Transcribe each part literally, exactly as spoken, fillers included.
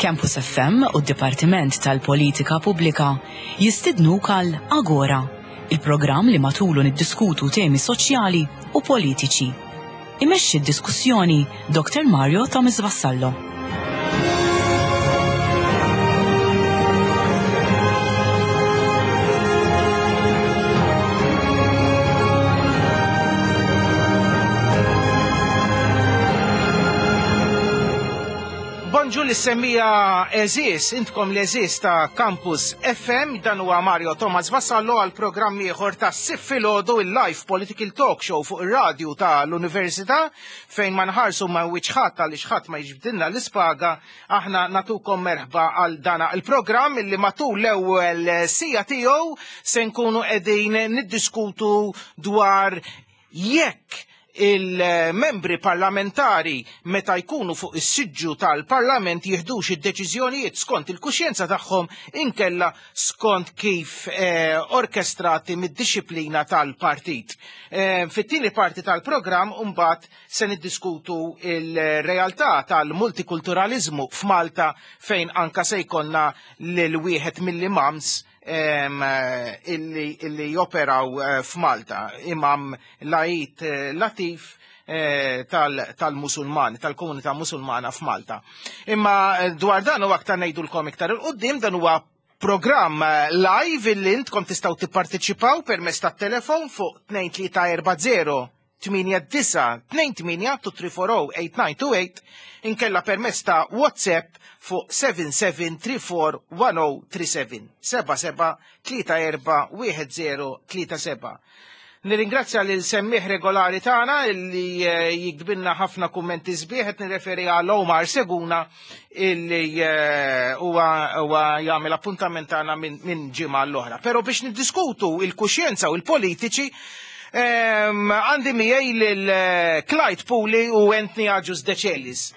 Campus F M u d-Dipartiment tal-Politika Pubblika jistidnuk għal Agora, il-programm li matulu niddiskutu temi soċjali u politiċi. Imexxi d-diskussjoni Doktor Mario Thomas Vassallo. Bonġu li semmija eżis, intkom l-eżis ta' Campus F M, dan huwa Mario Thomas Vassallo għal programm ieħor ta' Sitt Filgħodu, il-live political talk show fuq ir-radju ta' l-Università, fejn ma nħarsu ma' wiċċ ħadd għaliex ħadd ma jiġbdilna l-ispaga, aħna natukom merħba għal dana il-programm illi matul l-ewwel sija tiegħu se nkunu qegħdin niddiskutu dwar jekk il-membri parlamentari meta jkunu fuq is-siġġu tal-parlament jiħdux id-deċiżjonijiet skont il-kuxjenza tagħhom inkella skont kif, eh, orkestrati mid-disciplina tal-partit. Eh, fit-tieni parti tal-programm mbagħad se niddiskutu il-realtà tal-multikulturalizmu f'Malta fejn anka se jkollna lil wieħed mill-imams em, illi, illi joperaw, eh, f'Malta, Imam Laith, eh, Latif, eh, tal-, tal-Musulman, tal-komunità musulmana f'Malta. Imma, eh, dwar dan u aktar ngħidulkom iktar il-qudiem, dan huwa programm, eh, live illi intkom tistgħu tipparteċipaw permezz tat-telefon fuq tnejn tlieta erba' zero tmienja disa' tnejn tmienja two three four oh eight nine two eight, inkella permezz ta' WhatsApp fuq seven seven three four one oh three seven, seba' seba' tlieta erba' wieħed zero tlieta seba'. Nirringrazzja lil semmieħ regolari tagħna illi, eh, jikdbilna ħafna kummenti sbieħ, qed nirreferi għal Omar Seguna illi, eh, huwa, huwa jagħmel appuntament tagħna minn, minn ġimgħa l-oħra. Però biex niddiskutu il-kuxjenza u l-politiċi, ehm, għandi miegħi lil, eh, Clyde Puli u Anthony Agius Decelis.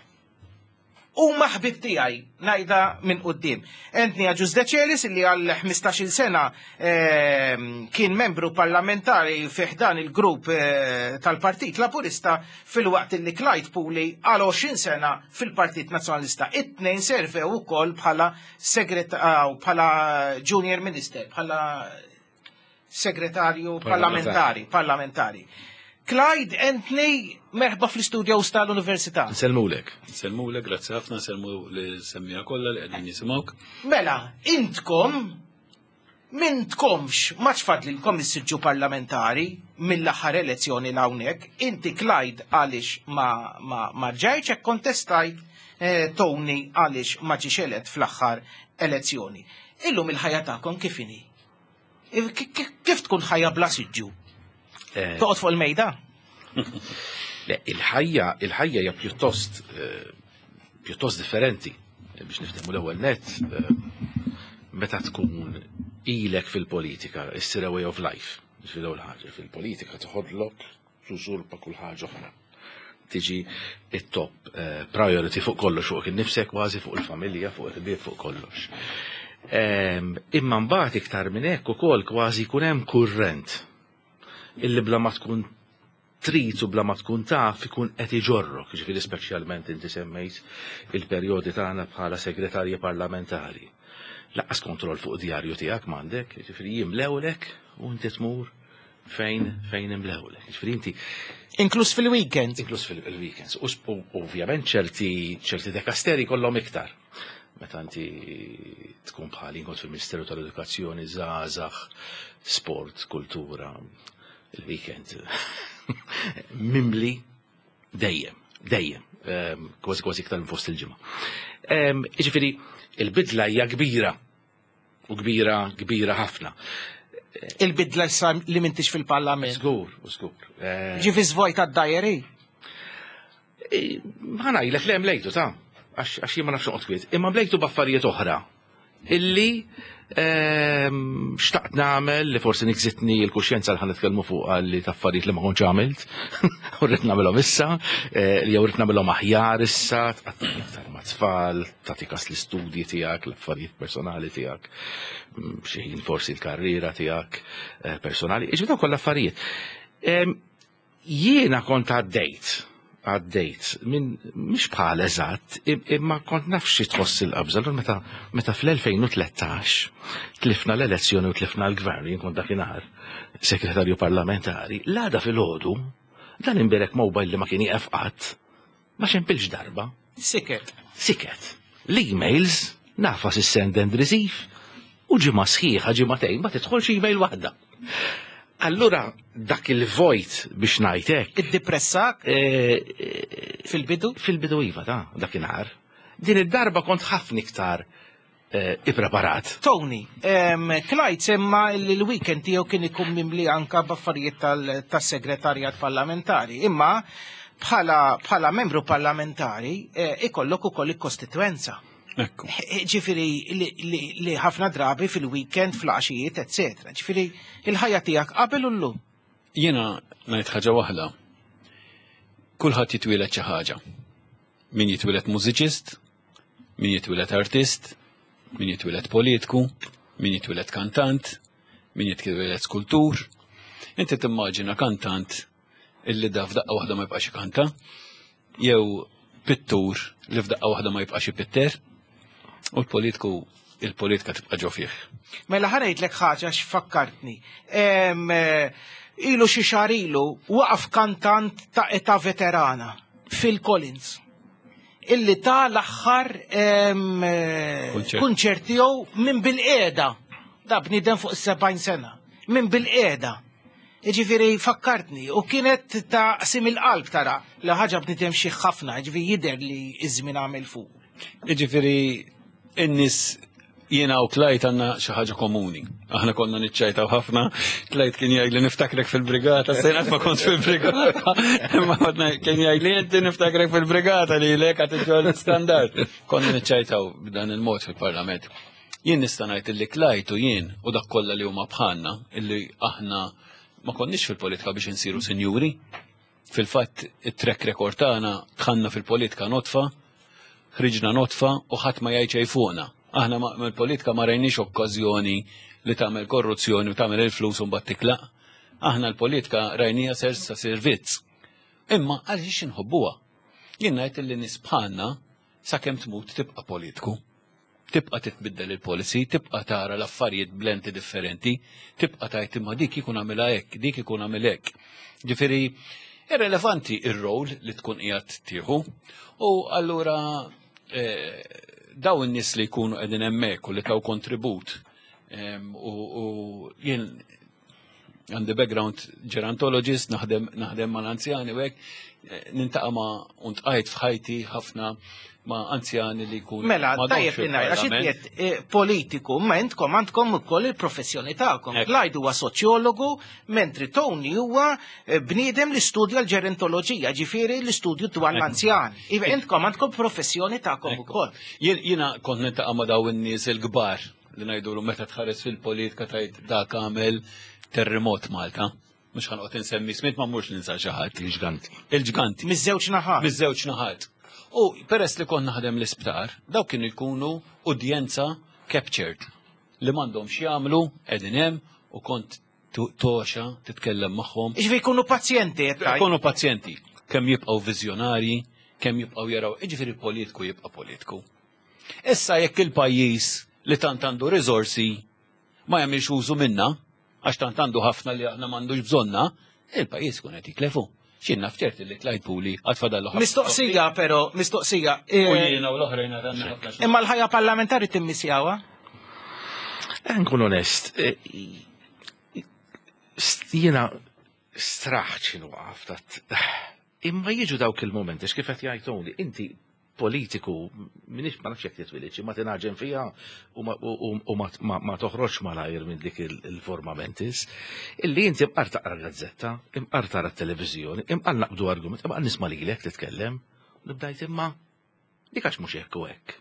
U maħbib tiegħi ngħidha minn quddiem. Anthony Agius Decelis illi għal ħmistax-il sena, ehm, kien membru parlamentari fi ħdan il-grupp, eh, tal-Partit Laburista, filwaqt illi Clyde Puli għal għoxrin sena fil-Partit Nazzjonalista. It-tnejn servew ukoll bħala segret-, ah, bħala junior minister, bħala segretarju Parlamentari. parlamentari, parlamentari. Clyde, Anthony, merħba fl-istudio tal-Università. Nsellmulek. Nsellmulek, grazzi ħafna, nsellmu li semmija kollha li qegħdin jisimgħuk. Mela, intkom mintkomx ma tfadlilkom is-siġġu parlamentari mill-aħħar elezzjoni l hawnhekk. Inti Clyde għaliex ma, ma, ma ġejtx hekk kontestajt, eh, Tony għaliex ma ġiex elett fl-aħħar elezzjoni. Illum il-ħajja tagħkom kif inhi? Ki-, ki-, kif tkun ħajja bla siġġu? Eh. Toqgħod fuq il-mejda? Le, il-ħajja, il-ħajja hija pjuttost, eh, pjuttost differenti. Biex niftehmu l-ewwel net, eh, meta tkun ilek fil-politika, issir a way of life. Ġifieri l-ewwel ħaġa fil-politika toħodlok tużurpa kull ħaġa oħra. Tiġi it-top, eh, priority fuq kollox, fuq innifsek kważi, fuq il-familja, fuq il-ħbieb, fuq kollox. Ehm, imma mbagħad iktar minn hekk ukoll kważi jkun hemm kurrent illi bla ma tkun trid u bla ma tkun taf ikun qed iġorrok, ġifieri speċjalment inti semmejt il-perjodi tagħna bħala segretarji parlamentari. Lanqas kontroll fuq djarju tiegħek m'għandek, ġifieri jimlewlek u inti tmur fejn, fejn imlewlek. Ġifieri inti Inkluż fil-weekend. Inkluż fil-weekends. U sp-, u ovvjament ċerti, ċerti dekasteri kollhom iktar. Meta inti tkun bħal kont fil-Ministeru tal-Edukazzjoni, żgħażagħ, sport, kultura, il-weekend mimli dejjem, dejjem, ehm, kważi kważi iktar minn fost il-ġimgħa. Ehm, jiġifieri, il-bidla hija kbira, u kbira, kbira ħafna. Il-bidla issa li m'intix fil-parlament. Żgur, u żgur. Eh, Ġifi żvojt għad-diary? Eh, ma ngħidlek le mlejtu ta' għax, għax jien ma nafx noqgħod kwiet, imma mlejtu b'affarijiet oħra illi ehm, xtaqt nagħmel li forsi nikżitni l-kuxjenza li ħa nitkellmu fuq li ta' affarijiet li ma kontx għamilt u rrid nagħmilhom issa, eh, li jew rrid nagħmilhom aħjar issa, tqatta' iktar ma' tfal, tagħti kas l-istudji tiegħek, l-affarijiet personali tiegħek, mm, xi ħin forsi l-karriera tiegħek eh, personali, iġbi dawn kollha affarijiet. Em, Jiena kont għaddejt, għaddejt, minn mhix bħal eżatt, im- imma kont naf xi tħoss il-qabża. Allura meta meta fl-elfejn u tlettax tlifna l-elezzjoni u tlifna l-gvern, jien kont dakinhar segretarju parlamentari, l-għada filgħodu dan imbierek mobile li ma kien jieqaf qatt, ma ċempilx darba, Siket. Siket. L-emails nagħfas is-send and receive u ġimgħa sħiħa, ġimagħtejn ma tidħolx email waħda. Allura dak il-vojt biex ngħidlek Iddepressak eh, eh, fil-bidu? Fil-bidu iva ta' dakinhar. Din id-darba kont ħafna iktar eh, ippreparat. Tony, em, Clyde semma li l-weekend tiegħu kien ikun mimli anka b'affarijiet tal- tas-segretarjat parlamentari, imma bħala, bħala membru parlamentari eh, ikollok ukoll il-kostituenza. Ekku. Eh, Ġifieri li, li, li ħafna drabi fil-weekend, fl-għaxijiet, eccetera. Ġifieri il-ħajja tiegħek qabel u llum. Jiena ngħid ħaġa waħda. Kulħadd jitwieled xi ħaġa. Min jitwieled mużiċist, min jitwieled artist, min jitwieled politiku, min jitwieled kantant, min jitwieled skultur. Inti timmaġina kantant illi da f'daqqa waħda ma jibqax ikanta, jew pittur li f'daqqa waħda ma jibqax ipitter, u l-politiku il-politika tibqa' ġo fih. Mela ħa ngħidlek ħaġa x'fakkartni. Em, eh, Ilu xi xahar ilu waqaf kantant ta' età veterana, Phil Collins, illi ta l-aħħar em, eh, Kunċert. kunċert tiegħu minn bilqiegħda. Da bniedem fuq is-sebgħin sena. Minn bilqiegħda. Ġifieri fakkartni u kienet ta' qsim il-qalb tara li ħaġa bniedem xi ħafna, ġifieri jidher li iż-żmien għamel fuq. Iġifieri, in-nies, jiena u Clyde għandna xi ħaġa komuni. Aħna konna niċċajtaw ħafna. Clyde kien jgħid li niftakrek fil-brigata, sejnat ma kont fil-brigata. Imma għadna kien jgħid li inti niftakrek fil-brigata li lek għad l-standard. Konna niċċajtaw b'dan il-mod fil-parlament. Jien nista' ngħid illi Clyde u jien u dak kollha li huma bħalna illi aħna ma konniex fil-politika biex insiru sinjuri. Fil-fatt it-track record tagħna, dħalna fil-politika nodfa, ħriġna nodfa u ħadd ma jgħid xejn fuqna. Aħna ma- mill-politika ma rajniex okkażjoni li tagħmel korruzzjoni u tagħmel il-flus u mbagħad titlaq. Aħna l-politika rajnija sers ta' servizz. Imma għaliex inħobbuha? Jien ngħid li nies bħalna sakemm tmut tibqa' politiku. Tibqa' titbiddel il-policy, tibqa' tara l-affarijiet b'lenti differenti, tibqa' tgħid imma dik ikun għamilha hekk, dik ikun għamil hekk. Ġifieri, irrelevanti ir-rol li tkun qiegħed tieħu u allura eh, daw in-nies li jkunu qegħdin hemmhekk u li taw kontribut em, u u jien għandi background gerontologist, naħdem naħdem mal-anzjani u hekk, eh, niltaqa' ma' u ltqajt f'ħajti ħafna ma' anzjani li jkunu Mela, m'għadhomx tajjeb li ngħid, għax fil-parlament. inti qed, eh, politiku, ma intkom għandkom ukoll il-professjoni tagħkom. Ekku. Clyde huwa soċjologu, mentri Tony huwa eh, bniedem li studja l-ġerontoloġija, ġifieri l-istudju dwar l-anzjan. Iva intkom għandkom professjoni tagħkom Ekku. ukoll. Jien- Jiena kont niltaqa' ma' daw in-nies il-kbar li ngħidulu meta tħares fil-politika tgħid dak għamel terremot Malta. Mhux ħa noqgħod insemmi ismijiet ma mhux ninsa xi ħadd. Il-ġganti. Il-ġganti. Miż-żewġ naħat. Miż-żewġ naħat. U peress li kont naħdem l-isptar, daw kienu jkunu udjenza captured li m'għandhom jagħmlu qegħdin hemm u kont tu- toxa titkellem magħhom. Ġifieri jkunu pazjenti qed tgħid. Jkunu pazjenti, kemm jibqgħu viżjonarji, kemm jibqgħu jaraw, iġifieri politiku jibqa' politiku. Issa jekk il-pajjiż li tant għandu riżorsi ma jagħmilx użu minna, għax tant għandu ħafna li aħna m'għandux bżonna, il-pajjiż kun qed jitlefu. X'jien naf ċert li Clyde Puli għad fadallu ħafna. Mistoqsija però, mistoqsija. U eh, jiena u l-oħrajn għandna ħafna xogħol. Imma l-ħajja parlamentari timmissjawha? Eh, Nkun onest, eh, st- jiena straħt x'inhu tat. Imma jiġu dawk il-momenti, x'kif qed jgħid Tony, inti politiku, minix ma nafx jekk titwilidx, ma tingħaġen fiha u ma, u, u, u ma, ma, ma toħroġ malajr minn dik il- il-forma mentis, illi inti imqar taqra gazzetta, imqar tara t-televiżjoni, imqar naqbdu argument, imqar nisma' lilek titkellem, u nibdajt imma dik għax mhux hekk u hekk.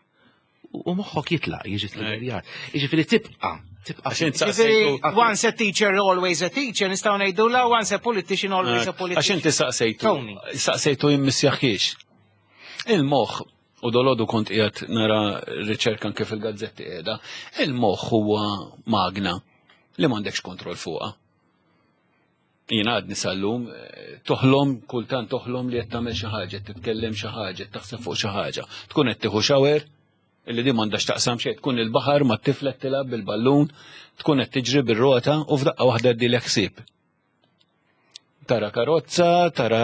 U moħħok jitlaq, jiġi triggerjat. Jiġifieri tibqa', tibqa'. Għax int Ġifieri, saqsejtu. Once a teacher, always a teacher, nistgħu ngħidu la once a politician, always a Għax politician. inti saqsejtu. Tony. Saqsejtu jimmissjaħiex. Il-moħħ, u dalgħodu kont qiegħed nara riċerka anke fil-gazzetti qiegħda, il-moħħ huwa magna li m'għandekx kontroll fuqha. Jiena għadni sal-lum, eh, toħlom, kultant toħlom li qed tagħmel xi ħaġa, qed titkellem xi ħaġa, qed taħseb fuq xi ħaġa. Tkun qed tieħu shower, illi di m'għandax taqsam xejn, tkun il-baħar ma tiflet tilgħab bil-ballun, tkun qed tiġri bir-rota u f'daqqa waħda ddilek ħsieb. Tara karozza, tara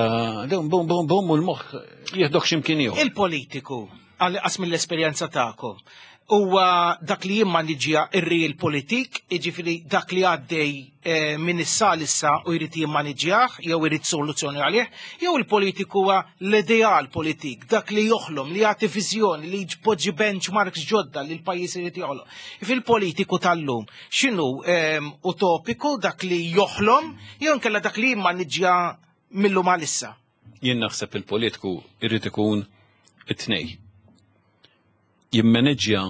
bum bum bum bum u l-moħħ jieħdok x'imkien ieħor. Il-politiku, għal qas mill-esperjenza tagħkom, huwa dak li jimmaniġja ir-real politik, jiġifieri dak li għaddej eh, minn issa issa u jrid jimmaniġjah jew irid soluzzjoni għalih, jew il-politiku huwa l-ideal politik, dak li joħlom, li jagħti viżjoni, li jpoġġi benchmarks ġodda li l-pajjiż irid joħlom. Fil-politiku tal-lum, x'inhu ehm, utopiku dak li joħlom jew inkella dak li jimmaniġja mill-lum għalissa? Jien naħseb il-politiku irrid ikun it-tnej. Jimmaneġġja,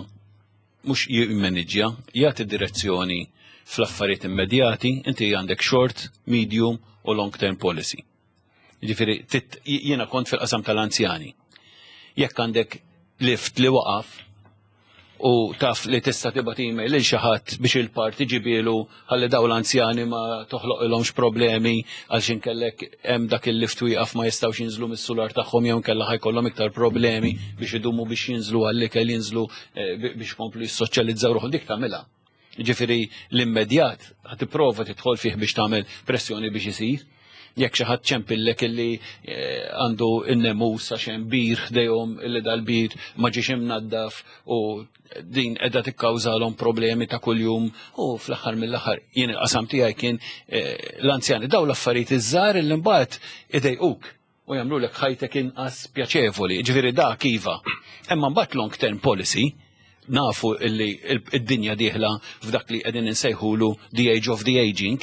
mhux jimmaneġġja, jagħti direzzjoni fl-affarijiet immedjati, inti għandek short, medium u long term policy. Ġifieri, tit- jiena kont fil-qasam tal-anzjani. Jekk għandek lift li waqaf u taf li tista' tibgħat email lil xi ħadd biex il-parti ġibilu ħalli daw l-anzjani ma toħloqilhomx problemi għal x'inkellek hemm dak il-lift wieqaf, ma jistgħux jinżlu mis-sular tagħhom jew inkella ħa jkollhom iktar problemi biex idumu biex jinżlu għall-ikel, jinżlu eh, biex komplu jissoċjalizzaw ruħhom, dik tagħmilha. Ġifieri l-immedjat ħa tipprova tidħol fih biex tagħmel pressjoni biex isir. Jekk xi ħadd ċempillek illi eh, għandu n-nemus għax hemm bir ħdejhom, illi dal-bir ma ġiex imnaddaf u din qiegħda tikkawżalhom problemi ta' kuljum, u fl-aħħar mill-aħħar jien il-qasam tiegħi kien eh, l-anzjani, daw l-affarijiet iż-żgħar illi mbagħad idejquk u jagħmlu lek ħajtek inqas pjaċevoli. Ġifieri dak iva. Imma mbagħad long term policy, nafu illi id-dinja dieħla f'dak li qegħdin insejħulu the age of the aging,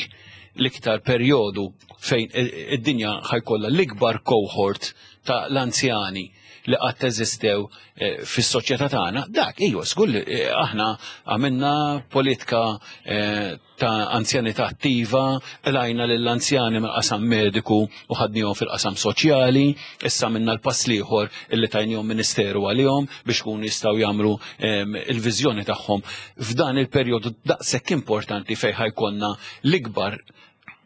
l-iktar perjodu fejn id-dinja ħa jkollha l-ikbar cohort ta' l-anzjani li qatt eżistew eh, fis-soċjetà tagħna, dak ejwa żgur li eh, aħna għamilna politika eh, ta' anzjanità attiva, qlajna lill-anzjani mill-qasam mediku u ħadnihom fil-qasam soċjali, issa minna l-pass l-ieħor illi tajnihom ministeru għalihom biex kunu jistgħu jagħmlu il-viżjoni tagħhom f'dan il-perjodu daqshekk importanti fejn ħa jkollna l-ikbar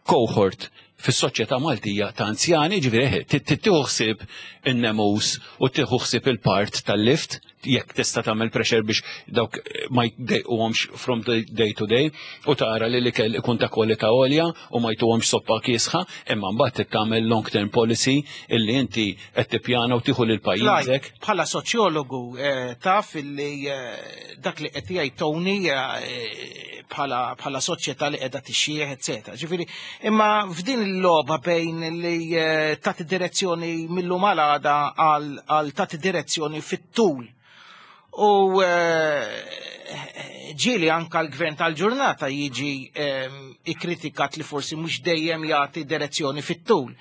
cohort fis-soċjetà Maltija ta' anzjani. Ġifieri tieħu ħsieb in-nemus u tieħu ħsieb il-part tal-lift jekk tista' tagħmel pressure biex dawk ma jdejquhomx from day to day u tara li l-ikel ikun ta' kwalità għolja u ma jtuhomx soppa kiesħa, imma mbagħad tagħmel long term policy illi inti qed tippjana u tieħu lil pajjiżek. Bħala soċjologu eh, taf illi eh, dak li qed jgħid Tony eh, bħala bħala soċjetà li qiegħda tixjieħ, eċetera. Ġifieri, imma f'din il-logħba bejn li tagħti direzzjoni mill-lum għal għada għal tagħti direzzjoni fit-tul. U ġieli anka l-gvern tal-ġurnata jiġi ikkritikat li forsi mhux dejjem jagħti direzzjoni fit-tul.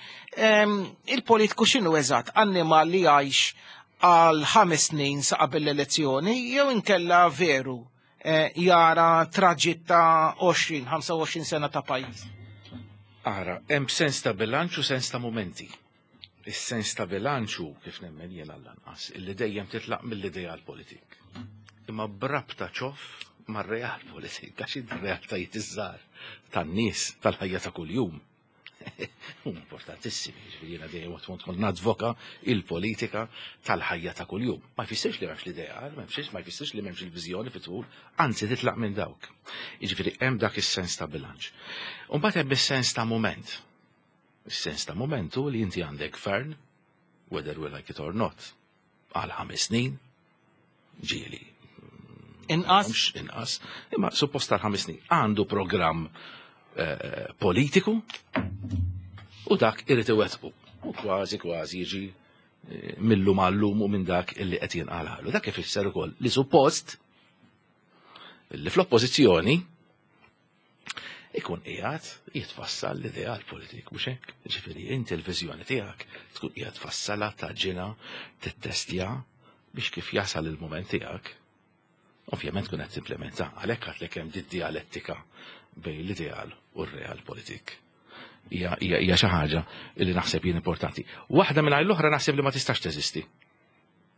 Il-politiku x'inhu eżatt? Annimal li jgħix għal ħames snin sa qabel l-elezzjoni jew inkella veru eh, jara traġitt ta' għoxrin, ħamsa u għoxrin sena ta' pajjiż? Ara, hemm sens ta' bilanċ u sens ta' momenti. Is-sens ta' bilanċu, kif nemmen jien għall-anqas, illi dejjem titlaq mill-ideal politik. Imma brabta ċoff mar-real politik, għax id-realtajiet iż-żgħar tan-nies tal-ħajja ta' kuljum huma importantissimi, ġifieri jiena dejjem waqt kont nadvoka il-politika tal-ħajja ta' kuljum. Ma jfissirx li m'hemmx l-ideal, ma jfissirx ma jfissirx li m'hemmx il-viżjoni fit-tul, anzi titlaq minn dawk. Jiġifieri hemm dak is-sens ta' bilanċ. U mbagħad hemm is-sens ta' moment. Is-sens ta' momentu li inti għandek gvern, whether we like it or not, għal ħames snin, ġieli. Inqas? Mhux inqas, imma suppost tal ħames snin. Għandu programm eh, politiku u dak irid iwettqu. U kważi kważi jiġi eh, mill-lum għal-lum u minn dak illi qed jinqalgħalu. Dak ifisser ukoll li suppost li fl-oppożizzjoni ikun qiegħed jitfassal l-ideal politik, mhux hekk? Ġifieri inti l-viżjoni tiegħek tkun qiegħed tfassalha, taġġina, tittestja biex kif jasal il-mument tiegħek Ovvjament kun qed timplementa, għalhekk għedtlek hemm di dialettika bejn l-ideal u r-realpolitik. Hija hija xi ħaġa li naħseb jien importanti. Waħda mingħajr l-oħra naħseb li ma tistax teżisti.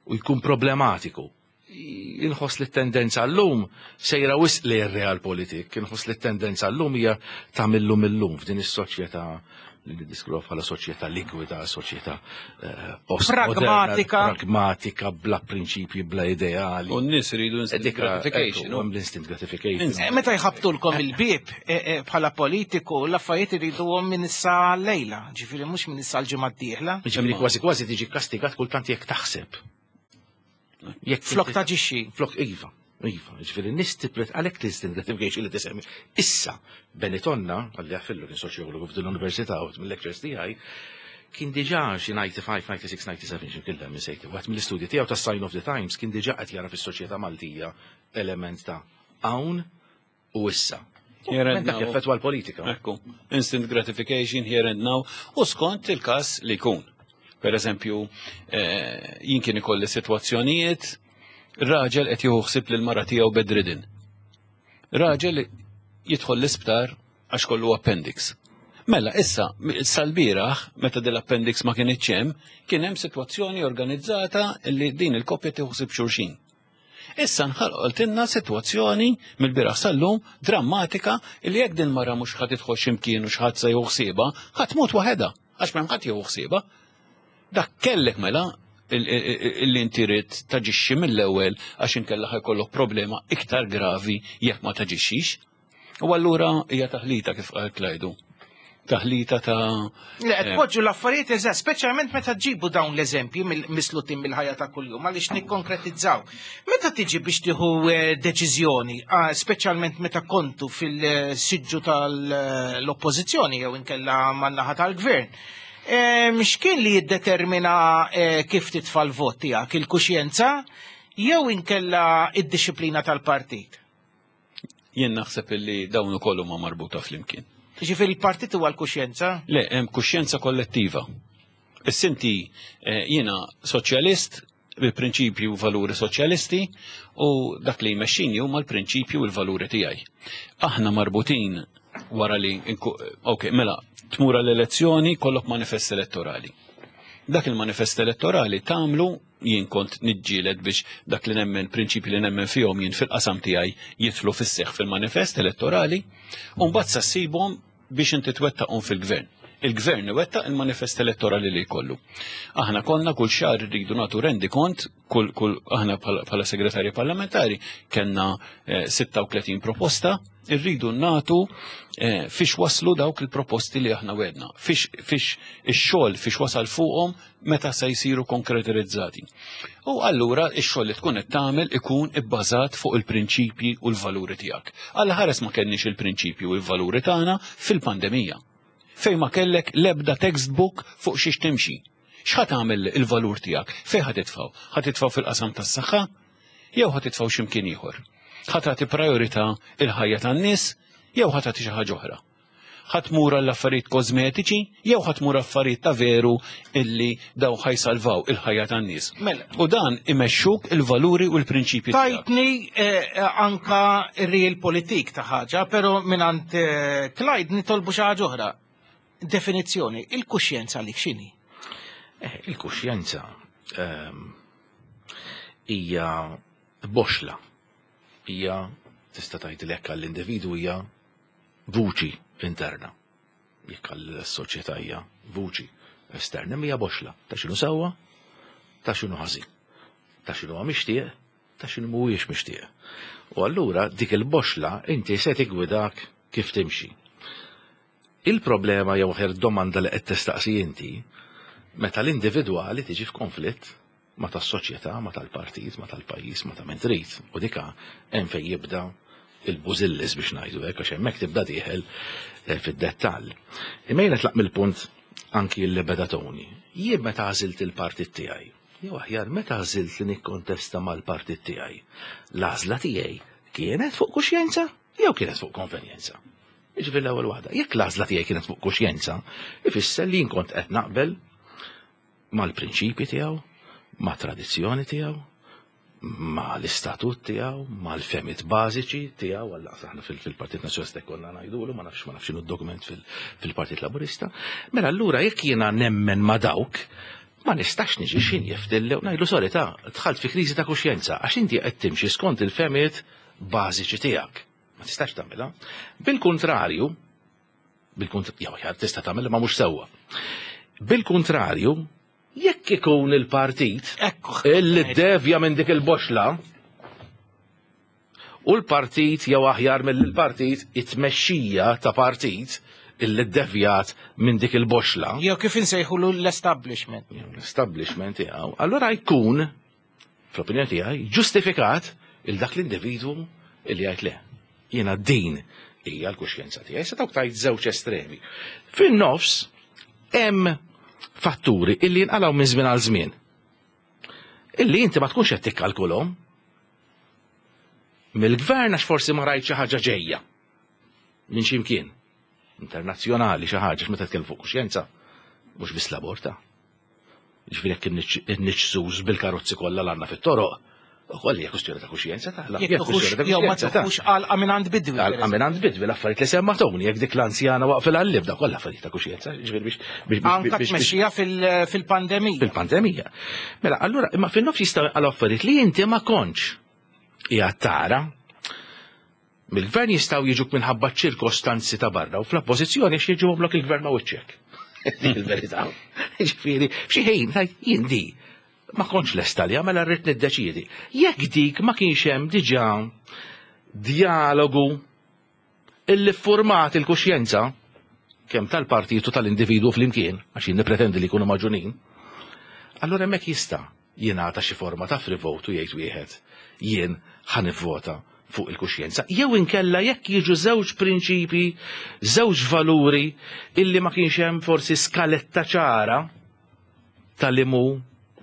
U jkun problematiku. Inħoss li t-tendenza l-lum sejra wisq li r-realpolitik, inħoss li t-tendenza l-lum hija ta' millum illum f'din is-soċjetà li niddeskrivu bħala soċjetà likwida, soċjetà eh, postmoderna, Pragmatika. pragmatika, bla prinċipji, bla ideali. U n-nies iridu instant Dik gratification. Hemm l-instant gratification. Eh, Meta jħabtulkom il-bib eh, eh, bħala politiku, l-affarijiet iriduhom minn issa lejla, ġifieri mhux minn issa l-ġimgħa d-dieħla. Ġifieri kważi kważi tiġi kastigat kultant jekk taħseb. Jekk Flok inti- taġixxi. Flok iva, iva, ġifieri n-nies tipret għalhekk l-instant gratification li tisemmi. Issa, Benny Tonna, għalli għafillu kien soċjologu f'din l-università u mill-lectures tiegħi, kien diġà xi disgħa u disgħin, disgħa u disgħin, disgħa u sebgħin xi kien minn sejti. Wieħed mill-istudji tiegħu ta' Sign of the Times kien diġà qed jara fis-soċjetà Maltija element ta' hawn u issa. Here and Men dak now. effettwa l-politika. Ekku, instant gratification here and now, u skont il-kas li jkun. Per eżempju, eh, jien kien ikolli situazzjonijiet, raġel qed jieħu ħsieb lil mara tiegħu bedridden. Raġel jidħol l-isptar għax kollu appendix. Mela, issa, sal-bieraħ, meta dil-appendix ma kienx hemm, kien hemm sitwazzjoni organizzata li din il-koppja tieħu ħsieb xulxin. Issa nħalqoltilna sitwazzjoni mill-bieraħ sal-lum drammatika li jekk din mara mhux ħadd tidħol x'imkien u x'ħadd se jieħu ħsiebha, ħadd tmut waħedha għax m'hemm ħadd jieħu ħsiebha. Dak kellek mela illi inti rid taġixxi mill-ewwel għax inkella ħa jkollok problema iktar gravi jekk ma taġixxix. U allura hija taħlita kif qal Klajdu. Taħlita ta' Le, qed poġġu l-affarijiet eżatt, speċjalment meta ġibu dawn l-eżempji mislutin mill-ħajja ta' kuljum, għaliex nikkonkretizzaw. Meta tiġi biex tieħu eh, deċiżjoni, ah, speċjalment meta kontu fil-siġġu tal-oppożizzjoni jew inkella man-naħa tal-gvern, em, x'kien li jiddetermina eh, kif titfa' l-vot tiegħek, il-kuxjenza jew inkella id-disciplina tal-partit? Jien naħseb illi dawn ukoll huma marbuta flimkien. Ġifieri il-partit huwa l-kuxjenza? Le, hemm kuxjenza kollettiva. Is-sinti eh, jiena soċjalist bil-prinċipji u valuri soċjalisti u dak li jmexxini huma l-prinċipji u l-valuri tiegħi. Aħna marbutin wara li ok, mela, tmur l-elezzjoni kollok manifest elettorali. Dak il-manifest elettorali tagħmlu, jien kont niġġieled biex dak li nemmen, prinċipji li nemmen fihom jien fil-qasam tiegħi jidħlu fis-seħħ fil-manifest elettorali, u mbagħad sa ssibhom biex inti twettaqhom fil-gvern. Il-gvern iwettaq il-manifest elettorali li jkollu. Aħna konna kull xahar rridu nagħtu rendi kont, kull, kull aħna bħala segretarji parlamentari kellna eh, sitta u tletin proposta, irridu nagħtu eh, fiex waslu dawk il-proposti li aħna wedna, fiex, fiex ix-xogħol fiex wasal fuqhom, meta se jsiru konkretizzati. U allura ix-xogħol li tkun qed tagħmel ikun ibbażat fuq il-prinċipji u l-valuri tiegħek. Alla ħares ma kenniex il-prinċipji u l-valuri tagħna fil-pandemija, fejn ma kellek lebda textbook fuq xiex timxi. X'ħa tagħmel il-valur tiegħek? Fejn ħa titfgħu? Ħa titfgħu fil-qasam tas-saħħa jew ħa titfgħu x'imkien ieħor? Ħa tagħti priorità il-ħajja tan-nies jew ħa tagħti xi ħaġa oħra? Ħa tmur għall-affarijiet kosmetiċi jew ħa tmur affarijiet ta' veru illi daw ħa jsalvaw il-ħajja tan-nies? Mela. U dan imexxuk il-valuri u l-prinċipji tiegħek. Tajtni eh, anka realpolitik ta' ħaġa, pero mingħand eh, Clyde nitolbu xi ħaġa oħra. Definizzjoni, il-kuxjenza li x'inhi? Eh, il-kuxjenza ehm, hija boxla. Hija, tista' tgħid li hekk għall-individwu hija vuċi interna. Jekk għall-soċjetà hija vuċi esterna, hija boxla. Ta' x'inhu sewwa, ta' x'inhu ħażin. Ta' x'inhu huwa mixtieq, ta' x'inhu mhuwiex mixtieq. U allura dik il-boxla inti se tigwidak kif timxi. Il-problema jew aħjar domanda li qed tistaqsi inti, meta l-individwali tiġi f'konflitt ma tas-soċjetà, ma tal-partit, ma tal-pajjiż, ma ta' min trid. U dika hemm fejn jibda il-bużillis biex ngħidu hekk, għax hemmhekk tibda dieħel eh, fid-dettall. Imma jiena tlaq mill-punt anki li beda Tony. Jien meta għażilt il-partit tiegħi, jew aħjar meta għażilt li nikkontesta mal-partit tiegħi, l-għażla tiegħi kienet fuq kuxjenza jew kienet fuq konvenjenza? Jiġifieri l-ewwel waħda, jekk l-għażla tiegħi kienet fuq kuxjenza, ifisser li jien kont qed naqbel mal-prinċipji tiegħu, ma' tradizzjoni tiegħu, Ma l-istatut tiegħu, ma l-fehmiet bażiċi tiegħu, għalla aħna fil-Partit Nazzjonalista konna ngħidulu, ma nafx ma nafx x'inhu d-dokument fil-Partit Laburista. Mela allura jekk jiena nemmen ma dawk, ma nistax niġi xin jiftilli u ngħidlu sorry ta' dħalt fi kriżi ta' kuxjenza għax inti qed timxi skont il-fehmiet bażiċi tiegħek. Ma tistax tagħmilha. Bil-kontrarju, bil-kontrarju, tista' tagħmilha ma mhux sewwa. Bil-kontrarju, jekk ikun il-partit illi devja minn dik il-boxla u l-partit jew aħjar mill-partit it-tmexxija ta' partit illi devjat minn dik il-boxla. Jew kif insejħulu l-establishment. L-establishment tiegħu. Allura jkun, fl-opinjoni tiegħi, ġustifikat il dak l-individwu illi jgħid le. Jiena din hija l-kuxjenza tiegħi. Se dawk tajt żewġ estremi. Fin-nofs hemm fatturi illi jinqalgħu minn żmien għal żmien. Illi inti ma tkunx qed tikkalkulhom. Mill-gvern għax forsi ma rajt xi ħaġa ġejja. Minn xi mkien. Internazzjonali xi ħaġa meta tkellem fuq kuxjenza, mhux biss l-aborta. Ġifieri jekk inniġġsuż bil-karozzi kollha l għandna fit-toroq, ukoll hija kwestjoni ta' kuxjenza ta' Jekk jew ma tuħux għalqa minn għand bidwi. Għalqa minn għand bidwi l-affarijiet li semma Tony, jekk dik l-anzjana waqfilha l-libda, kollha affarijiet ta' kuxjenza, ġifieri biex biex Anka tmexxija fil-pandemija. Fil-pandemija. Mela, allura, imma fin-nofs jistgħu għal affarijiet li inti ma kontx hija tara. Mill-gvern jistgħu jiġuk minħabba ċirkostanzi ta' barra u fl-oppożizzjoni għax jiġu blok il-gvern ma' wiċċek. Dik il-verità. Ġifieri, f'xi ħin jien di ma kontx lesta li mela rrid niddeċiedi. Jekk dik ma kienx hemm diġà dialogu illi format il-kuxjenza kemm tal-partitu tal-individwu flimkien, għax jien nippretendi li jkunu maġunin, allura hemmhekk jista' jingħata xi forma ta' free vote u jgħid wieħed jien ħa nivvota fuq il-kuxjenza. Jew inkella jekk jiġu żewġ prinċipi, żewġ valuri illi ma kienx hemm forsi skaletta ċara tal-imu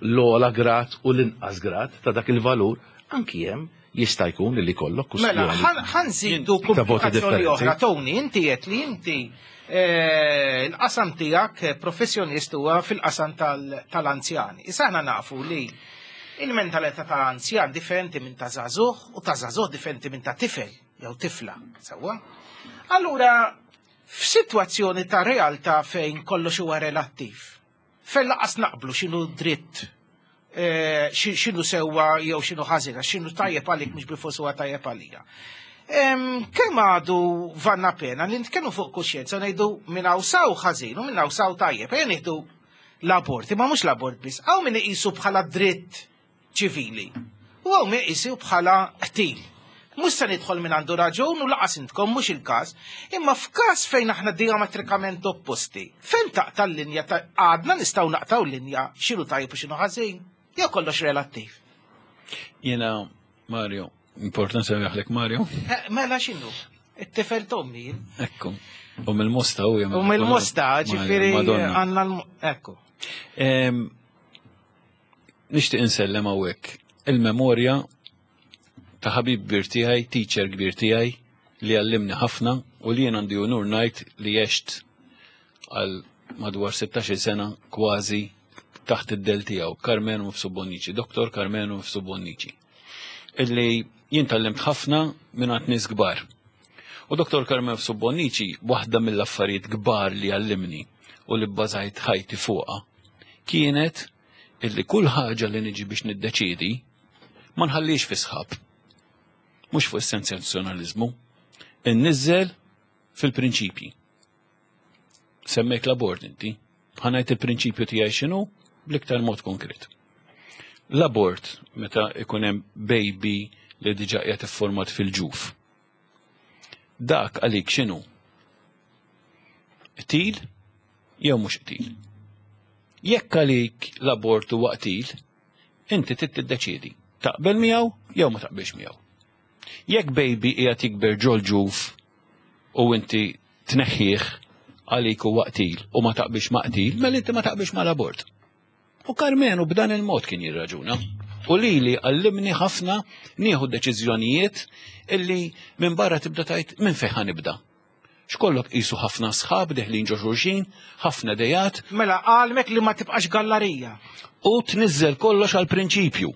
l-ogħla grad u l-inqas grad ta' dak il-valur, anki hemm jista' jkun li kollok Mela, kwestjoni ħa nżidu ta' voti komplikazzjoni differenti. oħra. Tony, inti qed li inti eh, l-qasam tiegħek eh, professjonist huwa fil-qasam tal- tal-anzjani. Issa aħna nafu li il-mentalità tal-anzjan differenti minn ta' żagħżugħ u ta' żagħżugħ differenti minn ta' tifel jew tifla. Sewwa? Allura, f'sitwazzjoni ta' realtà fejn kollox huwa relattiv, fejn lanqas naqblu x'inhu dritt eh, xi- x'inhu sewwa jew x'inhu ħażina, x'inhu tajjeb għalik mhux bilfors huwa tajjeb għalija. Em, Kemm għadu vale la pena li nitkellmu fuq kuxjenza ngħidu minn hawn saw ħażin u minn hawn saw tajjeb, ejja nieħdu l-abort, imma mhux l-abort biss, hawn min iqisu bħala dritt ċivili u hawn min iqisu bħala qtil. Mhux se nidħol minn għandu raġun u lanqas intkom mhux il-każ, imma f'każ fejn aħna diametrikament opposti, fejn taqta' l-linja ta' għadna nistgħu naqtaw linja x'inhu tajjeb u x'inhu ħażin, jew kollox relattiv. Jena, Mario, important semmejtlek Mario. Eh, Mela x'inhu? It-tifel t'ommi. Ekku. U mill-Mosta u U mill-Mosta, ġifieri Madonna. għandna l ekku. Em, Nixtieq insellem hawnhekk il-memorja ta' ħabib kbir tiegħi, teacher kbir tiegħi li għallimni ħafna u li jien għandi unur ngħid li għext għal madwar sittax-il sena kważi taħt id-dell tiegħu, Karmenu Mifsud Bonnici, Doktor Karmenu Mifsud Bonnici. Illi jien tgħallimt ħafna minn għand nies kbar. U Doktor Karmenu Mifsud Bonnici, waħda mill-affarijiet kbar li għallimni u li bbażajt ħajti fuqha, kienet illi kull ħaġa li niġi biex niddeċidi ma nħallix fi sħab. Mhux fuq is-sensazzjonaliżmu, inniżżel fil-prinċipji. Semmejt l-abort inti, ħa ngħid il-prinċipju tiegħi x'inhu bl-iktar mod konkret. L-abort meta ikun hemm baby li diġà qiegħed ifformat fil-ġuf. Dak għalik x'inhu? Qtil jew mhux qtil? Jekk għalik l-abort huwa qtil, inti trid tiddeċiedi taqbel miegħu jew ma taqbilx miegħu. Jekk baby qiegħed jikber ġol-ġuf u inti tneħħih għalik huwa qtil u ma taqbilx ma' qtil, mela inti ma taqbilx mal-abort. U Karmenu b'dan il-mod kien jirraġuna. U lili għallimni ħafna nieħu deċiżjonijiet illi minn barra tibda tgħid minn fejn ħa nibda. X'kollok qisu ħafna sħab deħlin ġo xulxin, ħafna dejat, Mela għalmek li ma tibqax gallarija. u tniżżel kollox għal prinċipju.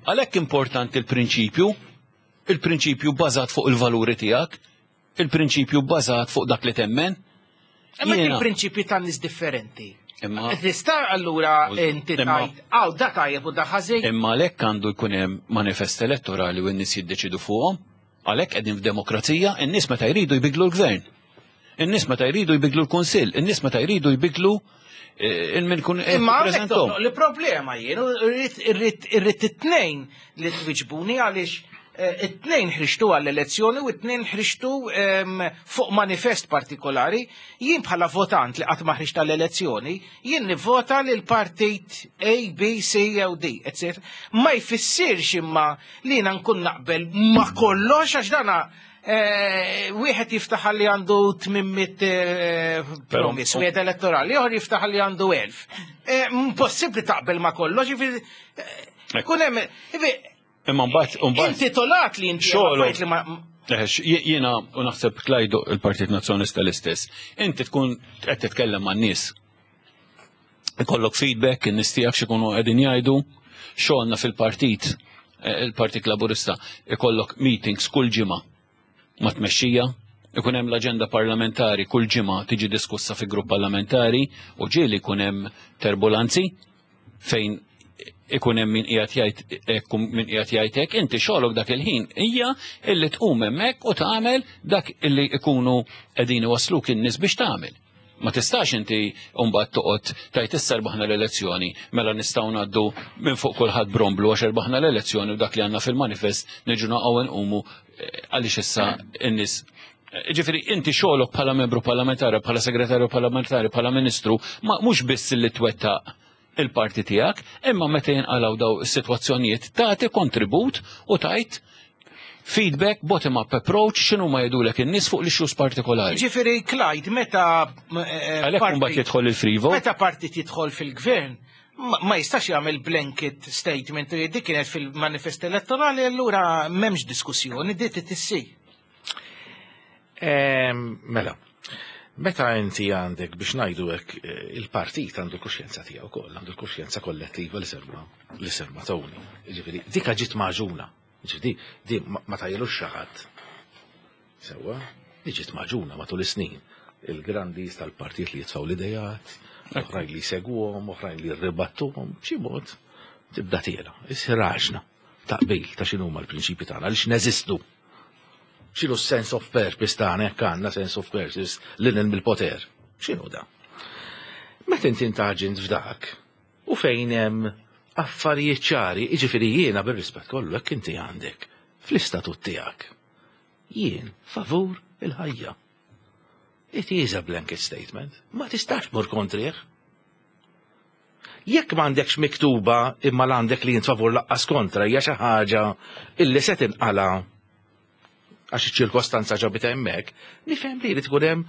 Għalhekk importanti il-prinċipju, il-prinċipju bbażat fuq il-valuri tiegħek, il-prinċipju bbażat fuq dak li temmen. Imma il-prinċipji tan nies differenti. Imma tista' allura inti tgħid għaw da tajjeb u da ħażin. Imma għalhekk għandu jkun hemm manifest elettorali u n-nies jiddeċidu fuqhom. Għalhekk qegħdin f'demokrazija, in-nies meta jridu jbidlu l-gvern. In-nies meta jridu jbidlu l-kunsill, in-nies meta jridu jbidlu il-min kun Imma li problema jien, irrid irrid it-tnejn li twiġbuni għaliex it-tnejn ħriġtu għall-elezzjoni u it-tnejn ħriġtu fuq manifest partikolari. Jien bħala votant li qatt ma ħriġt għall-elezzjoni, jien nivvota lil partit A, B, C jew D, et cetera. Ma jfissirx imma li jiena nkun naqbel ma kollox, għax dana wieħed jiftaħ li għandu tmien mitt promise, wieħed elettorali, ieħor jiftaħ li għandu elf. Impossibbli taqbel ma kollox, jiġifieri kun hemm Imma mbagħad mbagħad intitolat li inti xogħolok li ma jiena u naħseb Clyde il-Partit Nazzjonalista l-istess. Inti tkun qed titkellem man-nies. Ikollok feedback, in-nies tiegħek x'ikunu qegħdin jgħidu, xogħolna fil-partit, il-Partit Laburista, ikollok meetings kull ġimgħa ma' tmexxija, ikun hemm l-aġenda parlamentari kull ġimgħa tiġi diskussa fi grupp parlamentari u ġieli jkun hemm turbulanzi fejn ikun hemm min qiegħed jgħid hekk u min qiegħed jgħid hekk, inti xogħolok dak il-ħin hija illi tqum hemmhekk u tagħmel dak illi ikunu qegħdin iwasluk in-nies biex tagħmel. Ma tistax inti mbagħad toqgħod tajt issa rbaħna l-elezzjoni, mela nistgħu ngħaddu minn fuq kulħadd bromblu għax erbaħna l-elezzjoni u dak li għandna fil-manifest niġu naqgħu nqumu għaliex issa n-nies. Ġifieri, inti xogħolok bħala membru parlamentari, bħala segretarju parlamentari, bħala ministru, ma mhux biss li twettaq il-parti tiegħek, imma meta jinqalgħu daw is-sitwazzjonijiet tagħti kontribut u tajt feedback, bottom-up approach, x'inhu ma jgħidulek in-nies fuq l-issues partikolari. Ġifieri, Clyde, meta Għalhekk mbagħad jidħol il-free vote. Meta partit jidħol fil-gvern, ma jistax jagħmel blanket statement u dik kienet fil-manifest elettorali, allura m'hemmx diskussjoni, di tissir. Mela, meta inti għandek biex ngħidu hekk, il-partit għandu l-kuxjenza tiegħu wkoll, għandu l-kuxjenza kollettiva li serma li serma Tony. Ġifieri, dik ġiet magħġuna. Ġifieri, di ma tajjelux xi ħadd. Sewwa, di ġiet magħġuna matul is-snin. Il-grandis tal-partit li jitfgħu l-idejat, oħrajn li jsegwuhom, oħrajn li jirribattuhom, b'xi mod tibda tiela. Issir għaġna taqbil ta' x'inhuma l-prinċipji tagħna, għaliex neżistu. X'inhu sense of purpose tagħna, jekk għandna sense of purpose lil mill-poter? X'inhu da? Meta inti intaġint f'dak u fejn hemm affarijiet ċari, jiġifieri jiena bir-rispett kollu, jekk inti għandek fl-istatut tiegħek, jien favur il-ħajja. It is a blanket statement. Ma tistax mur kontrih. Jekk m'għandekx miktuba imma l-għandek li jint favur laqqas kontra, hija xi ħaġa illi se tinqala għax iċ-ċirkostanza ġabita hemmhekk, nifhem li jrid ikun hemm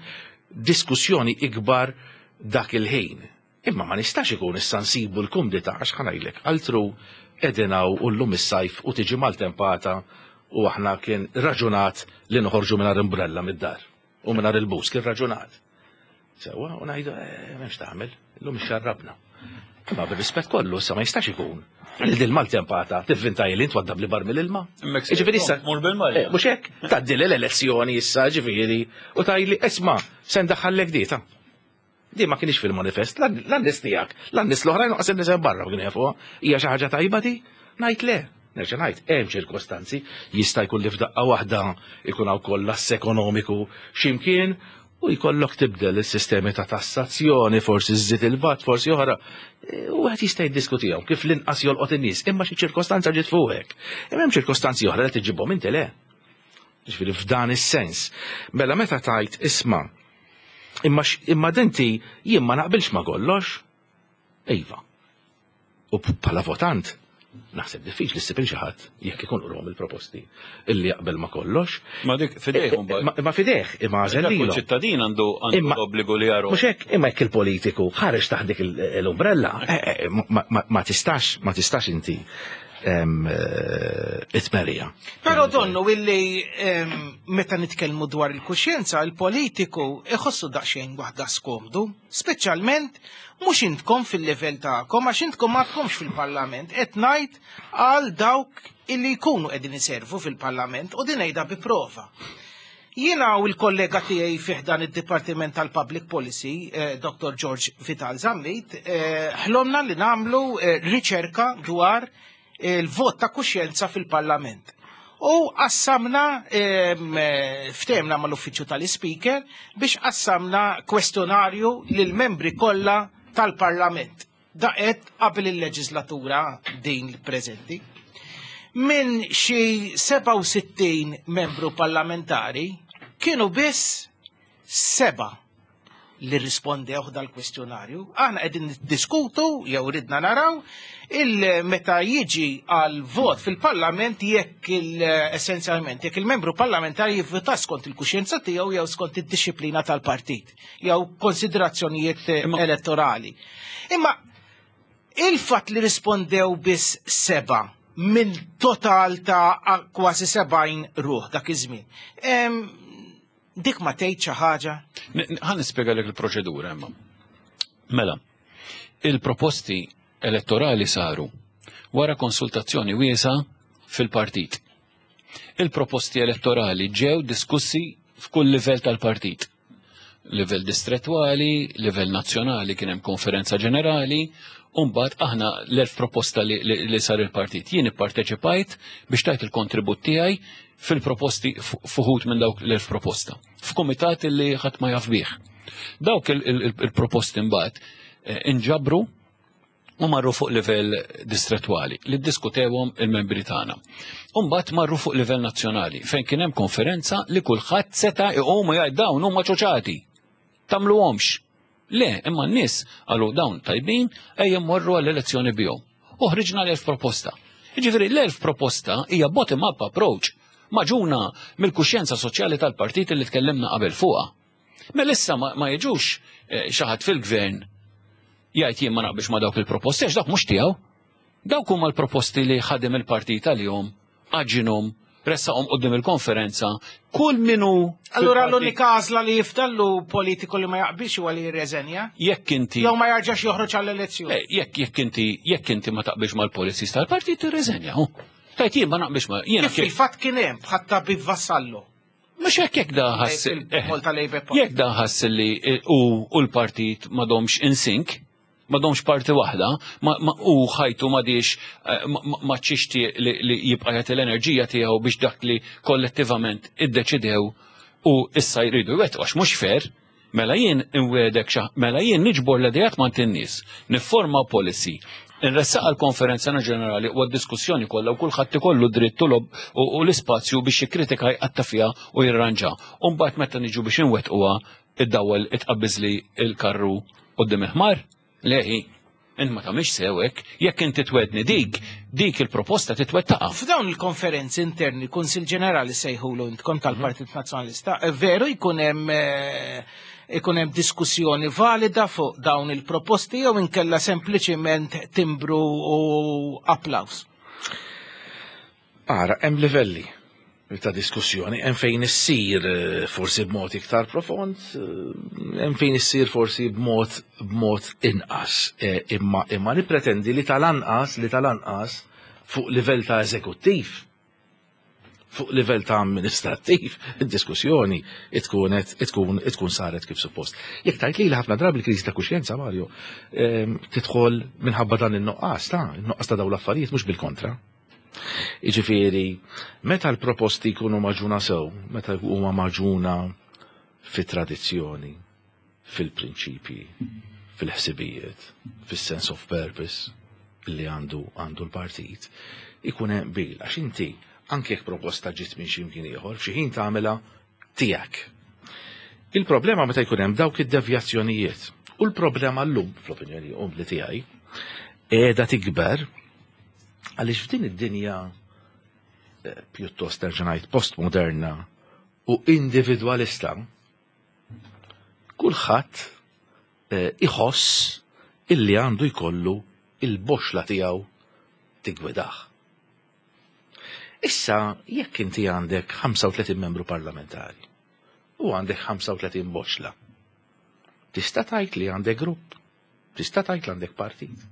diskussjoni ikbar dak il-ħin. Imma ma nistax ikun issa nsibu l-kumdità, għax ħa ngħidlek, altru qegħdin u llum is-sajf u tiġi maltempata u aħna kien raġunat li noħorġu mingħajr umbrella mid-dar u mingħajr il-bus, kien raġunat. Sewwa, u ngħidu, eh, m'hemmx tagħmel, illum xarrabna. Imma bir-rispett kollu, issa ma jistax ikun li dil maltempata tivvinta li int waddab li bar mill-ilma. Ġifieri issa. Mur bil-malja. Eh, mhux hekk, tgħaddi l-elezzjoni issa, ġifieri, u tgħidli, isma', se ndaħħallek dieta. Di ma kienx fil-manifest, l-nies tiegħek, l-nies l-oħrajn qas in-nies barra kienu jafuha. Hija xi ħaġa tajba di? Ngħid le. Nerġa' ngħid, hemm ċirkostanzi, jista' jkun li f'daqqa waħda ikun hawn kollass ekonomiku x'imkien u jkollok tibdel is-sistemi ta' tassazzjoni, forsi żżid il-VAT, forsi oħra. E, u għed jista' jiddiskutihom kif l-inqas jolqot in-nies, imma xi ċirkostanza ġiet fuqek. Imma hemm ċirkostanzi oħra li tiġibhom inti le. Ġifieri f'dan is-sens. Mela meta tajt isma' imma imma denti jien ma naqbilx ma kollox. Iva. U bħala votant naħseb diffiċli ssib xi ħadd jekk ikun qrahom il-proposti illi jaqbel ma kollox. Ma dik fidejh mbagħad. Ma fidejh, imma għażel Kull ċittadin għandu għandu l-obbligu li jaru. Mhux hekk, imma jekk il-politiku ħareġ taħt dik l-umbrella, eh, eh, ma tistax, ma tistax inti it-tmerija. Però donnu illi meta nitkellmu dwar il-kuxjenza, il-politiku iħossu daqsxejn waħda skomdu, speċjalment mhux intkom fil-livell tagħkom, għax intkom ma tkomx fil-Parlament, qed ngħid għal dawk illi jkunu qegħdin iservu fil-Parlament u din ngħidha bi prova. Jiena u l-kollega tiegħi fih dan id-Dipartiment tal-Public Policy, eh, Dottor George Vital Zammit, eh, ħlomna li nagħmlu eh, riċerka dwar il-vot ta' kuxjenza fil-Parlament. U qassamna, ftehemna mal-uffiċċju tal-Speaker biex qassamna kwestjonarju lill-membri kollha tal-Parlament. Daqet qabel il-leġislatura din il-preżenti. Minn xi sebgħa u sittin membru parlamentari kienu biss seba' li rispondew dal-kwestjonarju. Aħna qegħdin niddiskutu jew ridna naraw il-meta jiġi għal vot fil-Parlament jekk il-essenzjalment jekk il-membru parlamentari jivvota skont il-kuxjenza tiegħu jew skont id-disciplina tal-partit jew konsiderazzjonijiet elettorali. Imma il-fatt li rispondew biss seba' minn total ta' kważi sebgħin ruħ dak iż-żmien. Dik ma tgħid xi ħaġa? Ħa nispjegalek il-proċedura imma. Mela, il-proposti elettorali saru wara konsultazzjoni wiesa fil-partit. Il-proposti elettorali ġew diskussi f'kull livell tal-partit. Livell distrettuali, livell nazzjonali kien hemm konferenza ġenerali, u mbagħad aħna l-elf proposta li, li, li sar il-partit. Jien ipparteċipajt biex tajt il-kontribut tiegħi fil-proposti fuħut minn dawk l-elf proposta. F'kumitat li ħadd ma jaf bih. Dawk il-proposti mbagħad inġabru u marru fuq livell distrettuali li ddiskutewhom il-membri tagħna. U mbagħad marru fuq livell nazzjonali fejn kien hemm konferenza li kulħadd seta' iqum u jgħid dawn huma ċoċati. Tagħmluhomx. Le, imma n-nies qalu dawn tajbin ejja mmorru għall-elezzjoni bihom. U ħriġna l-elf proposta. Jiġifieri l-elf proposta hija bottom-up approach maġuna mill-kuxjenza soċjali tal-partit li tkellimna qabel fuqha. Mela issa ma jiġux xi ħadd fil-gvern jgħid jien ma naqbilx ma dawk il-proposti għax dawk mhux tiegħu. Dawk huma l-proposti li ħadem il-partit għalihom, għaġinhom, ressaqhom qudiem il-konferenza, kull minu. Allura l-unika għażla li jifdallu politiku li ma jaqbilx huwa li jirreżenja? Jekk inti. Jew ma jarġax joħroġ għall-elezzjoni. Jekk jekk inti jekk inti ma taqbilx mal-policies tal-partit tirreżenja. Tajt jien ma naqbilx ma jiena. Kif fil-fatt kien hemm bħat tabib Vassallo. Mhux hekk jekk da ħass jekk da ħass li u l-partit m'għadhomx in sync, m'għadhomx parti waħda, u ħajtu m'għadix ma ċixti li jibqa' jagħti l-enerġija tiegħu biex dak li kollettivament iddeċidew u issa jridu jwettqu għax mhux fair. Mela jien inwedek mela jien niġbor l-idejat ma' in-nies, nifforma policy, nressaq għall-konferenza ġenerali u għad-diskussjoni kollha u kulħadd ikollu dritt u l-ispazju biex jikkritika jqatta' fiha u jirranġa. U mbagħad meta niġu biex inwettquha id-dawel itqabbiżli il-karru quddiem il-ħmar. Leħi, int ma tagħmilx sewek, jekk inti twedni dik, dik il-proposta titwettaqa. F'dawn il-konferenzi interni, Kunsill Ġenerali sejħulu intkom tal-Partit Nazzjonalista, veru jkun hemm ikun hemm diskussjoni valida fuq dawn il-proposti jew inkella sempliċiment timbru u applaus? Ara, hemm livelli ta' diskussjoni, hemm fejn issir forsi b'mod iktar profond, hemm fejn issir forsi b'mod b'mod inqas. Imma imma nippretendi li tal-anqas li tal-anqas fuq livell ta' eżekuttiv, fuq livell ta' amministrattiv, id-diskussjoni tkun tkun tkun saret kif suppost. Jekk tajt li ħafna drabi l-kriżi ta' kuxjenza, Mario, tidħol minħabba dan in-nuqqas ta' in-nuqqas ta' dawn l-affarijiet mhux bil-kontra. Jiġifieri, meta l-proposti jkunu maġuna sew, meta huma maġuna fit-tradizzjoni, fil-prinċipji, fil-ħsibijiet, fis-sense of purpose li għandu għandu l-partit, ikun hemm bil għax inti anke jekk proposta ġiet minn xi mkien ieħor, f'xi ħin tagħmilha tiegħek. Il-problema meta jkun hemm dawk id-devjazzjonijiet u l-problema llum, fl-opinjoni umli tiegħi, qiegħda tikber għaliex f'din id-dinja pjuttost nerġa' ngħid postmoderna u individwalista, kulħadd iħoss illi għandu jkollu il-boxla tiegħu tigwidah. Issa, jekk inti għandek ħamsa u tletin membru parlamentari u għandek ħamsa u tletin boċla, tista' tgħid li għandek grupp, tista' tgħid li għandek partit.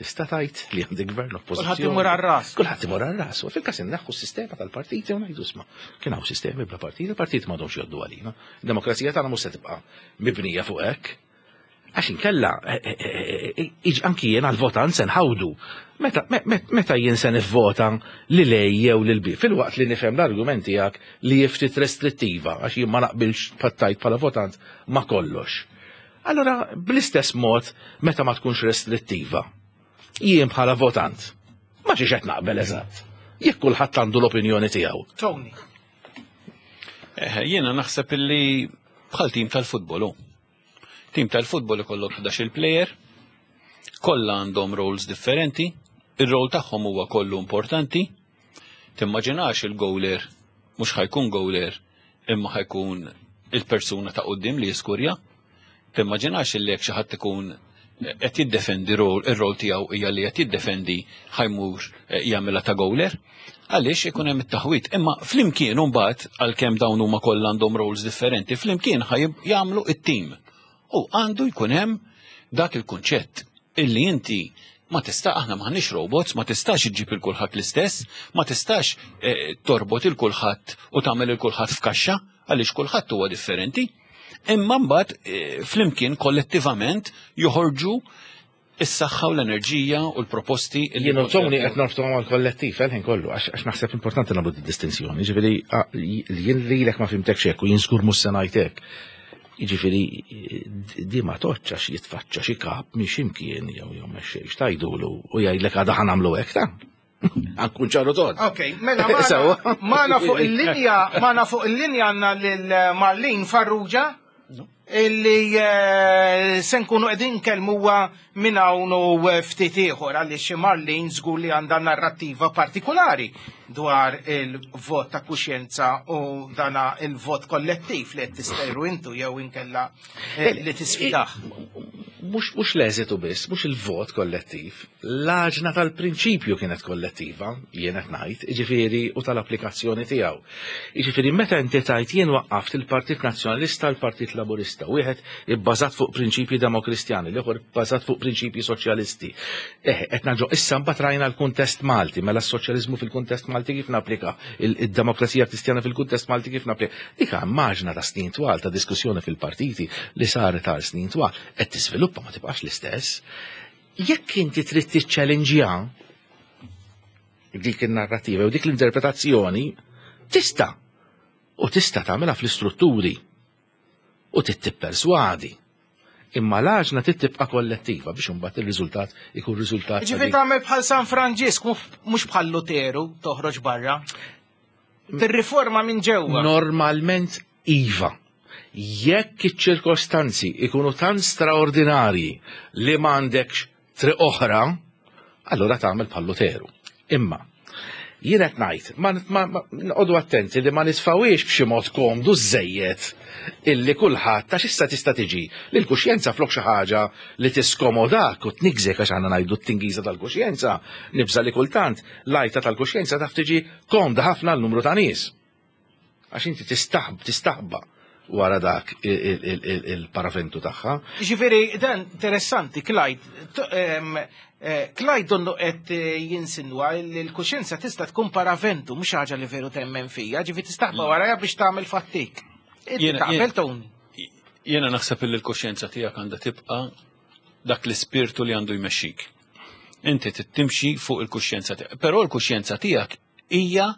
Tista' tgħid li għandek gvern, oppożizzjoni. Kulħadd imur għar-ras. Kulħadd imur għar-ras. U fil-każ inneħħu s-sistema tal-partiti u ngħidu, isma', kien hawn sistemi bla partiti, il-partiti m'għadhomx jgħoddu għalina. Id-demokrazija tagħna mhux se tibqa' mibnija fuq hekk. Għax inkella, eh, eh, eh, iġ anki jien għal-votant se nħawdu. Meta, me- me- meta jien se nivvota lil A jew lil B, filwaqt li nifhem l-argument tiegħek li ftit restrittiva, għax jien ma naqbilx pattajt bħala votant ma kollox. Allora, bl-istess mod, meta ma tkunx restrittiva, jien bħala votant, ma xiex qed naqbel eżatt. Jekk kulħadd għandu l-opinjoni tiegħu. Tony. Eh, Jiena naħseb illi bħal tim tal-futbol hu. Tim tal-futbol ikollok ħdax il player, kollha għandhom roles differenti, ir-role tagħhom huwa kollu importanti. Timmaġinax il-goaler mhux ħa jkun goaler, imma ħa jkun il-persuna ta' quddiem li jiskurja. Timmaġinax illi jekk xi ħadd ikun qed jiddefendi, rol ir-rol tiegħu hija li qed jiddefendi, ħa jmur eh, jagħmilha ta' goaler. Għaliex ikun hemm it-taħwit. Imma flimkien mbagħad, għalkemm dawn huma kollha għandhom roles differenti, flimkien ħa jagħmlu it-tim. U għandu jkun hemm dak il-kunċett illi inti ma tista', aħna m'aħniex robots, ma tistax iġġib il kulħadd l-istess, ma tistax eh, torbot il kulħadd u tagħmel il kulħadd f'kaxxa, għaliex kulħadd huwa differenti. Imma mbagħad eh, flimkien kollettivament joħorġu is-saħħa u l-enerġija u l-proposti illi Jien u Tony qed norbtu mal kollettiv għal kollu, għax għax naħseb importanti nagħmlu di distinzjoni. Ġifieri jien lilek ma fhimtekx hekk u jien żgur mhux se ngħid hekk. Jiġifieri di ma toċċa għax jitfaċċa xi kap minn x'imkien jew jew mexxej x'tajdulu u jgħidlek għada ħa nagħmlu hekk ta'. Ankun ċaru tod. Ok, mela magħna magħna fuq il-linja, magħna fuq il-linja għandna lil Marlene Farrugia illi eh, se nkunu qegħdin nkellmuha minn hawn u ftit ieħor, għaliex Marlene żgur li għandha narrattiva partikolari dwar il-vot ta' kuxjenza u dana il-vot kollettiv li qed tistejru intu jew inkella eh, li tisfidah. Mhux mhux l-eżitu biss, mhux il-vot kollettiv, l-għaġna tal-prinċipju kienet kollettiva, jien qed ngħid, jiġifieri u tal-applikazzjoni tiegħu. Jiġifieri meta inti tajt jien waqqaft il-Partit Nazzjonalista, l-Partit Laburista, wieħed ibbażat fuq prinċipji demokristjani, l-ieħor ibbażat fuq prinċipji soċjalisti. Eh, qed naġo issa mbagħad rajna l-kuntest Malti, mela s-soċjaliżmu fil-kuntest Malti kif napplika, il-demokrazija kristjana fil-kuntest Malti kif napplika. Dik maġna ta' snin twal ta' diskussjoni fil-partiti li saret għal snin twal, qed tiżviluppa, ma tibqax l-istess. Jekk inti trid tiċċellinġja dik in-narrativa u dik l-interpretazzjoni, tista' u tista' tagħmilha fl-istrutturi u titipperswadi. Imma l-għaġna tibqa' kollettiva biex imbagħad ir-riżultat ikun riżultat. Ġifieri tagħmel bħal San Franġisk, mhux bħal Luteru toħroġ barra. Tirriforma minn ġewwa. Normalment iva. Jekk iċ-ċirkostanzi ikunu tant straordinarji li m'għandekx triq oħra, allura tagħmel bħal Luteru. Imma jien qed ngħid, ma noqogħdu attenti li ma nisfawiex b'xi mod komdu żejjed illi kulħadd, ta' issa tista' tiġi li l-kuxjenza flok xi ħaġa li tiskomodak u tnigżek, għax għandna ngħidu t-tingiża tal-kuxjenza, nibża li kultant l-għajta tal-kuxjenza taf tiġi komda ħafna l-numru ta' nies. Għax inti tistaħb tistaħba wara dak il-paraventu tagħha. Ġifieri dan interessanti, Clyde. Eh, Clyde donnu qed jinsinwa li l-kuxjenza tista' tkun paraventu, mhux ħaġa li veru temmen fija, ġifieri tistaħba warajha biex tagħmel fattik. Taqbel, Tony? Jiena naħseb li l-kuxjenza tiegħek għandha tibqa' dak l-ispirtu li għandu jmexxik. Inti timxi fuq il-kuxjenza tiegħek. Però l-kuxjenza tiegħek hija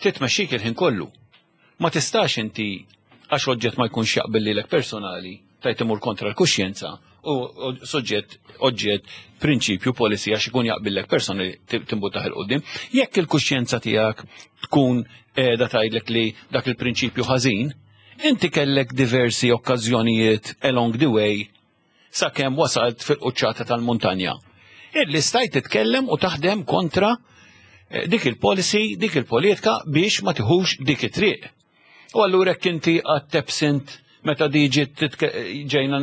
titmexxik il-ħin kollu. Ma tistax inti, għax oġġett ma jkunx jaqbel lilek personali, tajt imur kontra l-kuxjenza u soġġett, oġġett, prinċipju, policy, għax ikun jaqbillek personali timbuttaħ 'il quddiem. Jekk il-kuxjenza tiegħek tkun qiegħda tgħidlek li dak il-prinċipju ħażin, inti kellek diversi okkażjonijiet along the way sakemm wasalt fil-quċċata tal-muntanja, illi stajt titkellem u taħdem kontra eh, dik il-policy, dik il-politika biex ma tiħux dik it-triq. U allura jekk inti għad absent Meta di ġiet titke- ġejna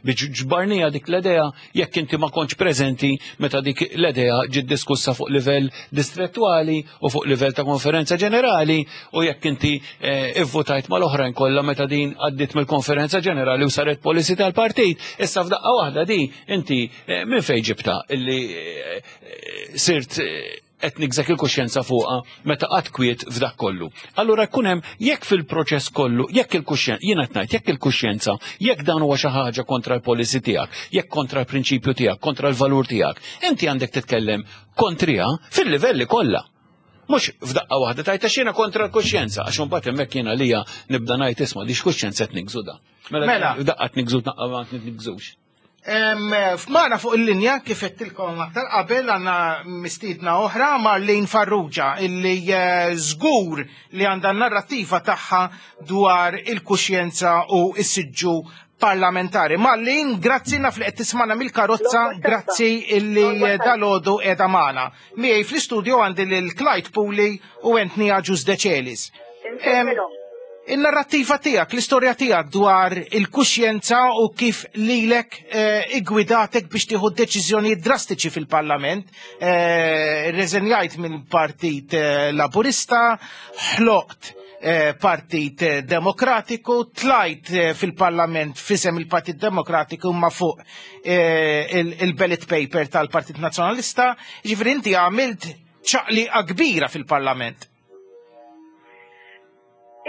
biex ġbarnija dik l-idea, jekk inti ma kontx preżenti meta dik l-idea ġiet diskussa fuq livell distrettuali u fuq livell ta' konferenza ġenerali, u jekk inti eh, ivvotajt mal-oħrajn kollha meta din għaddiet mill-konferenza ġenerali u saret policy tal-partit. Issa f'daqqa waħda di inti eh, minn fejn ġibta illi eh, eh, sirt eh, qed nigżek il-kuxjenza fuqha meta qatt kwiet f'dak kollu? Allura jkun hemm jekk fil-proċess kollu, jekk il-kuxjenza, jiena qed ngħid, jekk il-kuxjenza, jekk dan huwa xi ħaġa kontra l-policy tiegħek, jekk kontra l-prinċipju tiegħek, kontra l-valur tiegħek, inti għandek titkellem kontriha fil-livelli kollha. Mhux f'daqqa waħda tajta xina kontra l-kuxjenza, għax imbagħad hemmhekk jiena lija nibda ngħid, isma' di x'kuxjenza qed nigżu da? Mela. F'daqqa qed nigżu, daqqa ma nigżux. Em, F'mana fuq il-linja, kif għedtilkom aktar qabel, għandna mistiedna oħra, Marlene Farrugia, illi eh, żgur li għandha narrativa tagħha dwar il-kuxjenza u s-siġġu parlamentari. Marlene, grazzi, naf li qed tismana mill-karozza, grazzi illi eh, dalgħodu qiegħda magħna. Miegħi fl-istudio għandi lil Clyde Puli u Anthony Agius Decelis. Em, Il-narrativa tiegħek, l-istorja tiegħek dwar il-kuxjenza u kif lilek eh, igwidatek biex tieħu deċiżjonijiet drastiċi fil-Parlament. Eh, Reżenjajt minn Partit eh, Laburista, ħloqt eh, Partit eh, Demokratiku, tlajt eh, fil-Parlament f'isem il-Partit Demokratiku ma fuq eh, il- il-ballot paper tal-Partit Nazzjonalista, ġifieri inti għamilt ċaqliqa kbira fil-Parlament.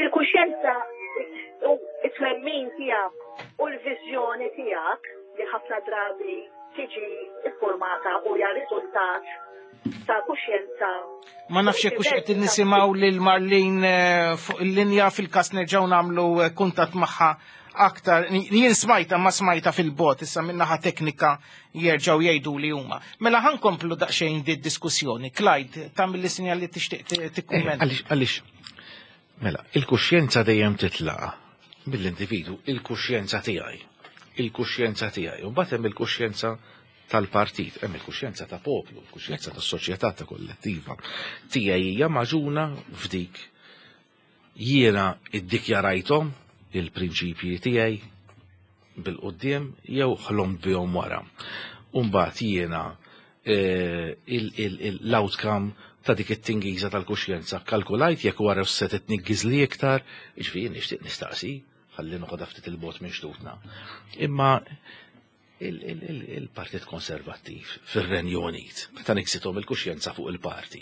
Il-kuxjenza u it-twemmin tiegħek u l-viżjoni tiegħek li ħafna drabi tiġi iffurmata u hija riżultat ta' kuxjenza. Ma nafx jekk hux qed nisimgħu lil Marlene eh, fuq il-linja. Fil-każ nerġgħu nagħmlu eh, kuntatt magħha aktar. Jien smajta ma smajta fil-bot, issa minnaħa teknika jerġgħu jgħidu li huma. Mela ħa nkomplu daqsxejn di diskussjoni. Clyde, tagħmel li sinjal li tixtieq Eh, tikkummenta. Għaliex, għaliex, mela, il-kuxjenza dejjem titlaqa mill-individu, il-kuxjenza tiegħi. Il-kuxjenza tiegħi. U mbagħad hemm il-kuxjenza tal-partit, hemm il-kuxjenza ta' poplu, il-kuxjenza tas-soċjetà ta' kollettiva. Tiegħi hija magħġuna f'dik jiena iddikjarajthom il-prinċipji tiegħi bil-quddiem jew ħlom bihom wara. Umbagħad jiena eh, il- il- il- l-outcome ta' dik it-tingiża tal-kuxjenza kalkulajt jekk wara se titniggiż li iktar, jiġifieri nixtieq nistaqsi, ħalli noqgħod ftit il-bot minn xtutna. Imma il- il- il- il-Partit Konservattiv fir-Renju Unit, meta niksithom il-kuxjenza fuq il-parti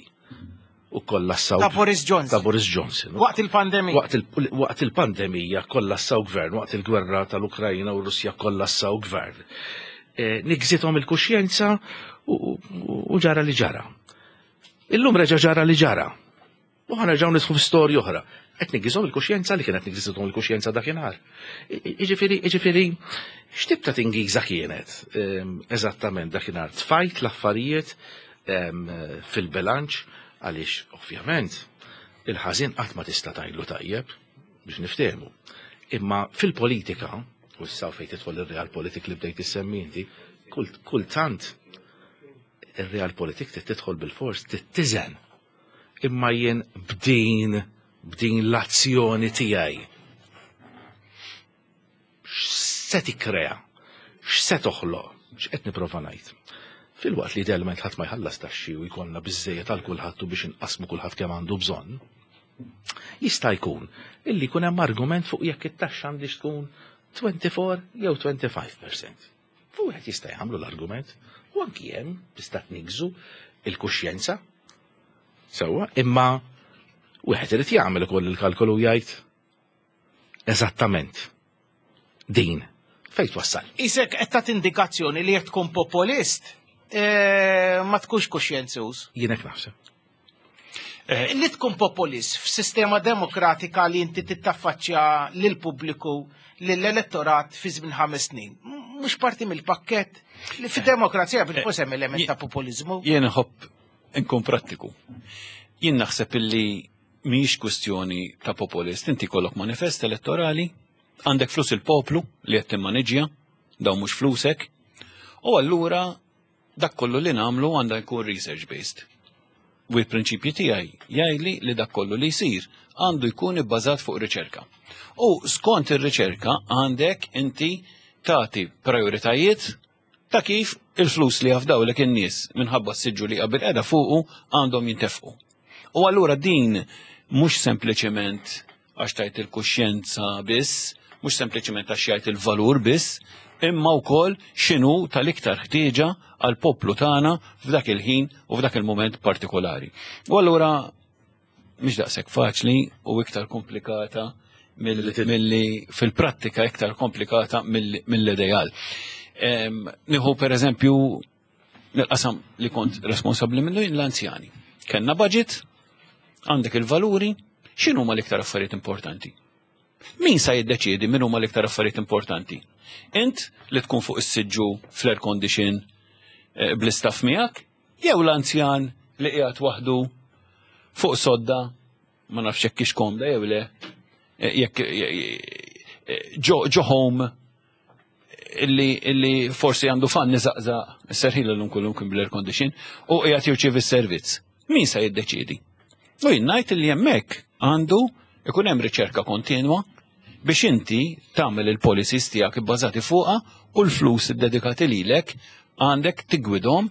u kollassaw Ta' Boris Johnson. Ta' Boris Johnson. Waqt il-pandemija. Waqt il- waqt il-pandemija kollassaw gvern, waqt il-gwerra tal-Ukrajna u Russja kollassaw gvern. Eh, Nigżithom il-kuxjenza u u- u ġara li ġara. Illum reġa ġara li ġara. U ħa nerġgħu nidħlu f'storja oħra. Qed nigżihom il-kuxjenza li kienet nigżithom il-kuxjenza dakinhar. Jiġifieri, jiġifieri, x'tip ta' tingiża kienet ehm, eżattament dakinhar? Tfajt l-affarijiet ehm, fil-bilanċ għaliex ovvjament il-ħażin qatt ma tista' tgħidlu tajjeb biex niftehmu. Imma fil-politika, u issa fejn tidħol ir-realpolitik li bdejt issemmi inti, kull- kultant ir-realpolitik trid tidħol bil-fors, tittiżen. Imma jien b'din b'din l-azzjoni tiegħi x'se tikkrea, x'se toħloq, x'qed nipprova ngħid? Filwaqt li idealment ħadd ma jħallas taxxi u jkollna biżejjed għal kulħadd u biex inqasmu kulħadd kemm għandu bżonn, jista' jkun illi jkun hemm argument fuq jekk it-taxxa għandix tkun twenty-four jew twenty-five percent. Fu wieħed jista' jagħmlu l-argument u anki hemm tista' tniggżu il-kuxjenza. Sewwa, imma wieħed irid jagħmel ukoll il-kalkolu u jgħid eżattament din fejn twassal. Isek qed tagħti indikazzjoni li jekk tkun populist eh, ma tkunx kuxjenzuż. Jien hekk naħseb. Li tkun populist f'sistema demokratika li inti tittaffaċċja lil pubbliku, lill-elettorat fi żmien ħames snin. Mhux parti mill-pakkett li fid-demokrazija bil-fors hemm element ta' populizmu. Jien nħobb nkun prattiku. Jien naħseb illi mhijiex kwestjoni ta' populist. Inti kollok manifest elettorali, għandek flus il-poplu li qed timmaniġġja, dawn mhux flusek, u allura dak kollu li nagħmlu għandha jkun research based. u l-prinċipji tiegħi jgħidli li dak kollu li jsir għandu jkun ibbażat fuq riċerka. U skont ir-riċerka għandek inti tagħti prioritajiet ta' kif il-flus li jafdawlek in-nies minħabba s-siġġu li qabel qiegħda fuqu għandhom jintefqu. U allura din mhux sempliċement għax tajt il-kuxjenza biss, mhux sempliċement għax jgħid il-valur biss, imma wkoll x'inhu tal-iktar ħtieġa għal poplu tagħna f'dak il-ħin u f'dak il-mument partikolari. U allura mhix daqshekk faċli u iktar komplikata milli fil-prattika, iktar komplikata mill-ideal. Nieħu per eżempju nil-qasam li kont responsabbli minnu, l-anzjani. Kenna budget, għandek il-valuri, x'inhu ma l-iktar affarijiet importanti? Min sa jiddeċiedi min huma l-iktar affarijiet importanti? Int li tkun fuq is-siġġu fl-air condition eh, bl-istaff miegħek, jew l-anzjan li qiegħed waħdu fuq sodda, ma nafx jekk hix komda jew le, eh, jekk eh, ġo home illi, illi forsi għandu fan iżaqżaq, serħila l-lum kullum kien bl-air condition, u qiegħed jirċievi s-servizz. Min sa jiddeċiedi? U jien ngħid li hemmhekk għandu ikun hemm riċerka kontinwa biex inti tagħmel il-policies tiegħek ibbażati fuqha u l-flus iddedikati lilek għandek tigwidhom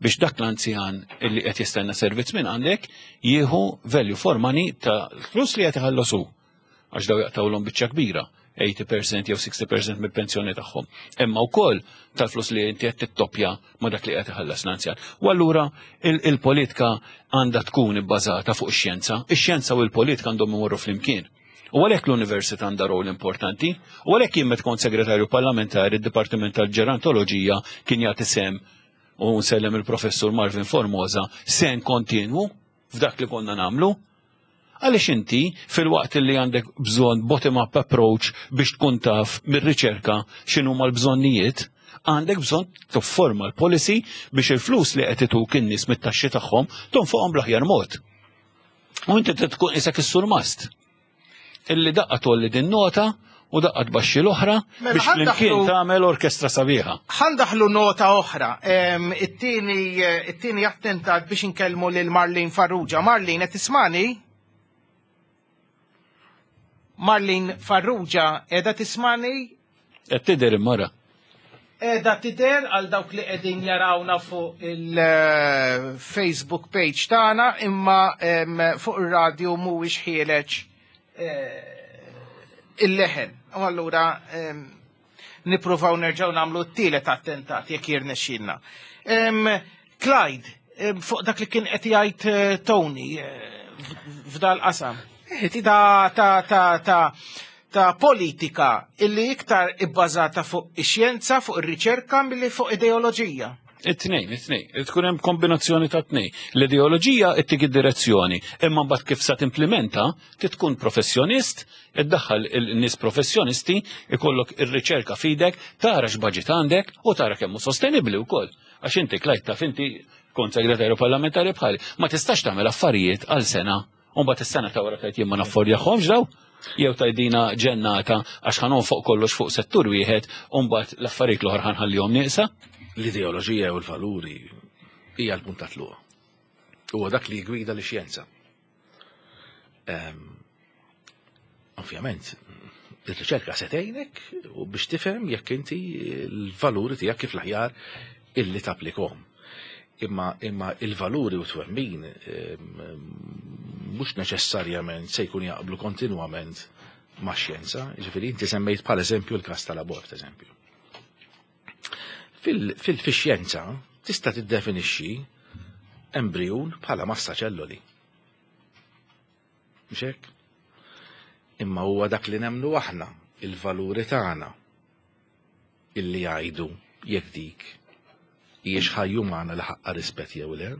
biex dak l-anzjan illi qed jistenna servizz minn għandek jieħu value for money ta' flus li qed iħallsu, għax daw jaqtawlhom biċċa kbira, tmenin fil-mija jew sittin fil-mija mill-pensjoni tagħhom. Imma wkoll tal-flus li inti qed tittoppja ma' dak li qed iħallas l-anzjan. U allura il-politika għandha tkun ibbażata fuq ix-xjenza. Ix-xjenza u l-politika għandhom imorru flimkien. U għalhekk l-università għandha rol importanti, u għalhekk jien meta kont segretarju parlamentari, id-Dipartiment tal-Ġerontoloġija kien jagħti sem, u nsellem il-professur Marvin Formosa, sen kontinwu f'dak li konna nagħmlu. Għaliex inti fil-waqt li għandek bżonn bottom-up approach biex tkun taf mir-riċerka x'inhu l-bżonnijiet, għandek bżonn tifforma l-policy biex il-flus li qed ituk in-nies mit-taxxi tagħhom tonfoqhom bl-aħjar mod. U inti tkun isek is-surmast illi daqqa tgħolli din nota u daqqa tbaxxi l-oħra Mela, biex flimkien ħa ndaħħlu- tagħmel orkestra sabiħa. Ħa ndaħħlu nota oħra. Em, It-tieni it-tieni attentat biex inkellmu lil Marlene Farrugia. Marlene, qed tismani? Marlene Farrugia, qiegħda tismani? Qed tidher imma. Qiegħda tidher għal dawk li qegħdin jarawna fuq il-Facebook page tagħna, imma em, fuq ir-radio mhuwiex ħiereġ eh, il-leħen. U allura em, nippruvaw nerġgħu nagħmlu t-tielet attentat jekk jirnexxilna. Em, Clyde, em, fuq dak li kien qed jgħid eh, Tony eh, f'dal qasam. Ta' ta' ta' ta' ta' politika illi iktar ibbażata fuq ix-xjenza, fuq ir-riċerka milli fuq ideoloġija. It-tnejn, it-tnejn. Tkun hemm kombinazzjoni ta' tnejn. L-ideoloġija ittik id-direzzjoni, imma mbagħad kif sa timplementa, tkun professjonist, iddaħħal il-nies professjonisti, ikollok ir-riċerka f'idek, tara x'baġit għandek u tara kemm hu sostenibbli wkoll. Għax inti, Clyde, taf, inti kont segretarju parlamentari bħali, ma tistax tagħmel affarijiet għal sena u mbagħad is-sena ta' wara tgħid jien ma naffordjahomx daw, jew tgħidina ġennata għax ħa nonfoq kollox fuq settur wieħed u mbagħad l-affarijiet l-oħra ħa nħallihom nieqsa. L-ideoloġija u l-valuri hija l-punt ta' tluq. Huwa dak li jgwida l-xjenza. Ehm, Ovvjament, ir-riċerka se tgħinek u biex tifhem jekk inti l-valuri tiegħek kif l-aħjar illi tapplikhom. Imma imma il-valuri u twemmin ehm, mhux neċessarjament se jkun jaqblu kontinwament ma' xjenza. Ġifieri inti semmejt bħal eżempju l-każ tal-abort, eżempju. Fil-xjenza tista' tiddefinixxi embrijun bħala massa ċelloli. Mhux hekk? Imma huwa dak li nemnu aħna, il-valuri tagħna illi jgħidu jekk dik hijiex ħajja umana li ħaqqa rispett jew le.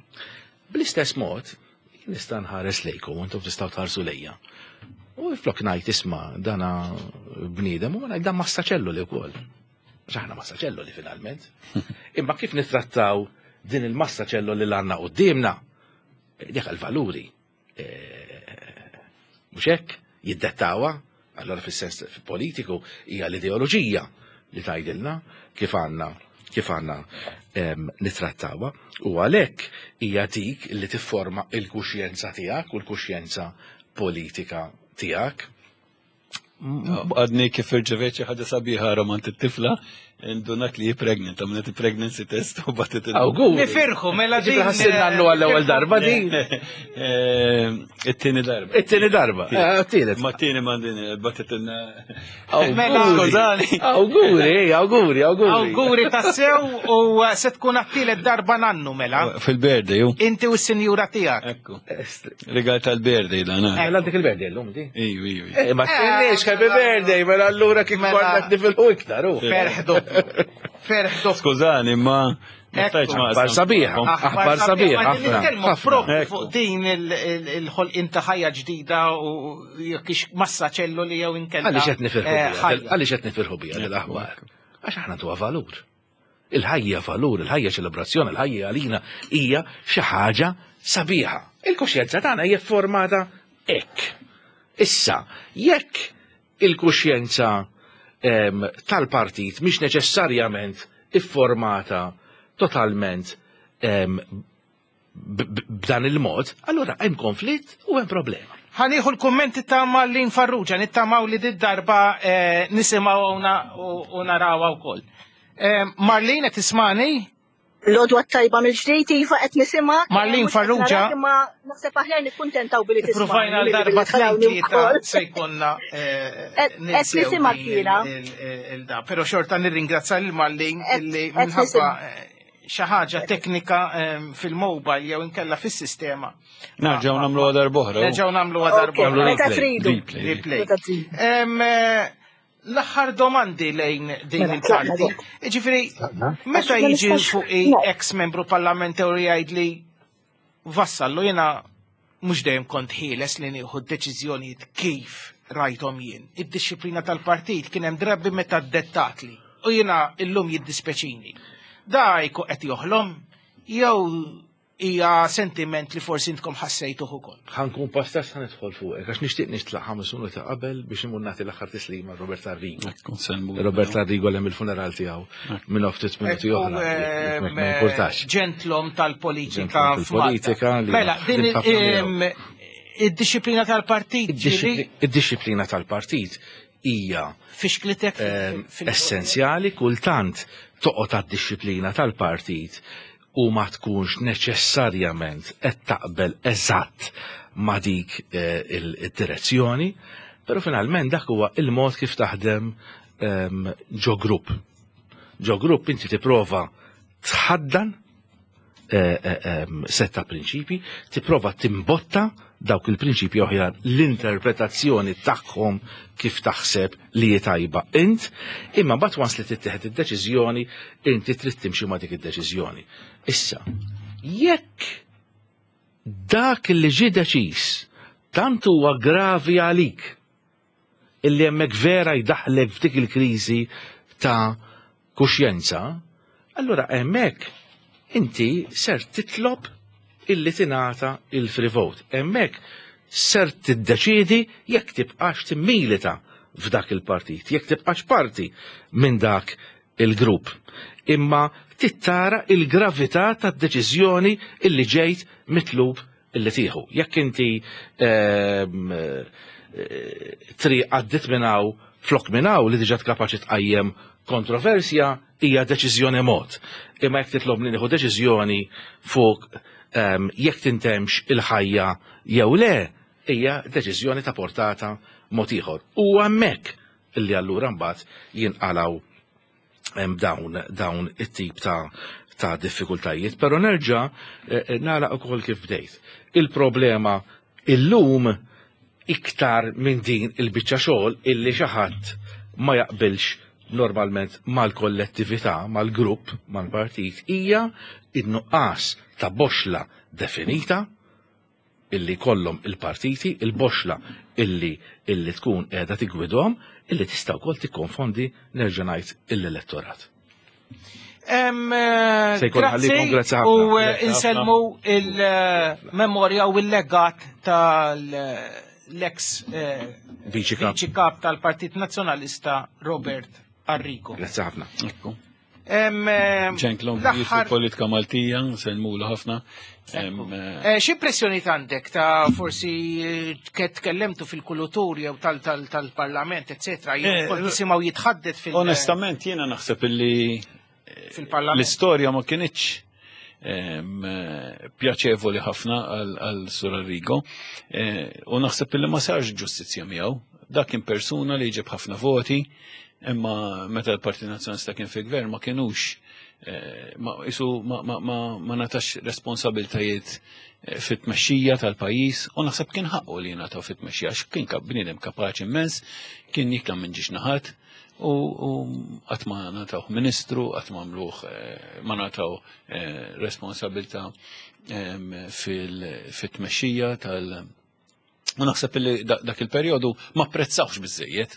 Bl-istess mod, jien nista' nħares lejkom u intom tistgħu tħarsu lejja. U flok ngħid isma' dana bniedem u ngħid dan massa ċelloli wkoll. Għax aħna massa ċelloli finalment. Imma kif nittrattaw din il-massa ċelloli li għandna quddiemna, dik il-valuri. Mhux hekk jiddettawa, allora fis-sens politiku hija l-ideoloġija li tgħidilna kif għandna kif għandna nitrattawha. U għalhekk hija dik li tifforma il-kuxjenza tiegħek u l-kuxjenza politika tiegħek. Għadni kif irċevejt xi ħaġa sabiħa romant it-tifla, indunat li pregnant, għamlet pregnancy test u bagħtet. Awguri. Nifirħu, mela din. Ħassilna għannu għall-ewwel darba din. It-tieni darba. It-tieni darba. It-tielet. Ma t-tieni mandin, bagħtet. Mela, Skużani. Awguri, awguri, awguri. Awguri tassew u se tkun għat-tielet darba nannu mela. Fil-birthday, ju. Inti u s-sinjura tiegħek. Ekku. Rigal tal-birthday dan. Eh, għandek il-birthday l-lum di? Iju, iju. Eh, ma t-tinniex, happy birthday, mela allura kif Mela. konna nifilħu iktar, u. Ferħ doppju. Ferħ doppju. Skużani, ma. ma stajtx ma Aħbar sabiħa. Aħbar sabiħa, Ma ħafna, nitkellmu ħafna. propju Ekku. fuq din il-ħolqien ta' ħajja ġdida u jekk ix massa ċelluli jew inkella. Għaliex qed nifirħu eh, biha, ħajja. għaliex qed nifirħu biha l-aħbar? Għax aħna tuha valur. Il-ħajja valur, il-ħajja ċelebrazzjoni, il-ħajja għalina hija xi ħaġa sabiħa. Il-kuxjenza tagħna hija formata hekk. Issa, jekk il-kuxjenza em, tal-partit mhix neċessarjament ifformata totalment em, b- b- b'dan il-mod, allura hemm konflitt u hemm problema. Ħa nieħu l-kummenti ta' Marlene Farrugia, nittamaw li did darba eh, nisimgħu u narawha wkoll. Eh, Marlene, qed tismani? L-għodwa tajba mill-ġdid, iva qed nisimgħek. Marlene Mhux qed Farrugia. narak, Imma naħseb aħjar nikkuntentaw billi tismani. Provajna milli l-darba billi tarawni tnejn tlieta wkoll. se jkollna eh, Qed- qed ninsew nisimgħek il- jiena. il- il- da. Però xorta nirringrazzja lil Marlene Qed- illi qed minħabba nisim- eh, xi ħaġa teknika eh, fil-mobile jew inkella fis-sistema. Nerġgħu nagħmlu darb'oħra. Nerġgħu nagħmlu Ok, darba. Meta tridu. Replay. Replay. Meta tridu. Em, eh, L-aħħar domandi lejn din Mela, il-parti. tlaqna Ġifieri, meta Għax ma jiġi nistax- fuq No. ex membru parlamentari jgħid li Vassallo jiena mhux dejjem kont ħieles li nieħu deċiżjonijiet kif rajthom jien. Id-disciplina tal-partit kien hemm drabi meta dettatli u jiena illum jiddispeċini. Da jkun qed joħlom jew hija sentiment li forsi intkom ħassejtuh ukoll. Ħa nkun pastas ħa nidħol fuqek, għax nixtieq nitlaq ħames minuti qabel biex imur nagħti l-aħħar tislima Robert Arrigo. Ekku, nselmu. Robert Arrigo hemm il-funeral tiegħu minn ftit minuti Ekku, oħra. ehm, Ma importax. Ġentlom tal-politika Ġentlom f'Malta. fil-politika li Mela, din ħadim ħafna ehm, id-disciplina tal-partit ġieli Id-disciplina tal-partit hija fixklitek fil- ehm, fil- essenzjali, kultant toqgħod għad-disciplina tal-partit u ma tkunx neċessarjament qed taqbel eżatt ma dik eh, il-direzzjoni, però finalment dak huwa il-mod kif taħdem ehm, ġo grupp. Ġo grupp inti tipprova tħaddan eh, eh, em, setta prinċipi, tipprova timbotta dawk il-prinċipi oħjar l-interpretazzjoni tagħhom kif taħseb li hi tajba int, imma mbagħad once li tittieħed id-deċiżjoni, inti trid timxi ma' dik id-deċiżjoni. Issa, jekk dak li ġie deċiż tant huwa gravi għalik illi hemmhekk vera jdaħlek f'dik il-kriżi ta' kuxjenza, allura hemmhekk inti ser titlob illi tingħata il-free vote. Hemmhekk ser tiddeċiedi jekk tibqax timmilita f'dak il-partit, jekk tibqax parti minn dak il-grupp. Imma tittara il-gravità tad-deċiżjoni illi ġejt mitlub illi tieħu. Jekk inti ehm, eh, triq għaddit minn hawn flok minn hawn li diġà kapaċi tqajjem kontroversja hija deċiżjoni mod. Imma jekk titlobni nieħu deċiżjoni fuq ehm, jekk tintemx il-ħajja jew le, hija deċiżjoni ta' portata mod ieħor. U hemmhekk illi allura mbagħad jinqalaw hemm dawn dawn it-tip ta' ta' diffikultajiet, però nerġa' eh, eh, nagħlaq ukoll kif bdejt. Il-problema illum iktar minn din il-biċċa xogħol illi xi ħadd ma jaqbilx normalment mal-kollettività, mal-grupp, mal-partit, hija in-nuqqas ta' boxla definita illi kollhom il-partiti, il-boxla illi illi tkun qiegħda tigwidhom, illi tista' wkoll tikkonfondi nerġa' ngħid l-elettorat. Em, eh, Se jkun Grazzi ħallikom, grazzi ħafna. u eh, Grazzi ħafna. inselmu il-memorja u il-legat tal-ex eh, Viċi kap. viċi kap tal-Partit Nazzjonalista Robert Arrigo. Grazzi ħafna. Ekku. Gentleman fil-politika Maltija, sellmulu ħafna. X'impressjoni għandek ta' forsi tkellemtu fil-kultur jew tal-parlament, eccetera, jew kont tisimgħu jitħaddet fil- Onestament jiena naħseb illi l-istorja ma kinitx pjaċevoli ħafna għal Sur Arrigo u naħseb illi ma sarx ġustizzja miegħu. Dak kien persuna li jġib ħafna voti, imma meta l-Partit Nazzjonalista kien fil-gvern ma kienux ma isu ma natax responsabiltajiet fit-tmexxija tal-pajjiż u naħseb kien ħaqqu li jingħataw fit-tmexxija għax kien bniedem kapaċi immens, kien jikla minn ġiex naħat u qatt ma nataw ministru, qatt ma għamluh ma nataw responsabilità fit-tmexxija tal- U naħseb li dak il-perjodu ma apprezzawx biżejjed.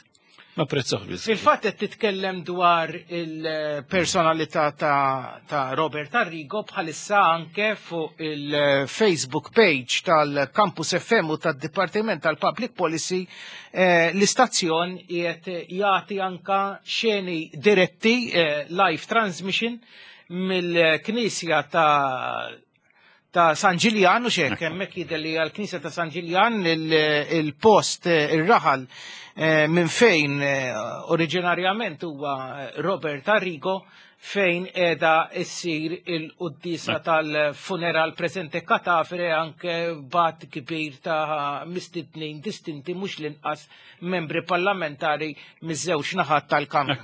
Ma apprezzawx biżejjed. Fil-fatt qed titkellem dwar il-personalità ta', ta Robert Arrigo bħalissa anke fuq il-Facebook page tal-Campus F M u tad-Dipartiment tal-Public Policy eh, l-istazzjon qiegħed jagħti anka xeni diretti eh, live transmission mill-Knisja ta' ta' San Ġiljan u xek, hemmhekk jidher li għall-Knisja ta' San Ġiljan il-post ir-raħal minn fejn oriġinarjament huwa Robert Arrigo fejn qiegħda ssir il-quddiesa tal-funeral preżente katafre anke bat kbir ta' mistednin distinti mhux l-inqas membri parlamentari miż-żewġ naħat tal-Kamra.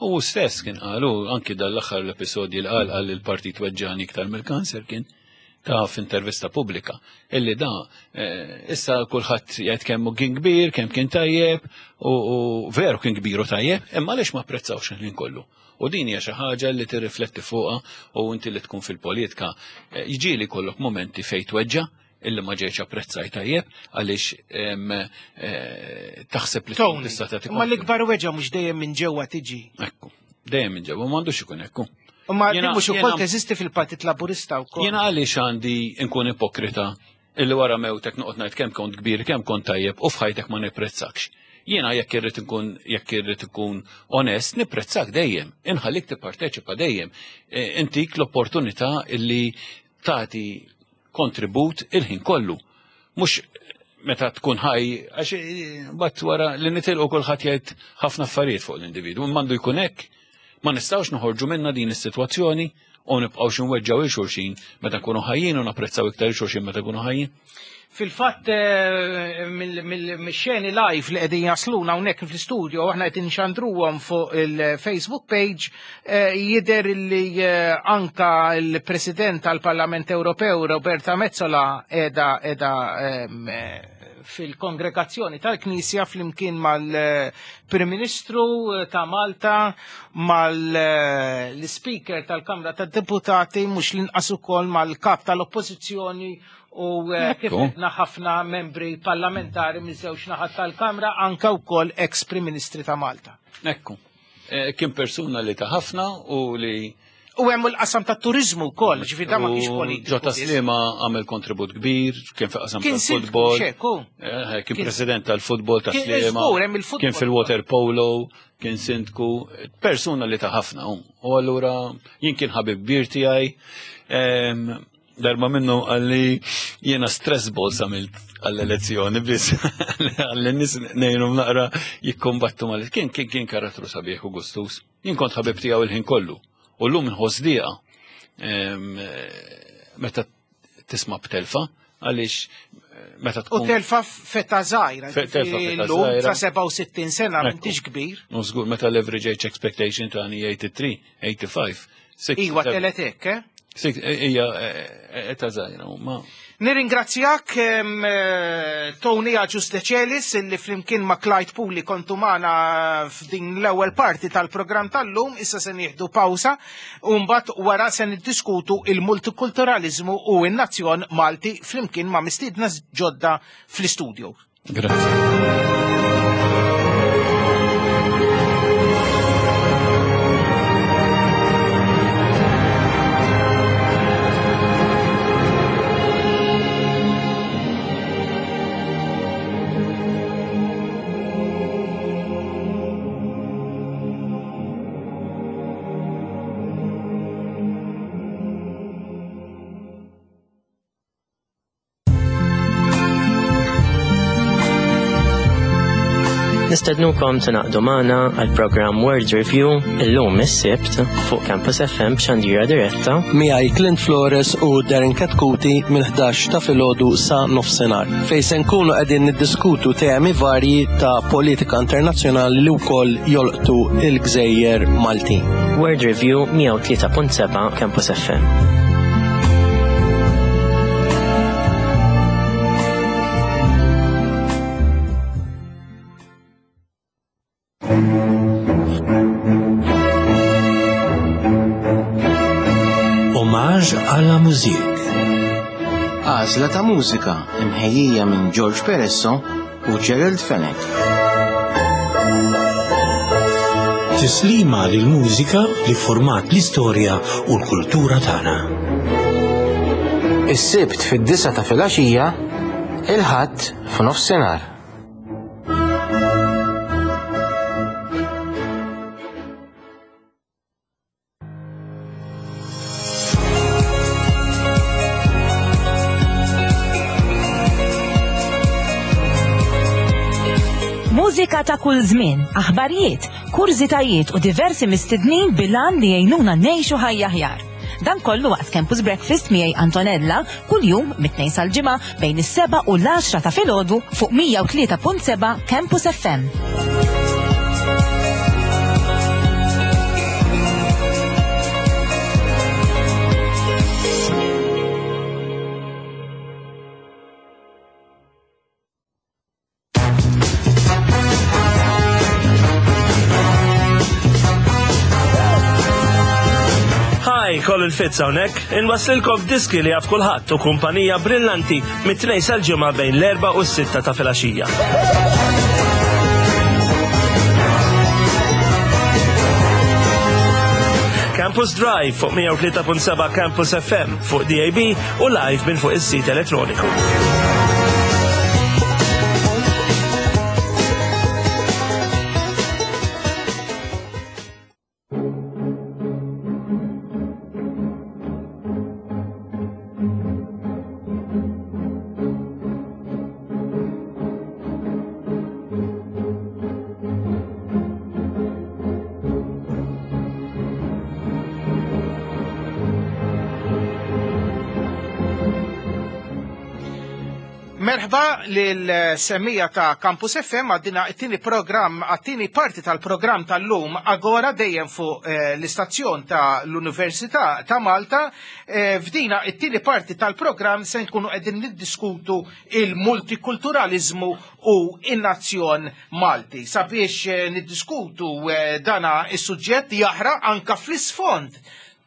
U stess kien qalu anki dal-aħħar l-episodji li qal qal il-partit weġġani iktar mill-kanser kien ta' f'intervista pubblika illi da issa kulħadd jgħid kemm kien kbir, kemm kien tajjeb u veru kien kbir u tajjeb, imma għaliex ma apprezzawx il-ħin kollu. U din hija xi ħaġa li tirrifletti fuqha u inti li tkun fil-politika jiġieli kollok momenti fejn tweġġa' illi ma ġejx apprezzaj tajjeb għaliex taħseb li tista' tagħti. Ma l-ikbar weġġa mhux dejjem minn ġewwa tiġi. Ekku, dejjem minn ġewwa m'għandux ikun ekku. Ma mhux ukoll teżisti fil-Partit Laburista wkoll. Jiena għaliex għandi nkun ipokrita illi wara mewtek noqgħod ngħid kemm kont kbir, kemm kont tajjeb u f'ħajtek ma nipprezzakx. Jiena jekk irrid inkun jekk irrid ikun onest, nipprezzak dejjem, inħallik tipparteċipa dejjem. Intik l-opportunità illi tagħti kontribut il-ħin kollu. Mhux meta tkun ħaj, għax mbagħad wara li nitilqu kulħadd jgħid ħafna affarijiet fuq l-individwu, m'għandu jkun hekk. Ma nistgħux noħorġu minna din is-sitwazzjoni u nibqgħu xi nweġġgħu il xulxin meta nkunu ħajjin u napprezzaw iktar il xulxin meta nkunu ħajjin. Fil-fatt mix-xeni live li qegħdin jasluna hawnhekk fl-istudio aħna qed inxandruhom fuq il-Facebook page jidher li anka l-President tal-Parlament Ewropew Roberta Metsola qiegħda qiegħda fil-kongregazzjoni tal-Knisja flimkien mal-Prim Ministru ta' Malta, mal-Speaker tal-Kamra tad-Deputati, mhux l-inqas ukoll mal-Kap tal-Oppożizzjoni u kif għedna ħafna membri parlamentari miż-żewġ naħat tal-Kamra, anke wkoll ex-Prim Ministri ta' Malta. Ekku. Kien persuna li ta' ħafna u li U hemm il-qasam tat-turiżmu wkoll, ġifieri da ma kienx politiku. Ġo Taslima għamel kontribut kbir, kien fil-qasam tal-futbol. Kien president tal-futbol ta' Sliema. Kien fil-water polo, kien sindku, persuna li ta' ħafna. U allura jien kien ħabib kbir tiegħi. Darba minnu għalli jiena stress balls għamilt għall-elezzjoni biss għalli nies ngħinhom naqra jikkombattu mal kien kien kien karattru sabiħ u gustus. Jien kont ħabib tiegħu il-ħin kollu. U llum inħoss dieqa meta tisma' b'telfa għaliex meta tkun. U telfa feta żgħira. Llum ta' sebgħa u sittin sena m'intix kbir. U żgur meta l-average age expectation tagħni eighty-three, eighty-five. Iwa telet hekk, eh? Ija eta żgħira ma. Nirringrazzjak Tony Agius Decelis illi flimkien ma' Clyde Puli kontu magħna f'din l-ewwel parti tal-programm tal-lum, issa se nieħdu pawsa u mbagħad wara se niddiskutu il-multikulturalizmu u n-nazzjon Malti flimkien ma' mistiedna ġodda fl-istudio. Grazie. Nistednukom tingħaqdu magħna għal programm World Review illum is-Sibt fuq Campus F M b'xandira diretta. Miegħi Clint Flores u Darren Katkuti mill-ħdax ta' filgħodu sa nofsinhar, fejn se nkunu qegħdin niddiskutu temi varji ta' politika internazzjonali li wkoll jolqtu il-gżejjer Maltin. World Review, mija u tlieta punt seba' Campus F M. Hommage à la musique. Għażla ta' mużika imħejjija minn George Peresso u Gerald Fenech. Tislima lil mużika li format l-istorja u l-kultura tagħna. Is-Sibt fid-disgħa ta' filgħaxija, il-Ħadd f'nofsinhar. Mużika ta' kull żmien, aħbarijiet, kurżitajiet u diversi mistednin bil-għan li jgħinuna ngħixu ħajja aħjar. Dan kollu waqt Campus Breakfast miegħi Antonella, kuljum mit-Tnejn sal-Ġimgħa bejn is-seba' u l-għaxra ta' filgħodu fuq mija u tlieta punt seba' Campus F M. Hi, Colin Fitz hawnhekk, inwaslilkom diski li jaf kulħadd u kumpanija brillanti mit-Tnejn sal-Ġimgħa bejn l-erba' u s-sitta ta' filgħaxija. Campus Drive fuq mija u tlieta punt seba' Campus F M, fuq D A B u live minn fuq is-sit elettroniku. Merħba lil-semmiegħa ta' Campus F M għaddina it-tieni program, għat-tieni parti tal-program tal-lum Agora, dejjem fuq eh, l-istazzjon ta' l-Università ta' Malta. Eh, f'dina it-tieni parti tal-program se nkunu qegħdin niddiskutu il-multikulturalizmu u in-nazzjon Malti. Sabiex eh, niddiskutu eh, dana is-suġġett jaħraq anka fl-isfond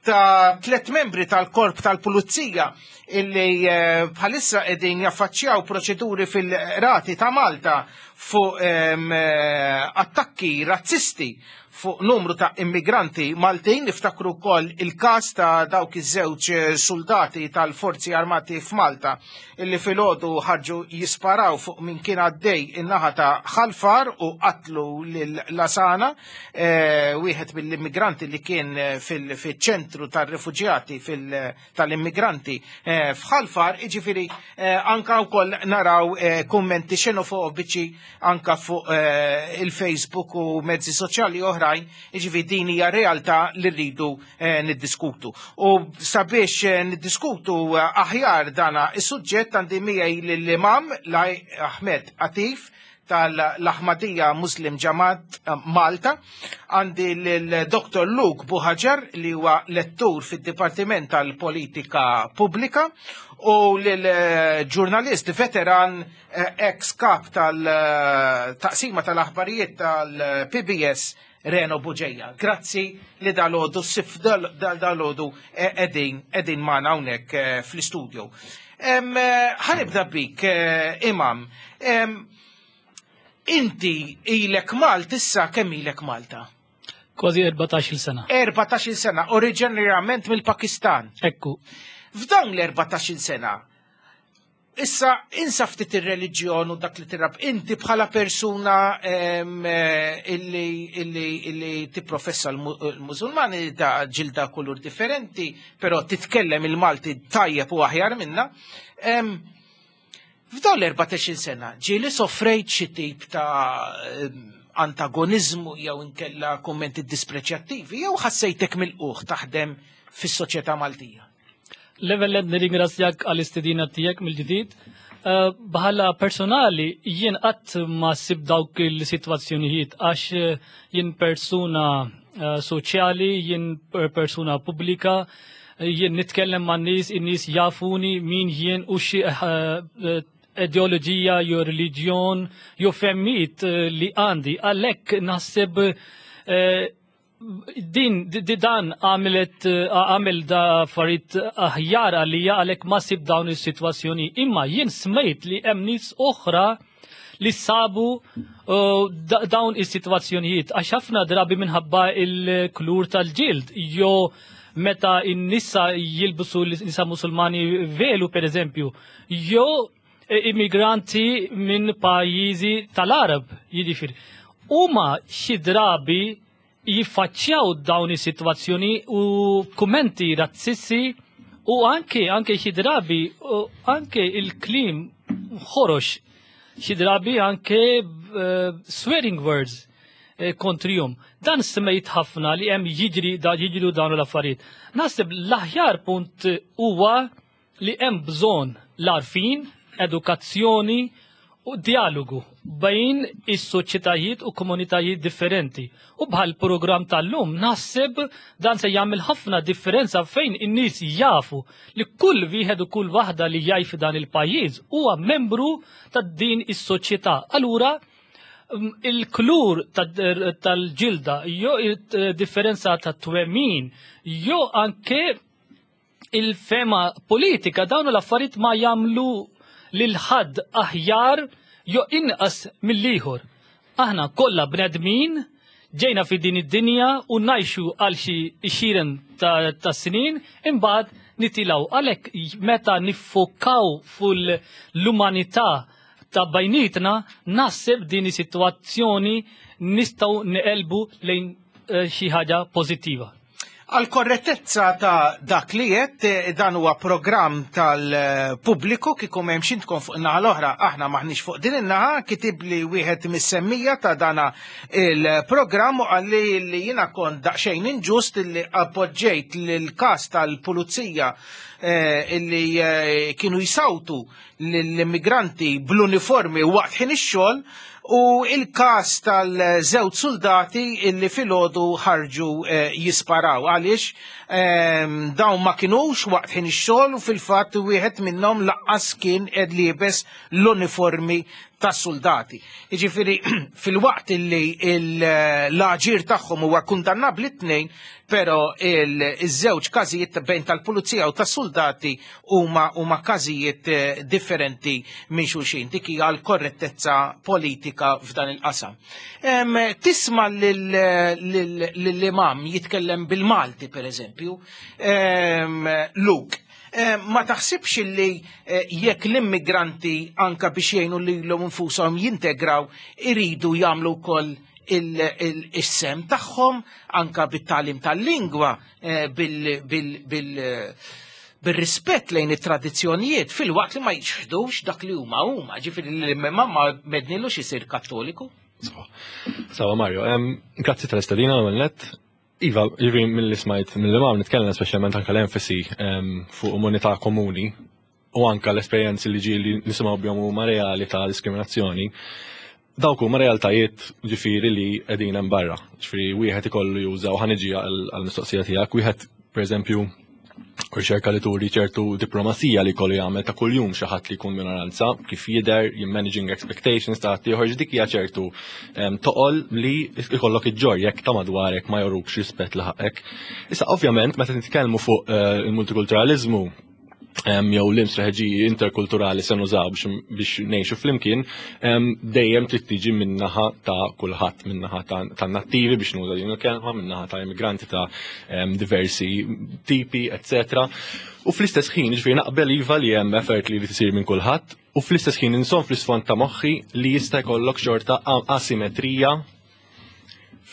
ta' tlet membri tal-korp tal-pulizija illi eh, bħalissa qegħdin jaffaċċjaw proċeduri fil-qrati ta' Malta fuq em, eh, attakki razzisti fuq numru ta' immigranti Maltin. Niftakru wkoll il-każ ta' dawk iż-żewġ eh, soldati tal-Forzi Armati f'Malta illi filgħodu ħarġu jisparaw fuq min kien għaddej in-naħa ta' Ħal Far u qatlu lil Lasana, eh, wieħed mill-immigranti li kien eh, fil-ċentru tar-refuġjati tal-immigranti eh, f'Ħal Far, jiġifieri eh, anka wkoll naraw eh, kummenti xenofobiċi anka fuq eh, il-Facebook u mezzi soċjali oħrajn, jiġifieri din hija realtà li rridu eh, niddiskutu. U sabiex eh, niddiskutu eh, aħjar dana is-suġġett għandi miegħi lill-Imam Laj Ahmed Atif tal-Ahmadiyya Muslim Jamaat eh, Malta, għandi l-Dottor Luke Buhagiar li huwa lettur fid-Dipartiment tal-Politika Pubblika u l-ġurnalist veteran, eh, ex-kap tal-taqsima tal-aħbarijiet tal-P B S, Reno Bugeja. Grazzi li dalgħodu, sif dalgħodu qegħdin qegħdin magħna hawnhekk eh, fl-istudio. Em, eh, Ħa nibda bik, eh, Imam. Em, Inti ilek Malta issa, kemm ilek Malta? Kważi erbatax-il sena. erbatax-il sena, oriġinarjament mill-Pakistan. Ekku. F'dawn l-erbatax-il sena, issa insa ftit ir-reliġjon u dak li tirab, inti bħala persuna em, eh, illi, illi, illi tipprofessa l-Musulmani da ġilda kulur differenti, però titkellem il-Malti tajjeb u aħjar minna. Em, F'dawn l-erbatax-il sena, ġieli soffrejt xi tip ta' antagonizmu jew inkella kummenti dispreċjattivi jew ħassejtek milqugħ taħdem fis-soċjetà Maltija? L-ewwel nirringrazzjak għall-istedina tiegħek mill-ġdid. Eh, bħala personali jien qatt ma sib dawk il-sitwazzjonijiet għax eh, jien persuna eh, soċjali, jien persuna pubblika, jien nitkellem man nies, in-nies jafuni min jien u xi ideoloġija jew reliġjon jew fehmiet li għandi. Għalhekk naħseb din di dan għamilet għamel da affarijiet aħjar għalija, għalhekk ma sib dawn is-sitwazzjoni. Imma jien smajt li hemm nies oħra li sabu uh, dawn is-sitwazzjonijiet għax ħafna drabi minħabba il-kulur tal-ġild jew meta n-nisa jilbsu, nisa Musulmani, velu per eżempju, jew immigranti minn pajjiżi tal-Arab, jiġifieri. Huma xi drabi jiffaċċjaw dawn is-sitwazzjoni u kummenti razzisti u anke anke xi drabi u anke il-kliem ħorox, xi drabi anke uh, swearing words eh, kontrihom. Dan smejt ħafna li hemm jiġri da jiġru dawn l-affarijiet. Naħseb l-aħjar punt huwa li hemm bżonn l-għarfien, edukazzjoni u dialogu bejn is-soċjetajiet u komunitajiet differenti. U bħal program tal-lum naħseb dan se jagħmel ħafna differenza fejn in-nies jafu li kull wieħed u kull waħda li jgħix f'dan il-pajjiż huwa membru ta' din is-soċjetà. Allura mm, il-kulur tal-ġilda, jew il-differenza ta' twemmin, jew anke il-fema politika, dawn l-affarijiet ma jagħmlu lil ħadd aħjar jew inqas mill-ieħor. Aħna kollha bnedmin, ġejna fi din id-dinja u ngħixu għal xi għexieren ta', ta snin, imbagħad nitilgħu. Għalhekk meta niffokaw fuq l-umanità ta' bejnietna, naħseb din is-sitwazzjoni nistgħu neqilbu lejn eh, xi ħaġa pożittiva. Għal korrettezza ta' dak li qed, eh, dan huwa programm tal-pubbliku, kieku m'hemmx intkom fuq in-naħa l-oħra, aħna maħniex fuq din in-naħa. Kitib li wieħed mis-semmiegħa ta' dana il-programm u qalli li jiena kont daqsxejn inġust li appoġġejt l-każ tal-pulizija eh, illi eh, kienu jisawtu l-immigranti bl-uniformi waqt ħin ix-xogħol u il-kas tal-żewġ soldati illi filgħodu ħarġu eh, jisparaw għaliex ehm, dawn ma kinux waqt ħin ix-xogħol u fil-fatt wieħed minnhom lanqas kien qed liebes l-uniformi tas-soldati. Jiġifieri fil-waqt illi l-aġir tagħhom huwa kundannabbli tnejn, però il-żewġ każijiet bejn tal-pulizija u tas-soldati huma huma każijiet eh, differenti minn xulxin. Dik hija l-korrettezza politika f'dan il-qasam. Em, Tisma' lill-imam jitkellem bil-Malti, per eżempju, em, Luke, Eh, ma taħsibx li eh, jekk l-immigranti anka biex jgħinu lilhom infushom jintegraw iridu jagħmlu wkoll il-sehem tagħhom anka bit-tagħlim tal-lingwa, eh, bil- bil- bil- bil-rispett lejn it-tradizzjonijiet fil-waqt li ma jiċħdux dak li huma huma, ġifieri li l-imam ma mednilux isir Kattoliku? Sawa Mario, em, grazzi tal-istedina għal-net. Iva, ġifieri mill-li smajt mill-imam nitkellem, speċjalment anka l-enfasi em, fuq umanità komuni u anka l-esperjenzi li ġieli nisimgħu bihom huma reali ta' diskriminazzjoni. Dawk huma realtajiet ġifieri li qegħdin hemm barra. Ġifieri wieħed ikollu juża, u ħa niġi għall-mistoqsija tiegħek, wieħed, pereżempju, riċerka li turi ċertu diplomazija li kollu jagħmel ta' kuljum xi ħadd li jkun minoranza, kif jidher, managing expectations ta' ieħor, dik hija ċertu em, toqol li ikollok iġġorr jekk ta' madwarek ma jorukx rispett li ħaqek. Issa, ovvjament, meta nitkellmu fuq eh, il-multikulturalizmu em, jew l-istrateġiji interkulturali se nużaw biex, biex ngħixu flimkien, em, dejjem trid tiġi min-naħa ta' kulħadd, min-naħa ta' ta' nattivi, biex nuża din il-kelma, min-naħa ta' immigranti ta' em, diversi tipi, eċċetera. U fl-istess ħin, ġifieri naqbel iva li hemm effort li tisir minn kulħadd, u fl-istess ħin inżomm fl-isfond ta' moħħi li jista' jkollok xorta asimetrija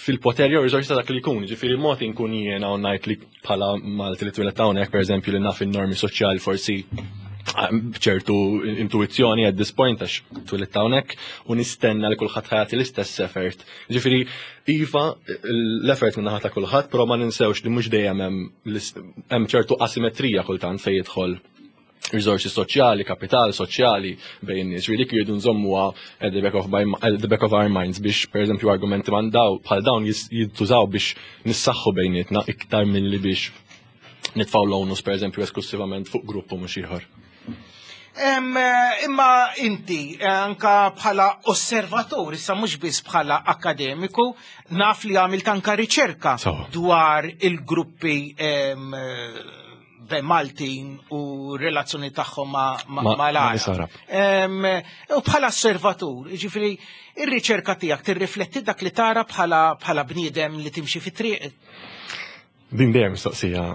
fil-poter jew riżorsi ta' dak li jkun. Ġifieri mod inkun jiena u ngħid li bħala Malti li twieled hawnhekk, pereżempju, li naf in-normi soċjali forsi B'ċertu intuizzjoni at this point, għax twelidt hawnhekk, u nistenna li kulħadd ħa jagħti l-istess effort. Ġifieri iva, l-effort minn naħa ta' kulħadd, però ma ninsewx li mhux dejjem hemm hemm ċertu asimetrija kultant fejn jidħol risorsi soċjali, kapital soċjali bejn nies. Ġifieri dik jridu nżommuha at the back of, my, at the back of our minds biex, pereżempju, argumenti man daw bħal dawn jintużaw biex nissaħħu bejnietna iktar milli biex nitfgħu l-onus, pereżempju, esklusivament fuq grupp u mhux ieħor. Imma inti, anka bħala osservatur, issa mhux biss bħala akademiku, naf li għamilt anka riċerka dwar il-gruppi Maltin u relazzjoni tagħhom ma' l-Għarab. U bħala osservatur, ġifieri, ir-riċerka tiegħek tirrifletti dak li tara bħala bniedem li timxi fit-triq? Din dejjem mistoqsija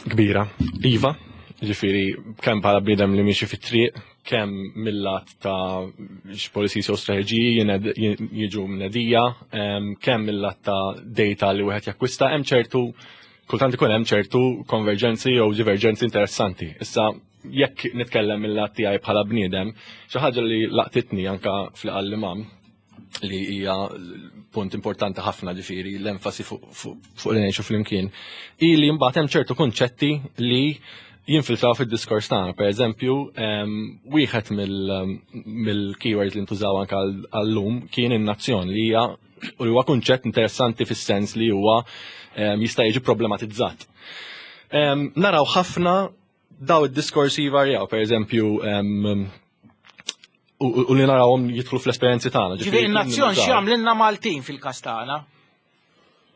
kbira. Iva, ġifieri, kemm bħala bniedem li miexi fit-triq, kemm mill-lat ta' policies u strateġiji jiġu mnedija, kemm mill-lat ta' data li wieħed jakkwista, hemm ċertu kultant ikun hemm ċertu konverġenzi jew divergenzi interessanti. Issa, jekk nitkellem mill-lat tiegħi bħala bniedem, xi ħaġa li laqtitni anka fl-imam li hija punt importanti ħafna, ġifieri l-enfasi fuq li ngħixu flimkien, hi li mbagħad hemm ċertu kunċetti li jinfiltraw fid-diskors tagħna. Per eżempju, wieħed mill-keywords li ntużaw anke għall-lum kien in-nazzjon, li hija u li huwa kunċett interessanti fis-sens li huwa jista' jiġi problematizzat. Naraw ħafna daw id-diskorsi jvarjaw, per eżempju, u li narawhom jidħlu fl-esperjenzi tagħna. Ġifieri n-nazzjon x'jagħmlilna Maltin fil-każ tagħna?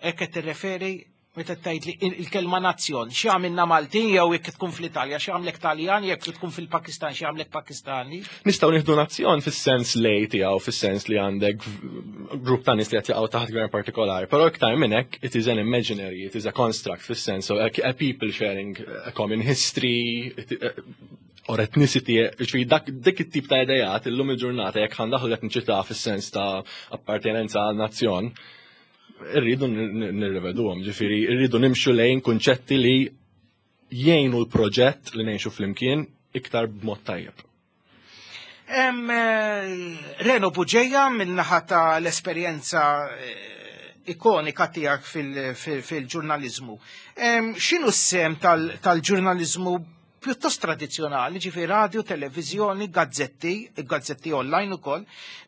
Hekk qed tirreferi meta tgħid li il-kelma nazzjon x'jagħmilna Maltin, jew jekk tkun fl-Italja x'jagħmlek Taljan, jekk tkun fil-Pakistan x'jagħmlek Pakistani? Nistgħu nieħdu nazzjon fis-sens lej tiegħu, fis-sens li għandek grupp ta' nies li qed jaqgħu taħt gvern partikolari, però iktar minn hekk it is an imaginary, it is a construct fis-sens of a, a people sharing a common history or ethnicity, ġifieri dak dik it-tip ta' idejat illum il-ġurnata, jekk ħa ndaħħlu l-etniċità fis-sens ta' appartenenza għal nazzjon, irridu nirriveduhom, ġifieri irridu nimxu lejn kunċetti li jgħinu l-proġett li ngħixu flimkien iktar b'mod tajjeb. Reno Bugeja, min-naħa ta' l-esperjenza ikonika tiegħek fil-ġurnalizmu. X'inhu s-sehem tal-ġurnalizmu pjuttost tradizjonali, ġifieri radio, televizjoni, gazzetti, gazzetti online ukoll,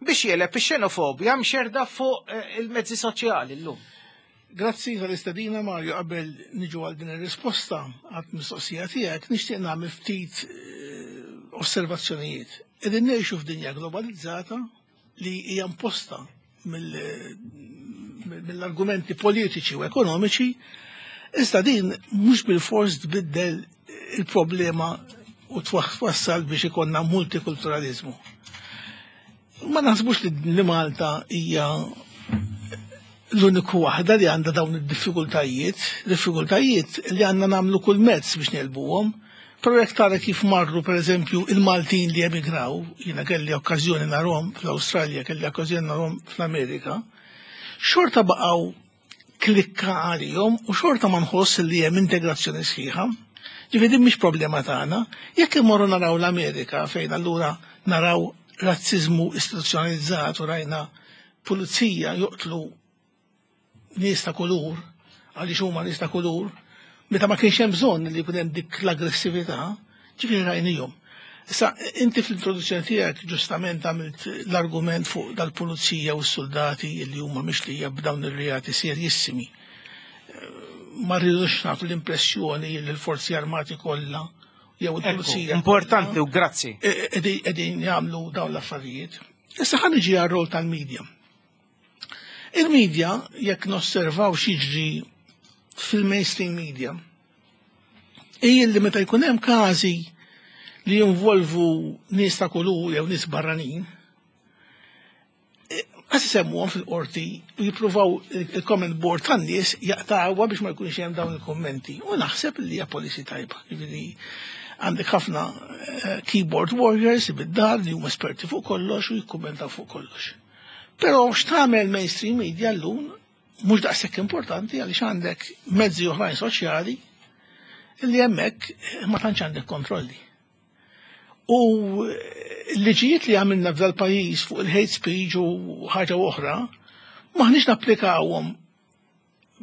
biex jegħleb ix-xenofobja mxerda fuq il-mezzi soċjali llum? Grazzi tal-istedina, Mario. Qabel niġu għal din ir-risposta għat mistoqsija tiegħek, nixtieq nagħmel ftit osservazzjonijiet. Qegħdin ngħixu f'dinja globalizzata li hija imposta mill-argumenti politiċi u ekonomiċi, iżda din mhux bil-fors tbiddel il-problema u twassal biex ikonna multikulturalizmu. Ma naħsbux li Malta hija l-uniku waħda li għandha dawn id-diffikultajiet, diffikultajiet li għandna nagħmlu kull mezz biex negħlbuhom. Però jekk tara kif marru, per eżempju, il-Maltin li emigraw, jiena kelli okkażjoni narhom fl-Awstralja, kelli okkażjoni narhom fl-Amerika, xorta baqgħu klikka għalihom u xorta ma nħoss li hemm integrazzjoni sħiħa. Ġifieri din mhix problema tagħna. Jekk imorru naraw l-Amerika, fejn allura naraw razzizmu istituzzjonalizzat u rajna pulizija joqtlu nies ta' kulur għaliex huma nies ta' kulur, meta ma kienx hemm bżonn li jkun hemm dik l-aggressività, ġifieri rajnihom. Issa, inti fl-introduzzjoni tiegħek ġustament għamilt l-argument fuq dal-pulizija u s-soldati li huma mixlija b'dawn ir-reati serjissimi. Ma rridux nagħtu l-impressjoni li l-forzi armati kollha jew il-pulizija. Importanti u grazzi. Qegħdin jagħmlu dawn l-affarijiet. Issa ħa niġi għar-rol tal-medja. Il-medja, jekk nosservaw x'jiġri fil-mainstream media, hija li meta jkun hemm każi li jinvolvu nies ta' kulur jew nies barranin, għas isemmuhom fil-qorti u jippruvaw il-comment board tan-nies jaqtawha biex ma jkunx hemm dawn il-kommenti. U naħseb li hija policy tajba. Ġifieri għandek ħafna keyboard warriors bid-dar li huma esperti fuq kollox u jikkummentaw fuq kollox. Però x'tagħmel mainstream media llum mhux daqshekk importanti, għaliex għandek mezzi oħrajn soċjali li hemmhekk ma tantx għandek kontrolli. U l-liġijiet li għamilna f'dal pajjiż fuq il-hate speech u ħaġa oħra, maħniex napplikawhom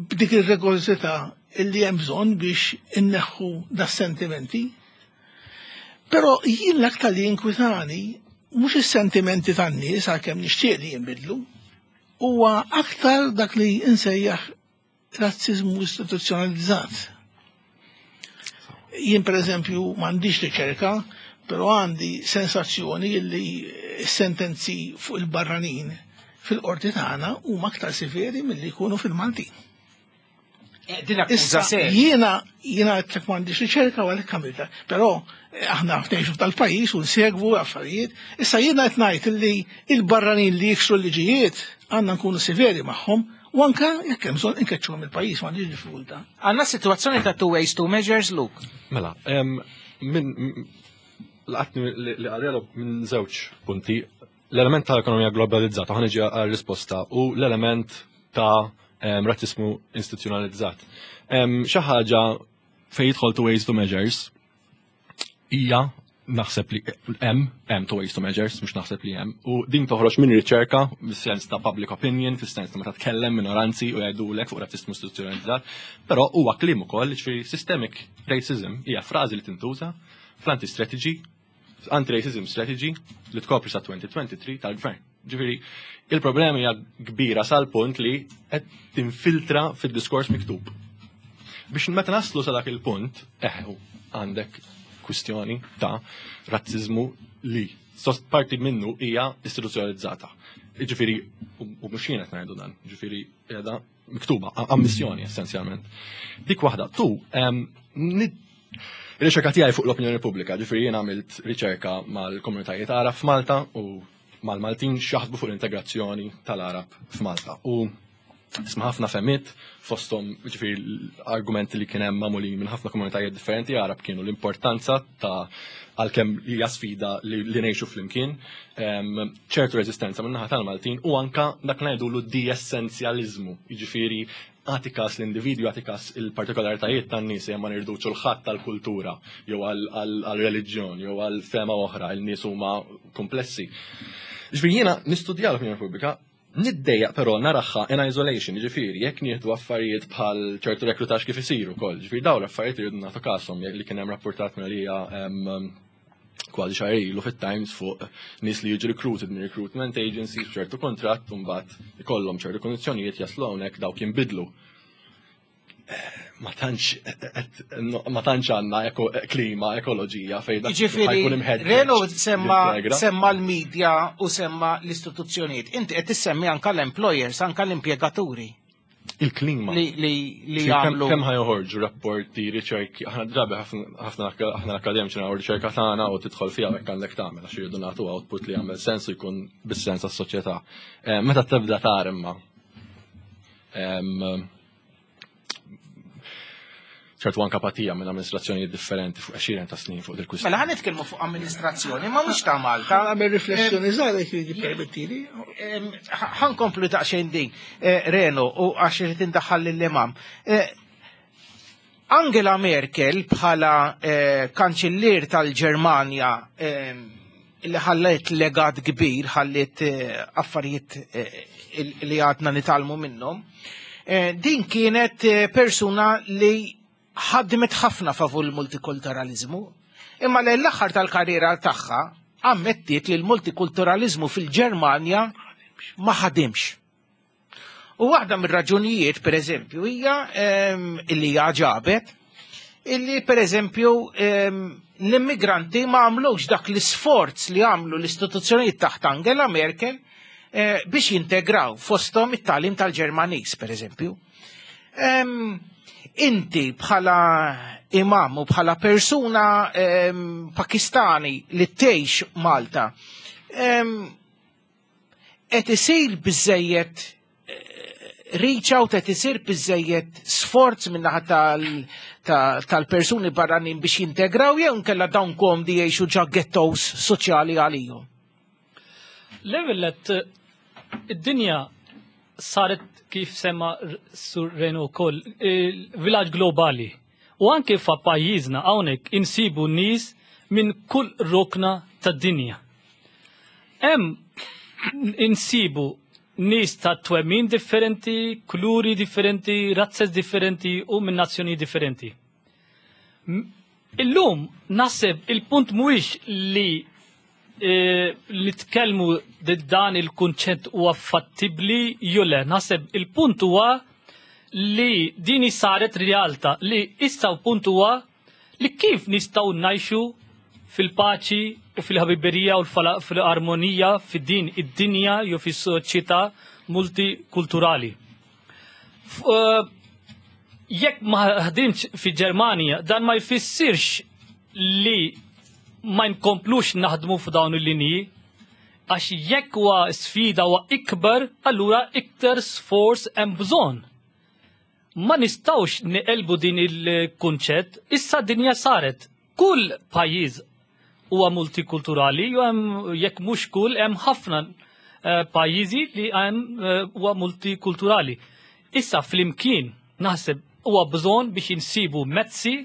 b'dik ir-rigorożità illi hemm bżonn biex inneħħu das-sentimenti. Però jien l-aktar li inkwitani mhux is-sentimenti tan-nies, għalkemm nixtieq li jinbidlu, huwa aktar dak li insejjaħ razzizmu istituzzjonalizzat. Jien, per eżempju, m'għandix riċerka, però għandi sensazzjoni li sentenzi fuq il-barranin fil-qorti tagħna huma aktar severi milli jkunu fil-Maltin. Eh, din akkuża Issa, serja. jiena jiena għedtlek m'għandix riċerka u għalhekk għamilta, però eh, aħna ngħixu tal-pajjiż u nsegwu affarijiet. Issa jiena qed ngħid li il-barranin li jiksru l-liġijiet għandna nkunu severi magħhom u anka jekk hemm bżonn inkeċċuhom il-pajjiż, m'għandix diffikultà. Għandna situazzjoni ta' two ways, two measures, Luke. Mela, em, minn m- laqatni li li għarrelu minn żewġ punti. L-element ta' ekonomija globalizzata, ħa niġi għal-risposta, u l-element ta' em, razzismu istituzzjonalizzat. Em, Xi ħaġa fejn jidħol two ways, two measures hija, naħseb li hemm hemm two ways, two measures, mhux naħseb li hemm. U din toħroġ minn riċerka fis-sens ta' public opinion, fis-sens ta' meta tkellem minoranzi u jgħidulek fuq razzismu istituzzjonalizzat, però huwa kliem ukoll, ġifieri systemic racism hija frażi li tintuża fl-anti-strategy anti-racism strategy li tkopri sa elfejn u tlieta u għoxrin tal-gvern. Ġifieri, il-problema hija kbira sal-punt li qed tinfiltra fid-diskors miktub. Biex meta naslu sa dak il-punt, eħu, għandek kwistjoni ta' razzizmu li sost parti minnu hija istituzzjonalizzata. Ġifieri, u u mhux jien qed ngħidu dan, ġifieri qiegħda miktuba, a- ammissjoni essenzjalment. Dik waħda. Tu, em, nid- Ir-riċerka tiegħi fuq l-opinjoni pubblika, ġifieri jien għamilt riċerka mal-komunitajiet Arab f'Malta u mal-Maltin x'jaħsbu fuq l-integrazzjoni tal-Arab f'Malta. U isma' ħafna fehmiet, fosthom ġifieri l-argumenti li kien hemm magħmulin minn ħafna komunitajiet differenti Arab kienu l-importanza ta' għalkemm hija sfida li, li ngħixu flimkien, em, ċertu reżistenza minn naħa tal-Maltin u anka dak ngħidulu de-essenzjaliżmu, jiġifieri għati kas l-individwu, għati kas il-partikolaritajiet tan-nies, ma nirduċu l-ħadd tal-kultura jew għal-reliġjon jew għal-fema oħra, il-nies huma komplessi. Ġifieri jiena nistudja l-opinjoni pubblika, niddejjaq però naraha in isolation, ġifieri jekk nieħdu affarijiet bħal ċertu rekrutax kif isiru wkoll, ġifieri dawn l-affarijiet irridu nagħtu kashom li kien hemm rapportat minn għalija em, kważi xahar ilu fit-Times fuq nies li jiġu recruited minn recruitment agencies b'ċertu kontratt u mbagħad ikollhom ċertu kondizzjonijiet, jaslu hawnhekk, dawk jinbidlu. Eh, Ma tantx ma tantx għandna eko- klima, ekoloġija fejn dak Ġifieri, ħajkun imħeġġeġ Reno semma, jintegra. semma l-medja u semma l-istituzzjonijiet. Inti qed tissemmi anka l-employers, anka l-impjegaturi Il-klima. li li li Ġifieri kemm jagħmlu. kemm ħajoħorġu rapporti, riċerki, aħna drabi ħafna ħafna aħna akademiċi nagħmlu riċerka tagħna u tidħol fiha hekk għandek tagħmel għax irridu nagħtu output li jagħmel sens u jkun bis-sens għas-soċjetà. Eh, Meta tibda tar imma em, ċertu anka apatija minn amministrazzjonijiet differenti fuq għexieren ta' snin fuq dil-kwistjoni. Mela ħa nitkellmu fuq amministrazzjoni, ma mhux ta' Malta. Għamel riflessjoni żgħira jekk jippermettili. Em, ħa nkomplu daqsxejn din, eh, Reno, u għax irid indaħħal lill-imam. Eh, Angela Merkel bħala eh, kanċellier tal-Ġermanja em, li ħallet legat kbir, ħallet eh, affarijiet eh, il- li għadna nitgħallmu minnhom, eh, din kienet eh, persuna li ħadmet ħafna favur il-multikulturalizmu, imma l-aħħar tal-karriera tagħha ammettiet li l-multikulturalizmu fil-Ġermanja ma ħadimx. U waħda mir-raġunijiet, per eżempju, hija em, illi hija ġabet, illi per eżempju em, l-immigranti ma għamlux dak l-isforz li għamlu l-istituzzjonijiet taħt Angela Merkel eh, biex jintegraw, fosthom it-tagħlim tal-Ġermaniż, per eżempju. Em, inti bħala imam u bħala persuna em, Pakistani li tgħix Malta, em, qed isir biżejjed eh, reach out, qed isir biżejjed sforz min-naħa tal- ta- tal-persuni barranin biex jintegraw, jew nkella dawn komdi jgħixu ġo ghettos soċjali għalihom? L-ewwel, id-dinja saret, kif semma Sur Reno wkoll, villaġġ globali. U anke fa' pajjiżna hawnhekk insibu nies minn kull rokna tad-dinja. Hemm insibu nies ta' twemmin differenti, kuluri differenti, razzes differenti u minn nazzjoni differenti. Illum naħseb il-punt mhuwiex li eh, li tkellmu dan il-kunċett huwa fattibbli jew le. Naħseb il-punt huwa li dini saret realtà, li issa punt huwa li kif nistgħu ngħixu fil-paċi u fil-ħabiberija u fil-armonija fid-din id-dinja jew fis-soċjetà multikulturali. Jekk ma ħdimx fi Ġermanja, dan ma jfissirx li ma nkomplux naħdmu f'dawn il-linji, għax jekk huwa sfida huwa ikbar, allura iktar sforz hemm bżonn. Ma nistgħux neqelbu din il-kunċett, issa dinja saret. Kull pajjiż huwa multikulturali, u hemm jekk mhux kull hemm ħafna pajjiżi li hemm huwa multikulturali. Issa flimkien naħseb huwa bżonn biex insibu mezzi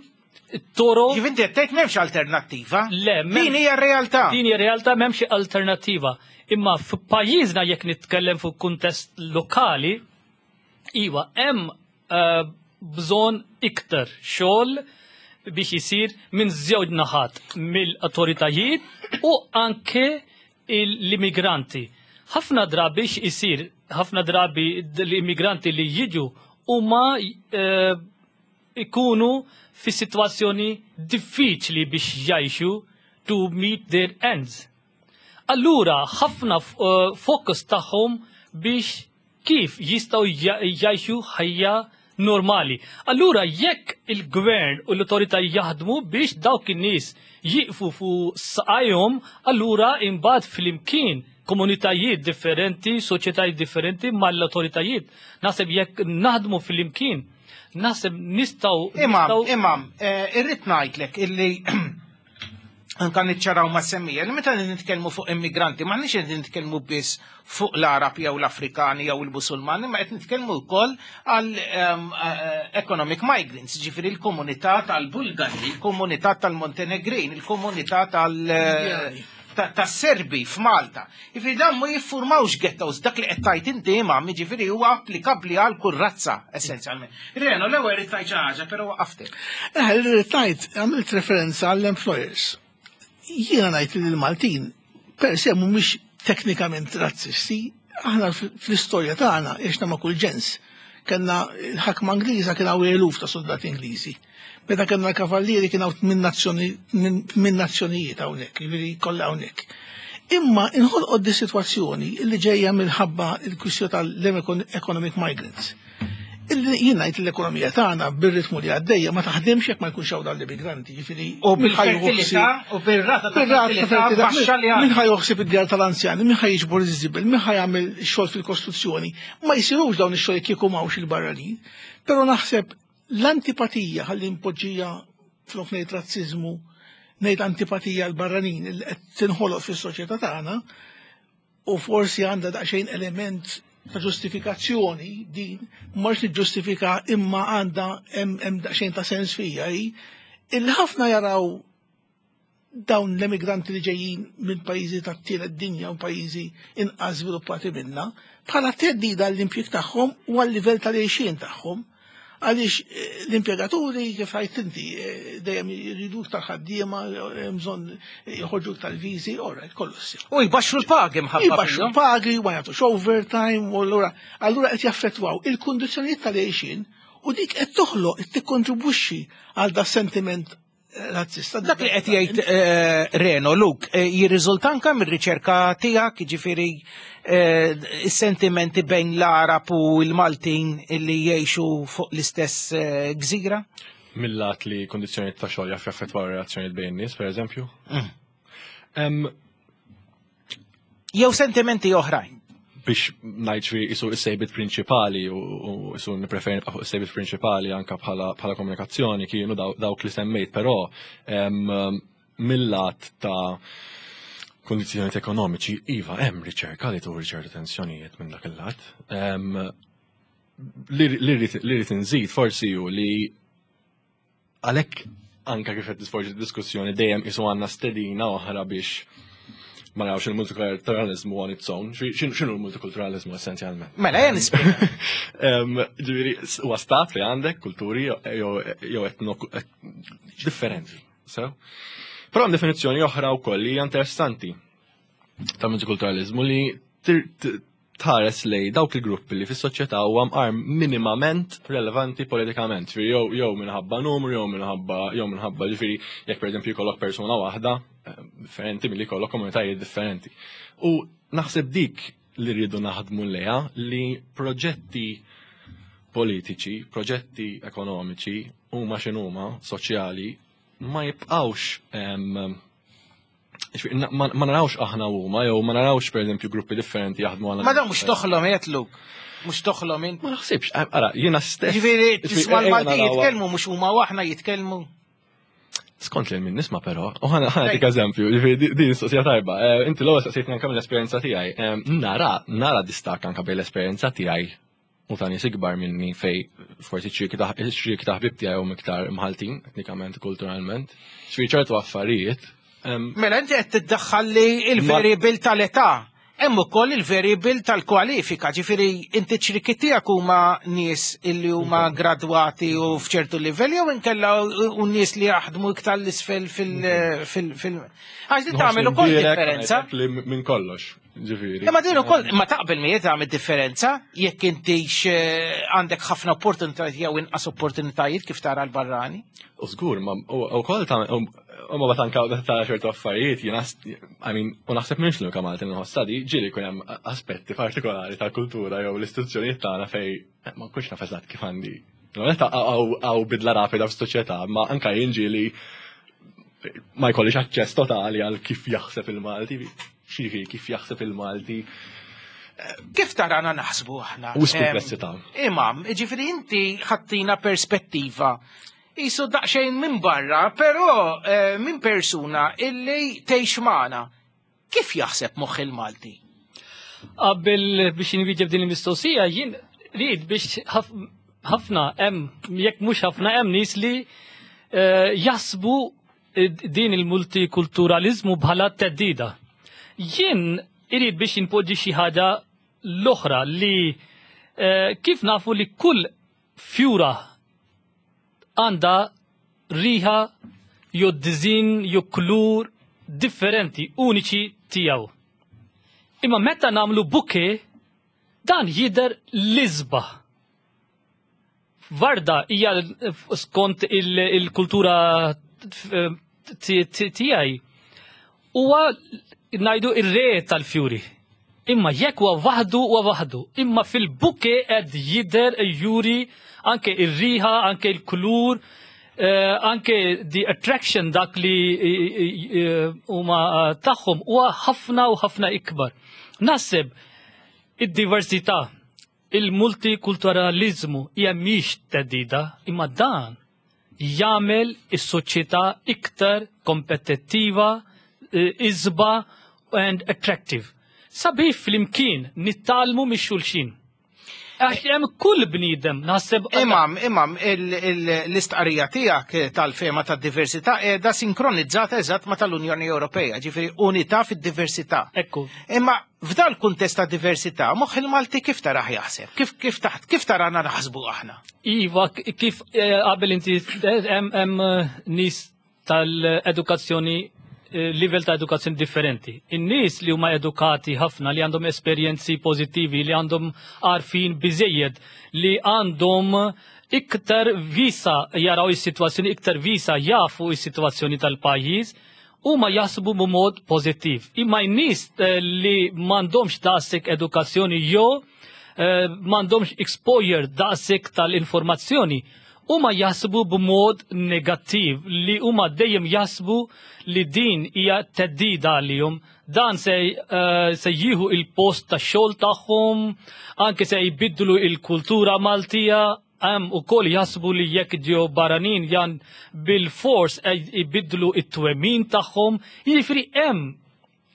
toro. Kif inti qed tgħid m'hemmx alternattiva? Le, din hija r-realtà. Din hija realtà, m'hemmx alternattiva. Imma f'pajjiżna jekk nitkellem fuq kuntest lokali, iva hemm bżonn iktar xogħol biex isir minn żewġ naħat, mill-autoritajiet u anke l-immigranti. Ħafna drabi isir, ħafna drabi l-immigranti li jiġu huma ikunu fi situazzjoni diffiċli biex jgħixu to meet their ends. Allura ħafna fokus tagħhom biex kif jistgħu jgħixu ħajja normali. Allura jekk il-gvern u l-autorità jaħdmu biex dawk in-nies jiqfu fuq saqajhom, allura imbagħad flimkien komunitajiet differenti, soċjetajiet differenti mal-autoritajiet. Naħseb jekk naħdmu flimkien, naħseb nistgħu. Imam, imam, irrid ngħidlek illi anka niċċaraw ma' semmija, li meta nitkellmu fuq immigranti, ma nix nitkellmu biss fuq l-Arab jew l-Afrikani jew il-Musulmani, ma qed nitkellmu wkoll għal economic migrants, ġifieri l-komunità tal-Bulgari, il-komunità tal-Montenegrin, il-komunità tal- tas-Serbi f'Malta. Jiġifieri dan ma jiffurmawx ghettos, dak li qed tgħid inti imam, jiġifieri huwa applikabbli għal kull razza essenzjalment. Reno, l-ewwel irid tgħid xi ħaġa, però waqaftek. Eh, rrid ngħid, għamilt referenza għall-employers. Jiena ngħid li l-Maltin per se mhumiex teknikament razzisti, aħna fl-istorja tagħna għexna ma' kull ġens. Kellna l-ħakma Ingliża, kien hawn eluf ta' soldati Ingliżi. Meta kellna l-kavallieri kien hawn tmien nazzjonijiet hawnhekk, jiġifieri kollha hawnhekk. Imma inħolqot di sitwazzjoni li ġejja minħabba l-kwistjoni tal-economic migrants. Illi jien ngħid l-ekonomija tagħna bir-ritmu li għaddejja ma taħdimx jekk ma jkunx hawn dawn l-immigranti, jiġifieri u bil-fertilità u bir-rata ta' fertilità baxxa li għandna. Min ħa joħsib id-djar tal-anzjani, min ħa jiġbor iż-żibel, min ħa jagħmel xogħol fil-kostruzzjoni, ma jsirux dawn ix-xogħol kieku m'hawnx il-barranin. Però naħseb l-antipatija, ħalli npoġġija flok ngħid razziżmu, ngħid antipatija l-barranin li qed tinħoloq fis-soċjetà tagħna, u forsi għandha daqsxejn element ta' ġustifikazzjoni din, mhux niġġustifika imma għandha hemm daqsxejn ta' sens fija hi, illi ħafna jaraw dawn l-emigranti li ġejjin minn pajjiżi tat-tielet dinja u pajjiżi inqas żviluppati minna bħala theddida għall-impjieg tagħhom u għal-livell tal-għixien tagħhom. Għaliex l-impjegaturi, kif għidt inti, dejjem jridu tal-ħaddiema, bżonn joħorġu tal-viżi, ora, kollu ssir. U jbaxxu l-pagi mħabba. Jbaxxu l-pagi, ma jagħtux overtime, u allura allura qed jaffettwaw il-kundizzjonijiet tal-għixien u dik qed toħloq, qed tikkontribwixxi għal da sentiment razzista. Dak li qed jgħid Reno, Luke, jirriżulta anke mir-riċerka tiegħek, jiġifieri is-sentimenti bejn l-Arab u l-Maltin li jgħixu fuq l-istess gżira? Mill-lat li kondizzjonijiet ta' xogħol jaf jaffettwaw relazzjonijiet bejn nies, pereżempju? Jew sentimenti oħrajn. Biex ngħid xi isu s-sejbit prinċipali u isu nippreferi nibqa' fuq is-sejbit prinċipali anke bħala komunikazzjoni kienu dawk li semmejt, però mill-lat ta' kondizzjonijiet ekonomiċi, iva hemm riċerka li turi ċertu tensjonijiet minn dak il-lat. Li rrid inżid forsi hu li għalhekk anka kif qed tisforġi diskussjoni dejjem isu għandna stedina oħra biex ma narawx il-multikulturalizmu on its own. X'inhu l-multikulturalizmu essenzjalment? Mela, jen nispjega. Ġifieri, huwa stat li għandek kulturi jew etno differenti. So? Però hemm definizzjoni oħra wkoll li hija interessanti ta' multikulturalizmu li tħares lej dawk il-gruppi li fis-soċjetà huwa mqar minimament relevanti politikament. Ġifieri jew jew minħabba numru, jew minħabba jew minħabba ġifieri jekk pereżempju jkollok persuna waħda eh, differenti milli jkollok komunitajiet differenti. U naħseb dik li rridu naħdmu lejha li proġetti politiċi, proġetti ekonomiċi huma x'inhuma soċjali ma jibqgħux ma narawx aħna huma jew ma narawx pereżempju gruppi differenti jaħdmu għal. Ma dan mhux toħlom qed Luke. Mhux toħlom int. Ma naħsibx, ara, jiena stess. Ġifieri tisma' l-Malti jitkellmu mhux huma u aħna jitkellmu. Skont li minn nisma' però, u ħa nagħtik eżempju, ġifieri din mistoqsija tajba. Eh, inti l-ewwel staqsejtni anke mill-esperjenza tiegħi. Nara, nara distakk anke bejn l-esperjenza tiegħi u ta' nies ikbar minni fej forsi ċirki ta' ħbib tiegħi huma iktar mħaltin, etnikament, kulturalment. Ġifieri ċertu affarijiet. Mela inti qed tiddaħħal li il-variable tal-età. Hemm ukoll il-variable tal-kwalifika, ġifieri inti ċriki tiegħek huma nies illi huma gradwati u f'ċertu livell jew inkella u nies li jaħdmu iktar l-isfel fil- fil- fil Għax li tagħmel ukoll differenza. Minn kollox, ġifieri. Imma din ukoll ma taqbel miegħi tagħmel differenza jekk intix eh, għandek ħafna opportunitajiet jew inqas opportunitajiet kif tara l-barrani. U żgur, ma u koll ta' u ma batanka ta' ċertu affarijiet, jiena, I mean, u naħseb minx l Malti nħossa di, ġieli jkun hemm aspetti partikolari tal-kultura jew l-istituzzjonijiet tagħna fej eh, ma nkunx naf eżatt kif għandi. Għaw bidla rapida f'soċjetà, ma anka jien ġieli ma jkollix aċċess totali għal kif jaħseb il-Malti, xifi kif jaħseb il-Malti. Kif tarana naħsbu aħna? U komplessità. Imam, ġifieri inti ħattina perspettiva Isu daqxejn minn barra, però eh, minn persuna illi tgħix magħna. Kif jaħseb moħħ il-Malti? Qabel biex nwieġeb din il-mistoqsija, jien rrid biex ħafna hemm jekk mhux ħafna hemm nies li eh, jaħsbu din il-multikulturalizmu bħala theddida. Jien irid biex inpoġġi xi ħaġa l-oħra li eh, kif nafu li kull fjura għandha riħa jew dizin jew kulur differenti, uniċi tiegħu. Imma meta nagħmlu bouquet, dan jidher l-isbaħ. Warda hija skont il-kultura tiegħi huwa ngħidu ir-re tal-fjuri. Imma jekk huwa waħdu huwa waħdu. Imma fil-bouquet qed jidher juri anke ir-riħa, anke il-kulur, eh, anke the attraction dak li eh, huma tagħhom huwa ħafna u ħafna ikbar. Naħseb id-diversità, il-multikulturalizmu hija mhix theddida, imma dan jagħmel is-soċjetà iktar kompetittiva, eh, isbaħ and attractive. Sabiħ flimkien nitgħallmu minn xulxin. Għax hemm kull bniedem naħseb. Imam, imam, l-istqarrija tiegħek tal-fema tad-diversità qiegħda sinkronizzata eżatt ma tal-Unjoni Ewropea, ġifieri unità fid-diversità. Ekku. Imma f'dal kuntest ta' diversità, moħħ il-Malti kif taraħ jaħseb? Kif kif taħt kif tarana naħsbu aħna? Iva, kif eh, qabel inti hemm hemm eh, nies tal-edukazzjoni eh, livell ta' edukazzjoni differenti. In-nies li huma edukati ħafna, li għandhom esperjenzi pożittivi, li għandhom għarfien biżejjed, li għandhom iktar visa jaraw is-sitwazzjoni, iktar visa jafu is-sitwazzjoni tal-pajjiż, huma jaħsbu b'mod pożittiv. Imma n-nies eh, li m'għandhomx daqshekk edukazzjoni jew eh, m'għandhomx exposure daqshekk tal-informazzjoni, huma jaħsbu b'mod negattiv li huma dejjem jaħsbu li din hija theddida għalihom, dan se, uh, se jieħu il-post ta' xogħol tagħhom, anke se jbiddlu il-kultura Maltija, hemm ukoll jaħsbu li jekk ġew barranin jan bil-fors jbiddlu it-twemmin tagħhom, jiġifieri hemm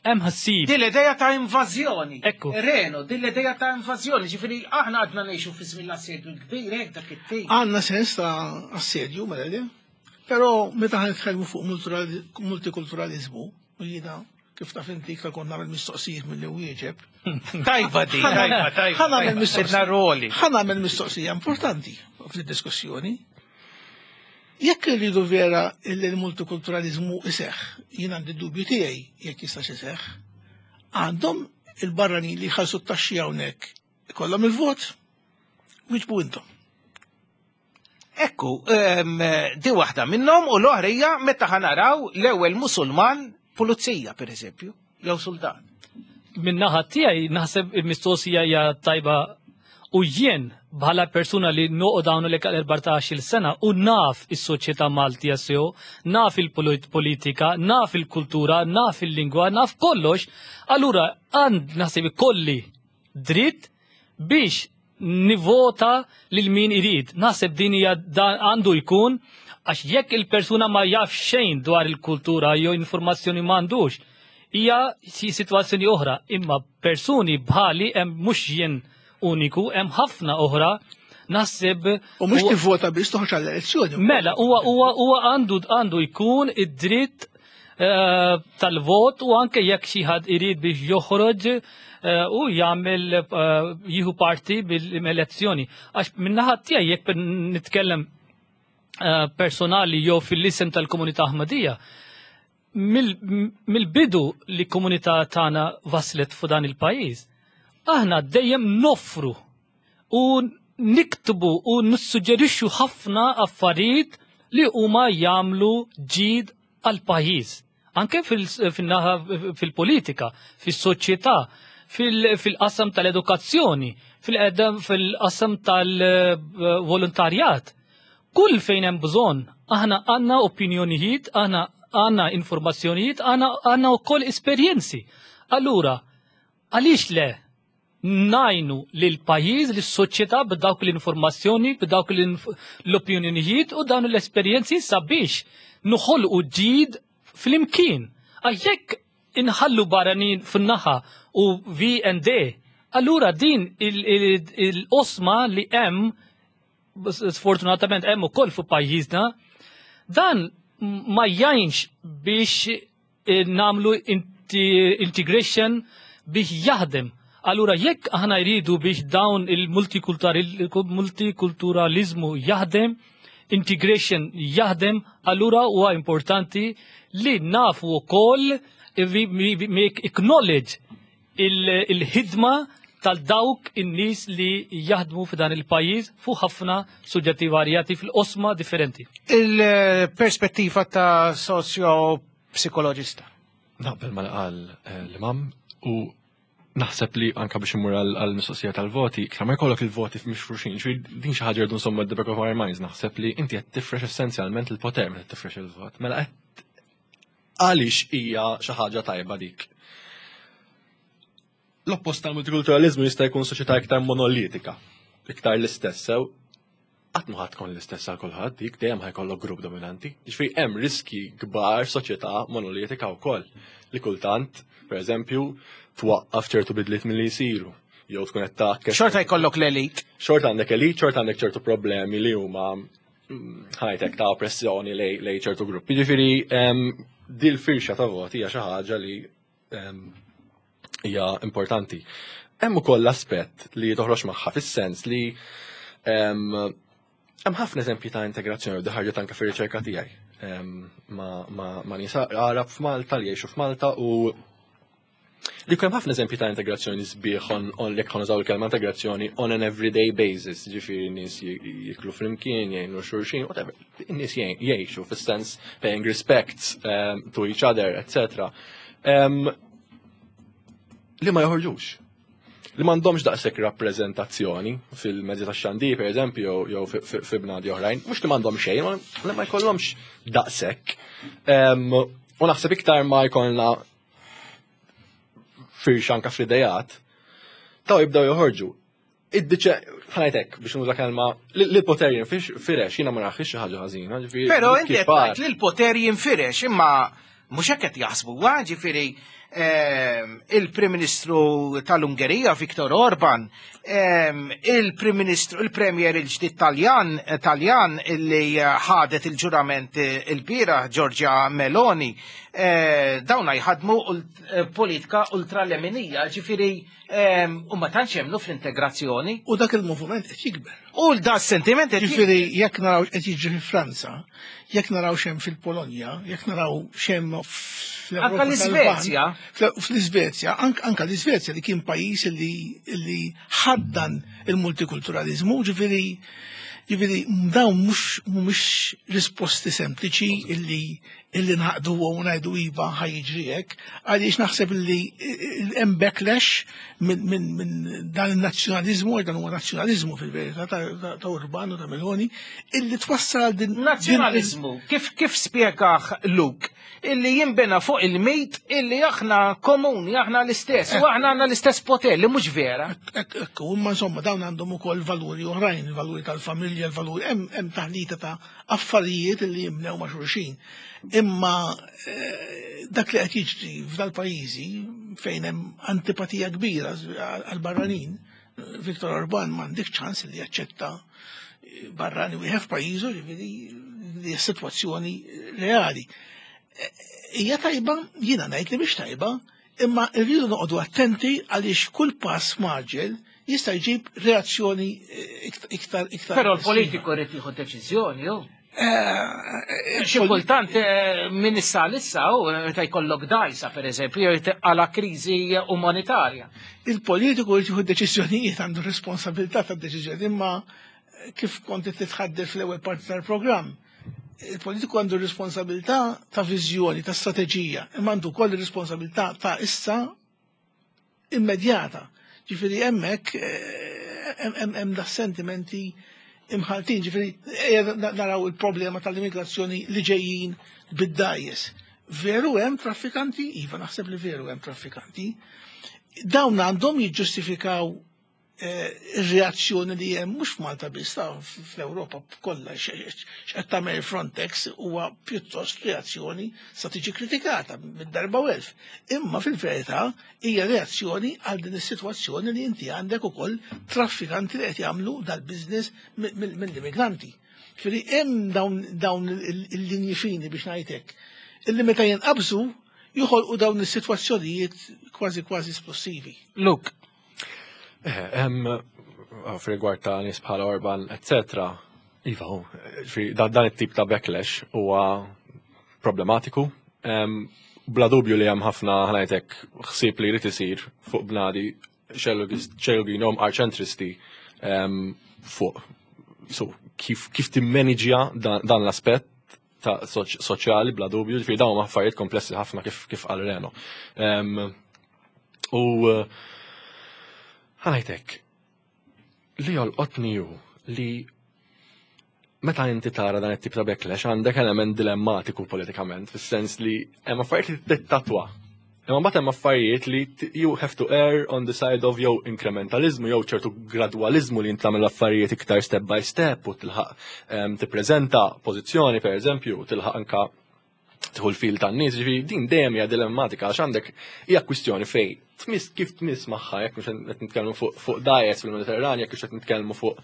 hemm ħassib. Din l-idea ta' invażjoni. Ekku. Reno, din l-idea ta' invażjoni, ġifieri aħna għadna ngħixu fi żmien l-assedju l-kbir hekk dak it-tip. Għandna sens ta' assedju, mela le? Però meta ħa nitkellmu fuq multikulturalizmu, u jiena kif taf inti iktar kont nagħmel mistoqsijiet milli wieġeb. Tajba di, tajba, tajba. Ħa nagħmel mistoqsija. Roli. Ħa nagħmel mistoqsija importanti fid-diskussjoni. Jekk irridu vera illi l-multikulturalizmu iseħħ, jien għandi dubju tiegħi jekk jistax iseħħ, għandhom il-barranin li jħallsu t-taxxi hawnhekk ikollhom il-vot, wieġbu intom. Ekku, di waħda minnhom u l-oħra hija meta ħa naraw l-ewwel Musulman pulizija pereżempju, jew sultan. Min-naħa tiegħi naħseb il-mistoqsija hija tajba u jien bħala persuna li noqgħod hawn lek għal erbatax-il sena u naf is-soċjetà Maltija sew, naf il-politika, naf il-kultura, naf il-lingwa, naf kollox, allura għand naħseb ikolli dritt biex nivota lil min irid. Naħseb din hija għandu jkun għax jekk il-persuna ma jaf xejn dwar il-kultura jew informazzjoni m'għandux, hija xi sitwazzjoni oħra, imma persuni bħali hemm mhux jien uniku, hemm ħafna oħra naħseb. U mhux tivvota biex toħroġ għall-elezzjoni. Mela, huwa huwa huwa għandu għandu jkun id-dritt eh, tal-vot u anke jekk xi ħadd irid biex joħroġ eh, u jagħmel eh, jieħu parti bil-elezzjoni. Għax min-naħa tiegħi jekk nitkellem personali jew fil-isem tal-komunità Aħmadija, mill-bidu li komunità tagħna waslet fuq dan il-pajjiż, aħna dejjem noffru u niktbu u nissuġġerixxu ħafna affarijiet li huma jagħmlu ġid għal pajjiż. Anke fil-politika, fis-soċjetà, fil-qasam tal-edukazzjoni, fil-qasam tal-volontarjat. Kull fejn hemm bżonn, aħna għandna opinjonijiet, aħna għandna informazzjonijiet, aħna għandna wkoll esperjenzi. Allura, għaliex le najnu lil pajjiż, lis soċjetà b'dawk l-informazzjoni, b'dawk l-opinjonijiet u dawn l-esperjenzi sabiex noħolqu ġid fl-imkien. Għax jekk inħallu barranin fin-naħa u V and D, allura din il-osma li hemm sfortunatament hemm ukoll fuq pajjiżna, dan ma jgħinx biex namlu integration biex jaħdem. Allura jekk aħna jridu biex dawn il-multikulturalizmu jaħdem, integration jaħdem, allura huwa importanti li nafu wkoll make acknowledge il-ħidma tal-dawk in-nies li jaħdmu f'dan il-pajjiż fuq ħafna suġġetti varjati fil-qosma differenti. Il-perspettiva ta' socio-psikologista. Naqbel ma qal l-imam u naħseb li anka biex immur għal-mistoqsija tal-voti, iktar ma jkollok il-voti mifruxin, ġifieri din xi ħaġa rridu nsommu at the back of our minds, naħseb li inti qed tifrex essenzjalment il-poter meta tifrex il-vot. Mela qed għaliex hija xi ħaġa tajba dik. L-oppost tal-multikulturalizmu jista' jkun soċjetà iktar monolitika, iktar l-istess sew. Qatt ma ħadd tkun l-istess għal kulħadd, dik dejjem ħajkollok grupp dominanti. Ġifieri hemm riski kbar soċjetà monolitika wkoll li kultant, pereżempju, twaqqaf ċertu bidliet milli jsiru, jew tkun qed tgħakkes. Xorta jkollok l-elit. Xorta għandek elit, xorta għandek ċertu problemi li huma ħajtek ta' oppressjoni lej ċertu gruppi. Ġifieri dil firxa ta' voti hija xi ħaġa li hija importanti. Hemm ukoll l-aspett li toħroġ magħha fis-sens li hemm ħafna eżempji ta' integrazzjoni u ħarġet anke fir-riċerka tiegħi ma' nies Arab f'Malta li jgħixu f'Malta u li hemm ħafna eżempji ta' integrazzjoni sbieħ on jekk ħa il-kelma integrazzjoni on an everyday basis, ġifieri nies jiklu flimkien, jgħinu xulxin, whatever. Nies jgħixu fis-sens paying respect um, to each other, et cetera. Um, li ma joħorġux. Li m'għandhomx daqshekk rappreżentazzjoni fil-mezzi tax-xandir, per eżempju, jew fi bnadi oħrajn, mhux li m'għandhom xejn, ma ma jkollhomx daqshekk. U naħseb iktar ma jkollna firxa anka fl-idejat, taw jibdaw joħorġu. Id-diċe, ħa ngħidlek, biex nuża kelma, li l-poter jinfirex, jiena ma narax xi ħaġa ħażina, ġifieri. Però inti qed tgħid li l-poter jinfirex, imma mhux hekk qed jaħsbu, ġifieri Ehm, il-Prim Ministru tal-Ungerija, Viktor Orban, ehm, il-Prim Ministru, il-Premier il-ġdid Taljan, Taljan illi ħadet il-ġurament il-bieraħ, Giorgia Meloni, eh, dawna jħadmu ult- politika ultraleminija, ġifieri ehm, u ma tantx jemmnu fl-integrazzjoni. U dak il-moviment qed jikber. U da sentiment qed Ġifieri jekk naraw qed jiġri fi Franza, jekk naraw x'hemm fil-Polonja, jekk naraw x'hemm fl-Ewropa Anka l-Iżvezja. tal-Lvant, Fl-Iżvezja, anka anka l-Iżvezja li kien pajjiż li li ħaddan il-multikulturalizmu, ġifieri ġifieri dawn mhux mhumiex risposti sempliċi illi illi naqdu u ngħidu iva ħa jiġri hekk, għaliex naħseb illi hemm backlash minn min, min dan il-nazzjonalizmu, dan huwa nazzjonalizmu fil-verità ta', ta, ta' Orban u ta' Meloni, illi twassal din Nazzjonalizmu, kif kif spjegaħ Luke, illi jimbena fuq il-mit illi aħna komuni, aħna l-istess, u aħna għandna l-istess poter, li mhux vera. Ekku, imma insomma dawn għandhom ukoll valuri oħrajn, il-valuri tal-familja, il-valuri, hemm hemm taħlita ta' affarijiet illi jimnew ma' xulxin. Imma eh, dak li qed jiġri f'dal-pajjiżi fejn hemm antipatija kbira għal-barranin, Viktor Orban m'għandek ċans li jaċċetta barrani wieħed f'pajjiżu, ġifieri li sitwazzjoni reali. Hija tajba, jiena ngħid li mhix tajba, imma rridu noqogħdu attenti għaliex kull pass mgħaġġel jista' jġib reazzjoni iktar iktar. Però l-politiku jrid jieħu deċiżjoni, ju. Xi kultant eh, minn issa issa u meta jkollok dajsa pereżempju jew għala kriżi umanitarja. Il-politiku jrid jieħu deċiżjonijiet, għandu responsabilità tad-deċiżjoni, imma kif kont titħaddef fl-ewwel parti tal-programm, il-politiku għandu responsabilità ta' viżjoni, ta' strateġija, imma għandu wkoll responsabilità ta' issa immedjata. Ġifieri hemmhekk hemm hemm da sentimenti imħaltin, ġifieri ejja naraw il-problema tal-immigrazzjoni li ġejjin bid-dgħajjes. Veru hemm traffikanti? Iva, naħseb li veru hemm traffikanti. Dawn għandhom jiġġustifikaw ir-reazzjoni li hemm mhux f'Malta biss, ta' fl-Ewropa kollha. X'qed tagħmel Frontex huwa pjuttost reazzjoni sa tiġi kritikata mid-darba u elf. Imma fil-verità hija reazzjoni għal din is-sitwazzjoni li inti għandek ukoll traffikanti li qed jagħmlu dal-business mill-immigranti. Ġifieri hemm dawn dawn il-linji fini biex ngħidlek illi meta jinqabżu joħolqu dawn is-sitwazzjonijiet kważi kważi esplosivi. Luke. Hemm f'rigward ta' nies bħala Orban, eccetera. Iva, dan it-tip ta' backlash huwa problematiku. Bla dubju li hemm ħafna, ħa ngħidlek, ħsieb li jrid isir fuq bnadi xellugin arċentristi fuq so, kif, kif timmaniġja dan, dan l-aspett ta' soċjali bla dubju, ġifieri dawn huma affarijiet komplessi ħafna kif kif qal Reno. U ħa ngħidlek, li jolqotni ju li meta inti tara dan it-tip ta' backlash għandek element dilemmatiku politikament, fis-sens li hemm affarijiet li tittatwa. Imma mbagħad hemm affarijiet li you have to err on the side of jew incrementalizmu jew ċertu gradwalizmu li tagħmel affarijiet iktar step by step u tilħaq tippreżenta pożizzjoni, pereżempju, u tilħaq anka tieħu l-fil tan-nies, ġifieri din dejjem hija dilemmatika għax għandek hija kwistjoni fej tmiss kif tmiss magħha, jekk mhux qed nitkellmu fuq fuq dgħajjes fil-Mediterran, jekk mhux qed nitkellmu fuq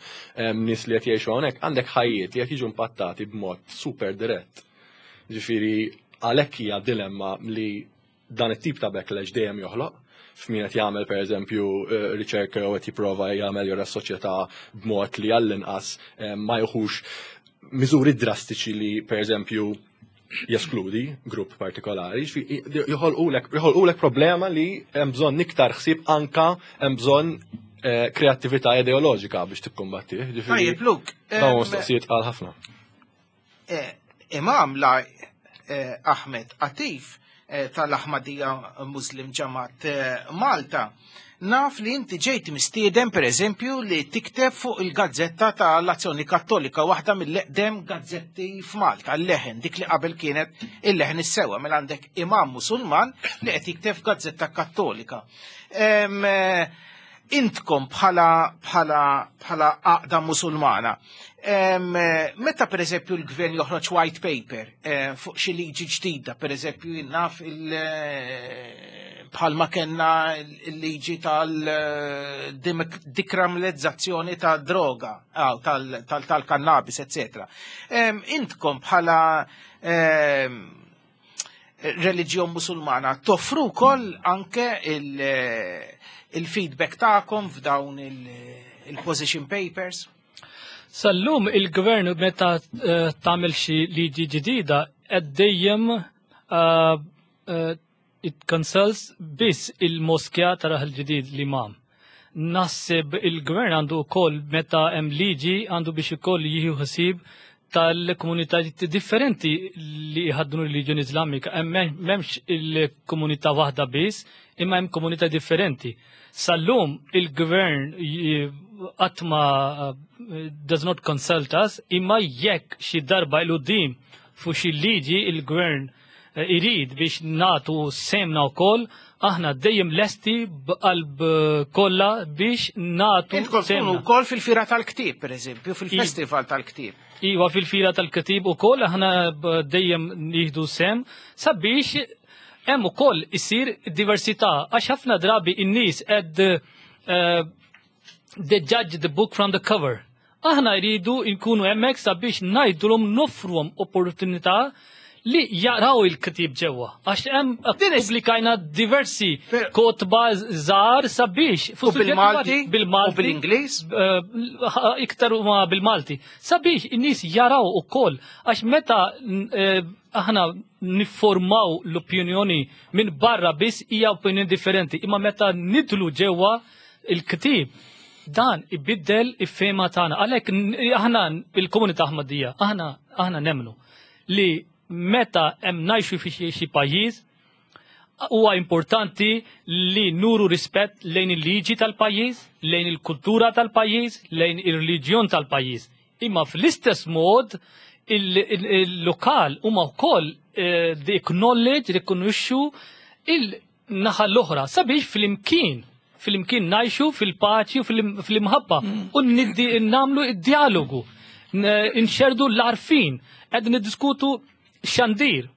nies li qed jgħixu hawnhekk, għandek ħajjiet li qed jiġu impattati b'mod super dirett. Ġifieri għalhekk hija dilemma li dan it-tip ta' backlash dejjem joħloq f'min qed jagħmel, pereżempju, riċerka jew qed jipprova jagħmel jora s-soċjetà b'mod li għall-inqas ma jieħux miżuri drastiċi li, pereżempju, jeskludi grupp partikolari, joħolqulek problema li hemm bżonn iktar ħsieb, anka hemm bżonn kreattività ideoloġika biex tikkumbatti. Tajjeb, Luke. Dawn mistoqsijiet għal ħafna. Imam la Ahmed Atif tal-Ahmadiyya Muslim Ġamat Malta, naf li inti ġejt mistieden, per eżempju, li tikteb fuq il-gazzetta tal-Azzjoni Kattolika, waħda mill-eqdem gazzetti f'Malta, l-Leħen, dik li qabel kienet il-Leħen is-Sewwa, mela għandek imam Musulman li qed jikteb f'gazzetta Kattolika. Intkom bħala bħala bħala għaqda Musulmana. Em, eh, Meta per eżempju l-gvern joħroġ white paper eh, fuq xi liġi ġdida, per eżempju naf il eh, bħalma kellna il-liġi tal-dekriminalizzazzjoni ta' droga, aw, tal- tal- tal-kannabis, eccetera. Em, Intkom bħala em, reliġjon Musulmana toffru wkoll anke il- il-feedback tagħkom f'dawn il- il-position papers? Sal-lum il-gvern meta eh, tagħmel xi liġi ġdida qed dejjem eh, eh, it consults biss il-moskja ta' Raħal Ġdid, l-imam. Naħseb il-gvern għandu wkoll, meta hemm liġi, għandu biex ukoll jieħu ħsieb tal-komunitajiet differenti li jħaddnu r-reliġjoni Islamika. Hemm m'hemmx il-komunità waħda biss, imma hemm komunità differenti. Sal-lum il-gvern qatt ma uh, does not consult us, imma jekk xi darba 'l quddiem fuq xi liġi il-gvern eh, irid biex nagħtu sehemna wkoll, aħna dejjem lesti b'qalb eh, kollha biex nagħtu Intkom tkunu sehemna. wkoll fil-fira tal-ktieb, per eżempju, fil-festival tal-ktieb. Iwa, fil-fira tal-ktieb ukoll aħna b- dejjem nieħdu sehem sabiex hemm ukoll isir diversità, għax ħafna drabi in-nies qed eh, they judge the book from the cover. Aħna jridu nkunu hemmhekk sabiex ngħidulhom, noffruhom opportunità li jaraw il-ktieb ġewwa. Għax hemm pubblikajna diversi kotba żgħar sabiex U bil-Malti? Bil-Malti. U bil-Ingliż? Eh, iktar huma bil-Malti. Sabiex in-nies jaraw ukoll, għax meta eh, aħna niformaw l-opinjoni minn barra biss hija opinjoni differenti, imma meta nidħlu ġewwa il-ktieb, dan ibiddel il-fehma tagħna. Għalhekk n- aħna il-komunità Aħmadija, aħna aħna nemmnu li meta hemm ngħixu fi xi xi pajjiż, huwa importanti li nuru rispett lejn il-liġi tal-pajjiż, lejn il-kultura tal-pajjiż, lejn ir-reliġjon tal-pajjiż. Imma fl-istess mod il-lokal huma wkoll eh, they acknowledge, rikonoxxu il-naħa l-oħra sabiex fl-imkien fl-imkien ngħixu fil-paċi u fil-imħabba u niddi nagħmlu id-dialogu, nxerdu l-għarfien, qed niddiskutu xandir.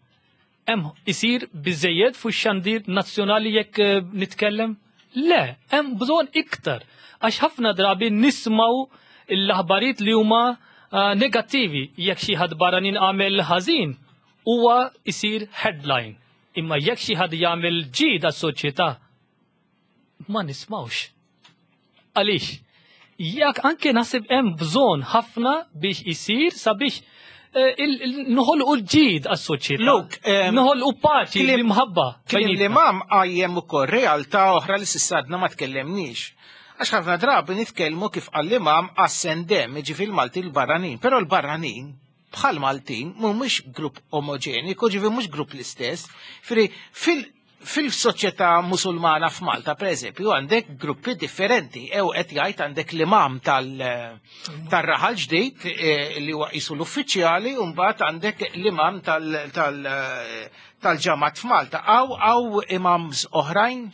Hemm isir biżejjed fuq xandir nazzjonali jekk eh, nitkellem? Le, hemm bżonn iktar. Għax ħafna drabi nismaw l-aħbarijiet li huma eh, negattivi. Jekk xi ħadd barranin għamel ħażin, huwa isir headline. Imma jekk xi ħadd jagħmel ġid għas-soċjetà, ma nismawx. Għaliex? Jekk anke naħseb hemm bżonn ħafna biex isir sabiex eh, noħolqu l-ġid għas-soċjetà. Luke, Noħolqu paċi, l-imħabba. Kien l-imam qajjem ukoll realtà oħra li s'issa għadna ma tkellemniex. Għax ħafna drabi nitkellmu, kif għall-imam, għas-sendem, ġifieri l-Malti l-barranin, però l-barranin bħal Maltin mhumiex grupp omogeniku, ġifieri mhux grupp l-istess. Ġifieri fil fil-soċjetà Musulmana f'Malta, per eżempju, għandek gruppi differenti. Ew qed jgħid għandek l-imam tal- tar-Raħal Ġdid eh, li huwa qisu l-uffiċjali, u mbagħad għandek l-imam tal- tal- tal-ġamat f'Malta. Aw aw imams oħrajn?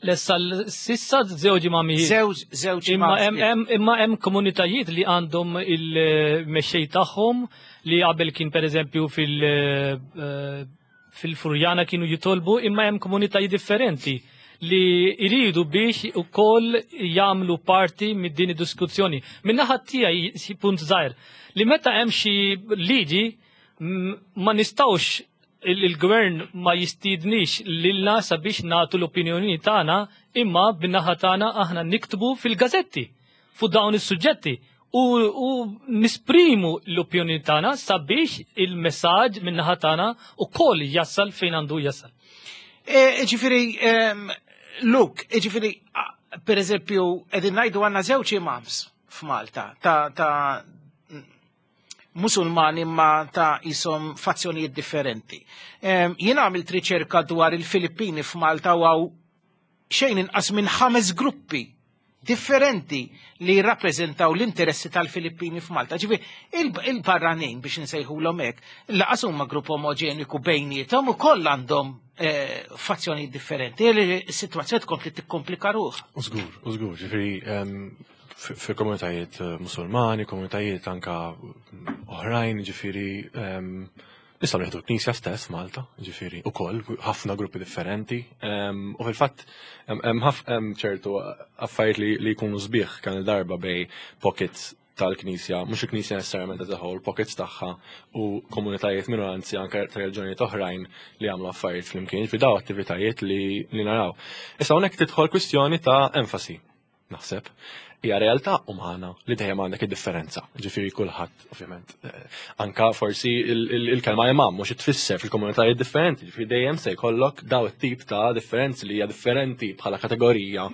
Lessa s'issa żewġ imamijiet. Żewġ żewġ Imma imams. hemm hemm imma hemm komunitajiet li għandhom il-mexxej tagħhom li qabel kien, pereżempju, fil- eh, fil-Furjana kienu jitolbu, imma hemm komunitajiet differenti li jridu biex ukoll jagħmlu parti mid din id-diskussjoni. Min-naħa tiegħi xi punt żgħir li meta hemm xi liġi m- ma nistgħux il- il-gvern ma jistidnix lilna sabiex nagħtu l-opinjoni tagħna, imma bin-naħa tagħna aħna niktbu fil-gazetti fuq dawn is-suġġetti u, u nisprimu l-opinjoni tagħna sabiex il-messaġġ min-naħa tagħna ukoll jasal fejn għandu jasal. E, Ġifieri, em, Luke, ġifieri, a- per eżempju, qegħdin ngħidu għandna żewġ imams f'Malta, ta' ta' Musulmani ma ta' jisom fazzjonijiet differenti. Em, Jien għamilt riċerka dwar il-Filippini f'Malta u hawn xejn inqas minn ħames gruppi differenti li jirrappreżentaw l-interessi tal-Filippini f'Malta. Ġifieri il-barranin, biex nsejħulhom hekk, lanqas huma grupp omogeniku bejniethom, ukoll għandhom eh, fazzjoni differenti. Is-sitwazzjoni tkompli tikkomplika ruħha. U żgur, u żgur, ġifieri fil-komunitajiet eh, musulmani, komunitajiet anka oħrajn, ġifieri nistgħu nieħdu l-Knisja stess Malta, ġifieri ukoll ħafna gruppi differenti. U fil-fatt hemm ċertu affarijiet li jkunu sbieħ kan il-darba bejn pockets tal-Knisja, mhux il-Knisja necessarjament as a whole, pockets tagħha u komunitajiet minoranzi anke ta' reliġjonijiet oħrajn li jagħmlu affarijiet flimkien, fi daw attivitajiet li, li naraw. Issa hawnhekk tidħol kwistjoni ta' enfasi, naħseb. Hija realtà umana li dejjem għandek id-differenza. Ġifieri kulħadd, ovvjament. Eh, anka forsi il-kelma imam mhux tfisser fil-komunitajiet differenti, ġifieri dejjem se jkollok daw it-tip ta' differenzi li hija differenti bħala kategorija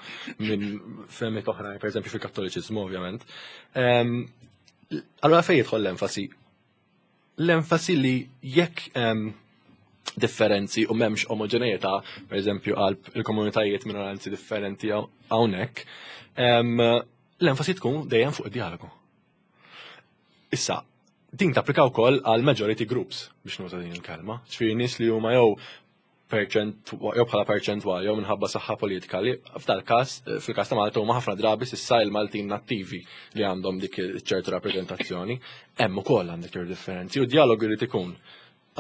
minn fehmiet oħrajn, pereżempju fil-Kattoliċiżmu, ovvjament. Allura fejn jidħol l-enfasi? L-enfasi li jekk differenzi u m'hemmx omogeneità, per eżempju qalb il-komunitajiet minoranzi differenti hawnhekk, l-enfasi tkun dejjem fuq id-dialogu. Issa, din tapplika wkoll għal majority groups, biex nuża din il-kelma. Ġifieri nies li huma jew jew bħala perċentwal jew minħabba saħħa politika li f'dal każ, fil-każ ta' Malta, huma ħafna drabi s'issa il-Maltin nattivi li għandhom dik ċertu rappreżentazzjoni, hemm ukoll għandek ċertu differenzi u dialogu jrid ikun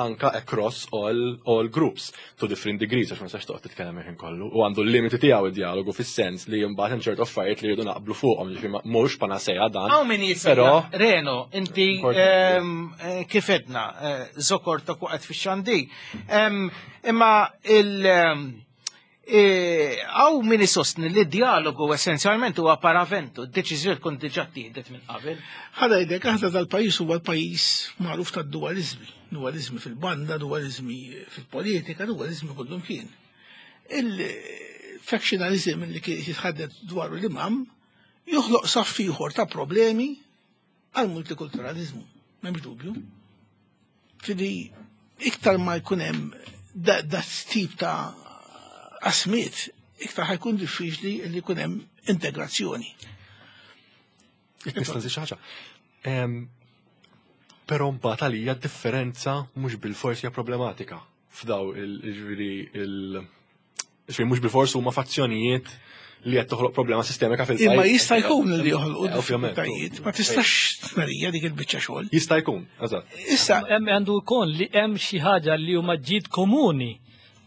anka across all, all groups to different degrees, għax ma nistax toqgħod titkellem il-ħin kollu. U għandu l-limiti tiegħu id-dialogu, fis-sens li mbagħad hemm ċertu affarijiet li jridu naqblu fuqhom, ġifieri mhux panacea dan. Hawn min Però Reno, inti ehm, eh, kif edna, eh, zokortok waqgħet fix-xandi. Ehm, Imma il- ehm, eh, Hawn min isostni li dialogu essenzjalment huwa paraventu, d-deċiżjoni tkun diġà ttieħdet minn qabel. Ħa ngħidlek, aħna dal-pajjiż huwa l-pajjiż magħruf tad-dualizmi. Dualizmi fil-banda, dualizmi fil-politika, dualizmi kullum kien. Il-factionalism li kien jitħaddet dwaru l-imam joħloq saff ieħor ta' problemi għal multikulturalizmu, m'hemmx dubju. Fidi iktar ma jkun hemm da, da tip ta' qasmiet, iktar ħa jkun diffiċli li jkun hemm integrazzjoni. Nista' nżid xi ħaġa. Em, Però mbagħad għalija differenza mhux bil-forsi hija problematika f'daw il-ġifieri il ġifieri mhux bil-forsi huma fazzjonijiet li qed toħloq problema sistemika fil-pajjiż. Imma jista' jkun li joħolqu Eh, ovvjament. diffikultajiet, ma tistax tmerija dik il-biċċa xogħol. Jista' jkun, eżatt. Issa Hemm għandu jkun li hemm xi ħaġa li huma ġid komuni,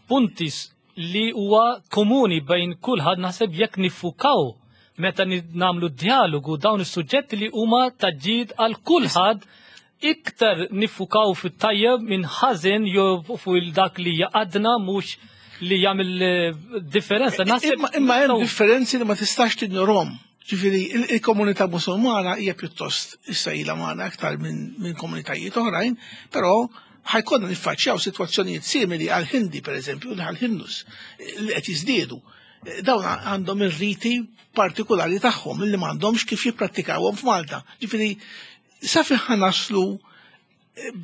punti s- li huwa komuni bejn kulħadd. Naħseb jekk niffukaw meta ni- nagħmlu dialogu dawn is-suġġetti li huma ta' ġid għal kulħadd, iktar niffukaw fit-tajjeb minn ħażin jew fuq il dak li jaqadna, mhux li jagħmel eh, differenza. Naħseb Imma imma hemm differenzi li ma tistax tinjorhom. Ġifieri il- il-komunità Musulmana hija pjuttost issa ilha magħna aktar minn minn komunitajiet oħrajn, però ħa jkollna niffaċċjaw sitwazzjonijiet simili għal Hindi pereżempju, għal Hindus li qed jiżdiedu. Dawn għandhom ir-riti partikolari tagħhom li m'għandhomx kif jipprattikawhom f'Malta. Ġifieri sa fejn ħa naslu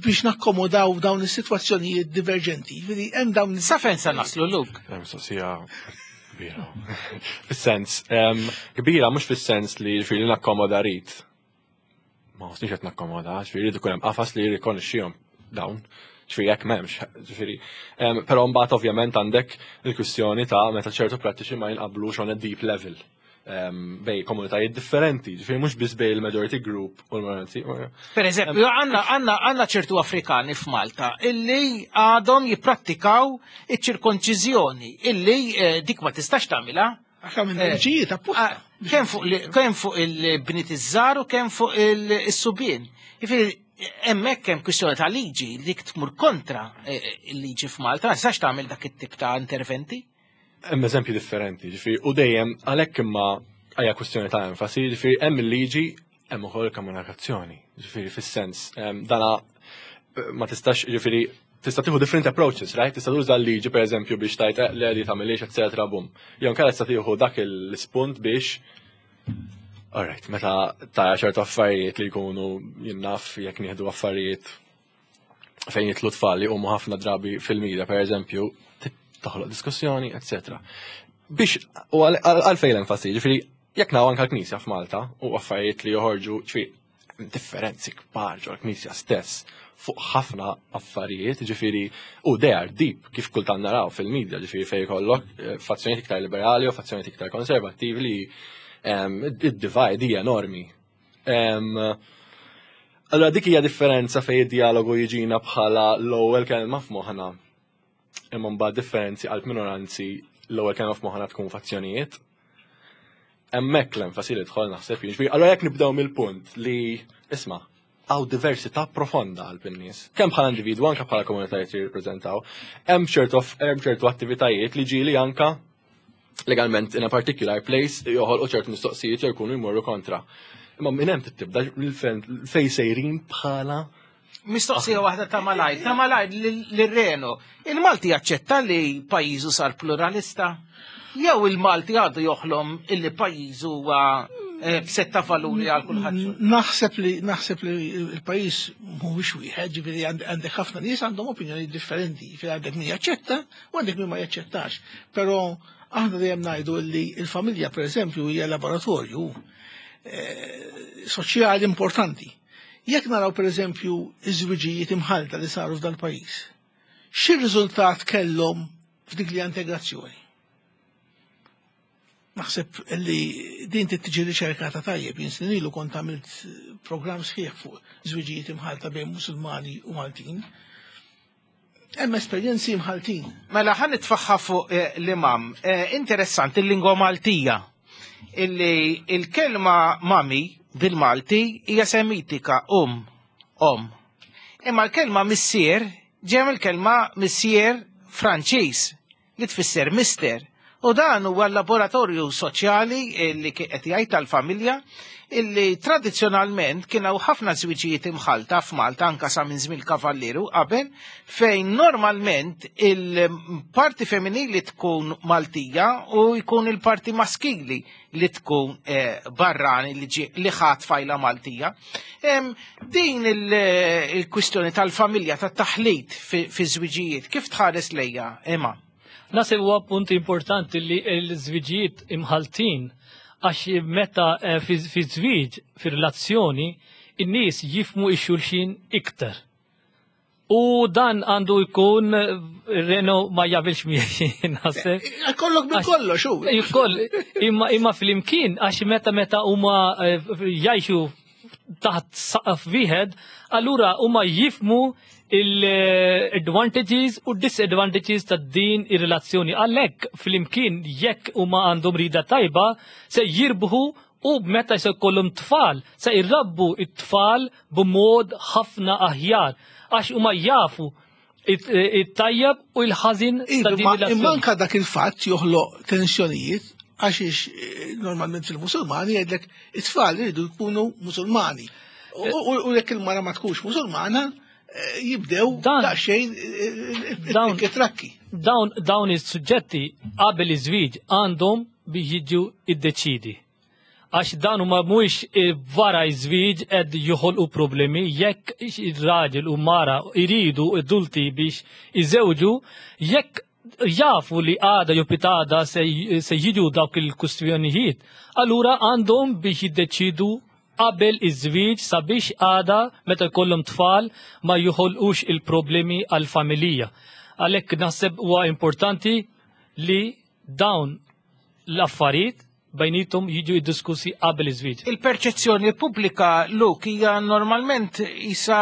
biex nakkomodaw dawn is-sitwazzjonijiet diverġenti? Ġifieri hemm dawn Sa fejn sa naslu, Luke? Hemm mistoqsija kbira. Fis-sens, em, kbira mhux fis-sens li ġifieri nakkomoda rit. Ma nħossniex qed nakkomoda, ġifieri jrid ikun hemm qafas li jirrikonoxxihom dawn. Ġifieri jekk m'hemmx, ġifieri. Em, Però mbagħad ovvjament għandek il-kwistjoni ta' meta ċertu prattiċi ma jinqablux on a deep level em, bejn komunitajiet differenti, ġifieri mhux biss bejn il-majority group u l-minority. Per eżempju, għandna għandna għandna ċertu Afrikani f'Malta illi għadhom jipprattikaw iċ-ċirkonċiżjoni illi eh, dik ma tistax tagħmilha. Għax minn liġijiet apposta. Ah, Kemm fuq li- kemm fuq il-bniet iż-żgħar u kemm fuq il-subien. Jifieri hemmhekk hemm kwistjoni ta' liġi li tmur kontra eh, il-liġi f'Malta, ma tistax tagħmel dak it-tip ta' interventi. Hemm eżempji differenti, ġifieri, u dejjem għalhekk imma hija kwistjoni ta' enfasi, ġifieri hemm il-liġi, hemm ukoll il-komunikazzjoni, ġifieri fis-sens, em, dana eh, ma tistax, ġifieri tista' tieħu different approaches, right? Tista' tuża l-liġi pereżempju biex tajt eh, le di tagħmilix, eċetera, bum. Jew inkella tista' tieħu dak l-ispunt biex, alright, meta tara ċertu affarijiet li jkunu jinnaf jekk nieħdu affarijiet fejn jidħlu tfal li huma ħafna drabi fil-media, per eżempju, toħloq diskussjoni, eċetera. Biex, u għalfejn l-enfasi, ġifieri, Jekk naraw anka l-Knisja f'Malta u affarijiet li joħorġu, ġifieri differenzi kbar ġo l-Knisja stess fuq ħafna affarijiet, ġifieri, u they are deep, kif kultant naraw fil-medja, ġifieri fej kollok eh, fazzjonijiet iktar liberali u fazzjonijiet iktar konservattivi li id-divide hija enormi. Allora dik hija differenza fej id-dialogu jiġina bħala l-ewwel kelma f'moħħna. Imma mbagħad differenzi għal minoranzi, l-ewwel kelma f'moħħna tkun fazzjonijiet. Hemmhekk l-enfasi li tħol naħseb jiġifieri. Allora jekk nibdew mill-punt li, isma', hawn diversità profonda għal bin-nies. Kemm bħala individwu, anke bħala komunitajiet li jirrappreżentaw. Hemm ċertu hemm ċertu attivitajiet li ġieli anka legalment in a particular place joħolqu ċertu mistoqsijiet jew jkunu jmorru kontra. Imma minn hemm tibda fej sejrin bħala Mistoqsija waħda ta' malajr, ta' malajr l-Reno. Il-Malti jaċċetta li pajjiżu sar pluralista? Jew il-Malti għadu joħlom illi pajjiżu huwa eh, b'setta valuri għal kulħadd? Naħseb li naħseb li il-pajjiż mhuwiex wieħed, ġifieri għandek ħafna nies għandhom opinjoni differenti, ġifieri għandek min jaċċetta u għandek min ma jaċċettax. Però aħna dejjem ngħidu li l-familja, pereżempju, hija laboratorju eh, soċjali importanti. Jekk naraw, pereżempju, iż-żwiġijiet imħalta li saru f'dan pajjiż, xi riżultat kellhom f'dik li integrazzjoni? Naħseb li din tiġi riċerkata tajjeb. Jien snin ilu kont għamilt programm sħiħ fuq żwiġijiet imħalta bejn Musulmani u Maltin. Hemm esperjenzi imħaltin. Mela ħa nitfagħha fuq eh, l-imam. Eh, interessanti il-lingwa Maltija. Illi il-kelma mami bil-Malti hija Semitika, um, om. Imma l-kelma missier ġem il-kelma missier Franċiż li tfisser mister. U dan huwa l-laboratorju soċjali li qed jgħid tal-familja, illi tradizzjonalment kien hawn ħafna żwiġijiet imħalta f'Malta anka sa minn żmien Kavalliru qabel, fejn normalment il-parti femminili tkun Maltija u jkun il-parti maskili li tkun eh, barrani li ġi li ħadd fajla Maltija. Em, Din il-kwistjoni tal-familja, tat-taħlit fi żwiġijiet, kif tħares lejja, Ema? Naħseb huwa punt importanti li l-żwiġijiet imħaltin, għax meta eh, fi fi żwieġ, fi relazzjoni, in-nies jifhmu x-xulxin iktar. U dan għandu jkun eh, Reno ma jaqbilx miegħi, naħseb. Kollok bil kollox hu. Jkoll, imma imma fl-imkien, għax meta meta huma eh, jgħixu taħt saqaf wieħed, allura huma jifhmu il-advantages u disadvantages ta' din ir-relazzjoni. Għalhekk fl-imkien, jekk huma għandhom rida tajba, se jirbħu, u meta se jkollhom tfal, se jirrabbu it-tfal b'mod ħafna aħjar għax huma jafu it-tajjeb u l-ħażin ta' din Imma ir-relazzjoni. Anka dak il-fatt joħloq tensjonijiet għax eh, normalment fil-Musulmani jgħidlek it-tfal jridu jkunu Musulmani. U- U u jekk il-mara ma tkunx Musulmana, eh, jibdew daqsxejn Dawn- trakki. Dawn dawn is-suġġetti qabel iż-żwieġ għandhom biex jiġu iddeċidi. Għax dan huma mhuwiex wara iż-żwieġ qed joħolqu problemi. Jekk ir-raġel u mara iridu adulti biex iżewġu, jekk jafu li għada jew pitgħada se, se jiġu dawk il-kustjonijiet, allura għandhom biex jiddeċidu qabel iż-żwieġ sabiex għada meta jkollhom tfal ma joħolqux il-problemi għal-familja. Għalhekk naħseb huwa importanti li dawn l-affarijiet bejnietom jiġu jiddiskussi qabel iż-żwieġ. Il-perċezzjoni pubblika, Luke, hija normalment isa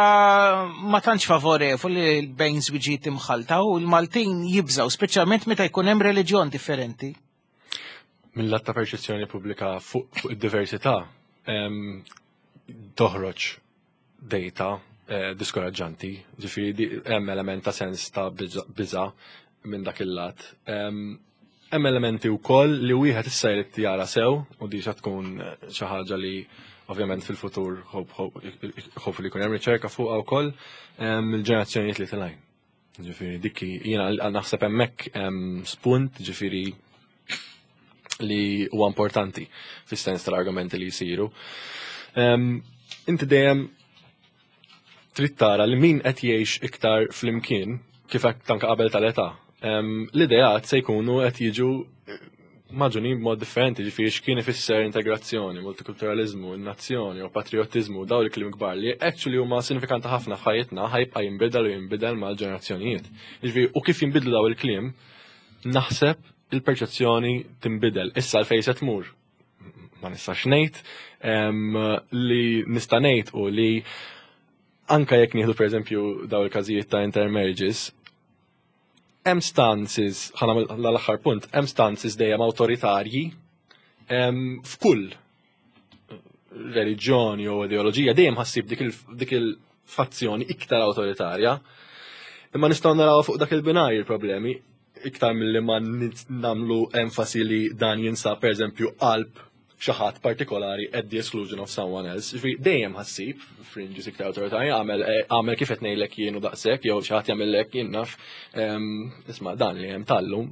ma tantx favorevoli bejn żwiġijiet imħalta u l-Maltin jibżaw, speċjalment meta jkun hemm reliġjon differenti. Mill-lat ta' perċezzjoni pubblika fuq fuq id-diversità em, toħroġ data eh, diskoraġġanti, ġifieri di- hemm element ta' sens ta' biża- biża minn dak il-lat. Em, Hemm elementi wkoll li wieħed issa jrid jara sew u di xa tkun eh, xi ħaġa li ovvjament fil-futur hopefully jkun hemm riċerka fuqha wkoll em, il-ġenerazzjonijiet li telgħin. Ġifieri dik jiena naħseb hemmhekk hemm spunt, ġifieri, li huwa importanti fis-sens tal-argumenti li jsiru. Em, Inti dejjem trid tara li min qed jgħix iktar flimkien, kif qed anke qabel tal-età. Em, L-ideat se jkunu qed jiġu eh, Magħġunin b'mod differenti, ġifieri x'kien ifisser integrazzjoni, multikulturalizmu, nazzjoni u patriotizmu, daw il-kliem kbar li actually huma sinifikanti ħafna f'ħajjitna ħa jibqa' jinbidel u jinbidel mal-ġenerazzjonijiet. Ġifieri u kif jinbidlu daw il-kliem, naħseb il-perċezzjoni tinbidel. Issa l-fejn se tmur. Ma nistax ngħid li nista' ngħid u li anka jekk nieħdu pereżempju daw il-każijiet ta' intermarriages, hemm stances, ħa nagħmel l-aħħar punt, hemm stances dejjem awtoritarji f'kull reliġjoni jew ideoloġija dejjem ħa ssib dik il-fazzjoni iktar awtoritarja. Imma nistgħu naraw fuq dak il-binarju il-problemi iktar milli ma nagħmlu enfasi li dan jinsab pereżempju qalb xi ħadd partikolari at the exclusion of someone else. Ġifieri dejjem ħa ssib fringes iktar awtoritarji, għamel għamel kif qed ngħidlek jien u daqshekk jew xi ħadd jagħmellek jien naf isma' dan li hemm tal-lum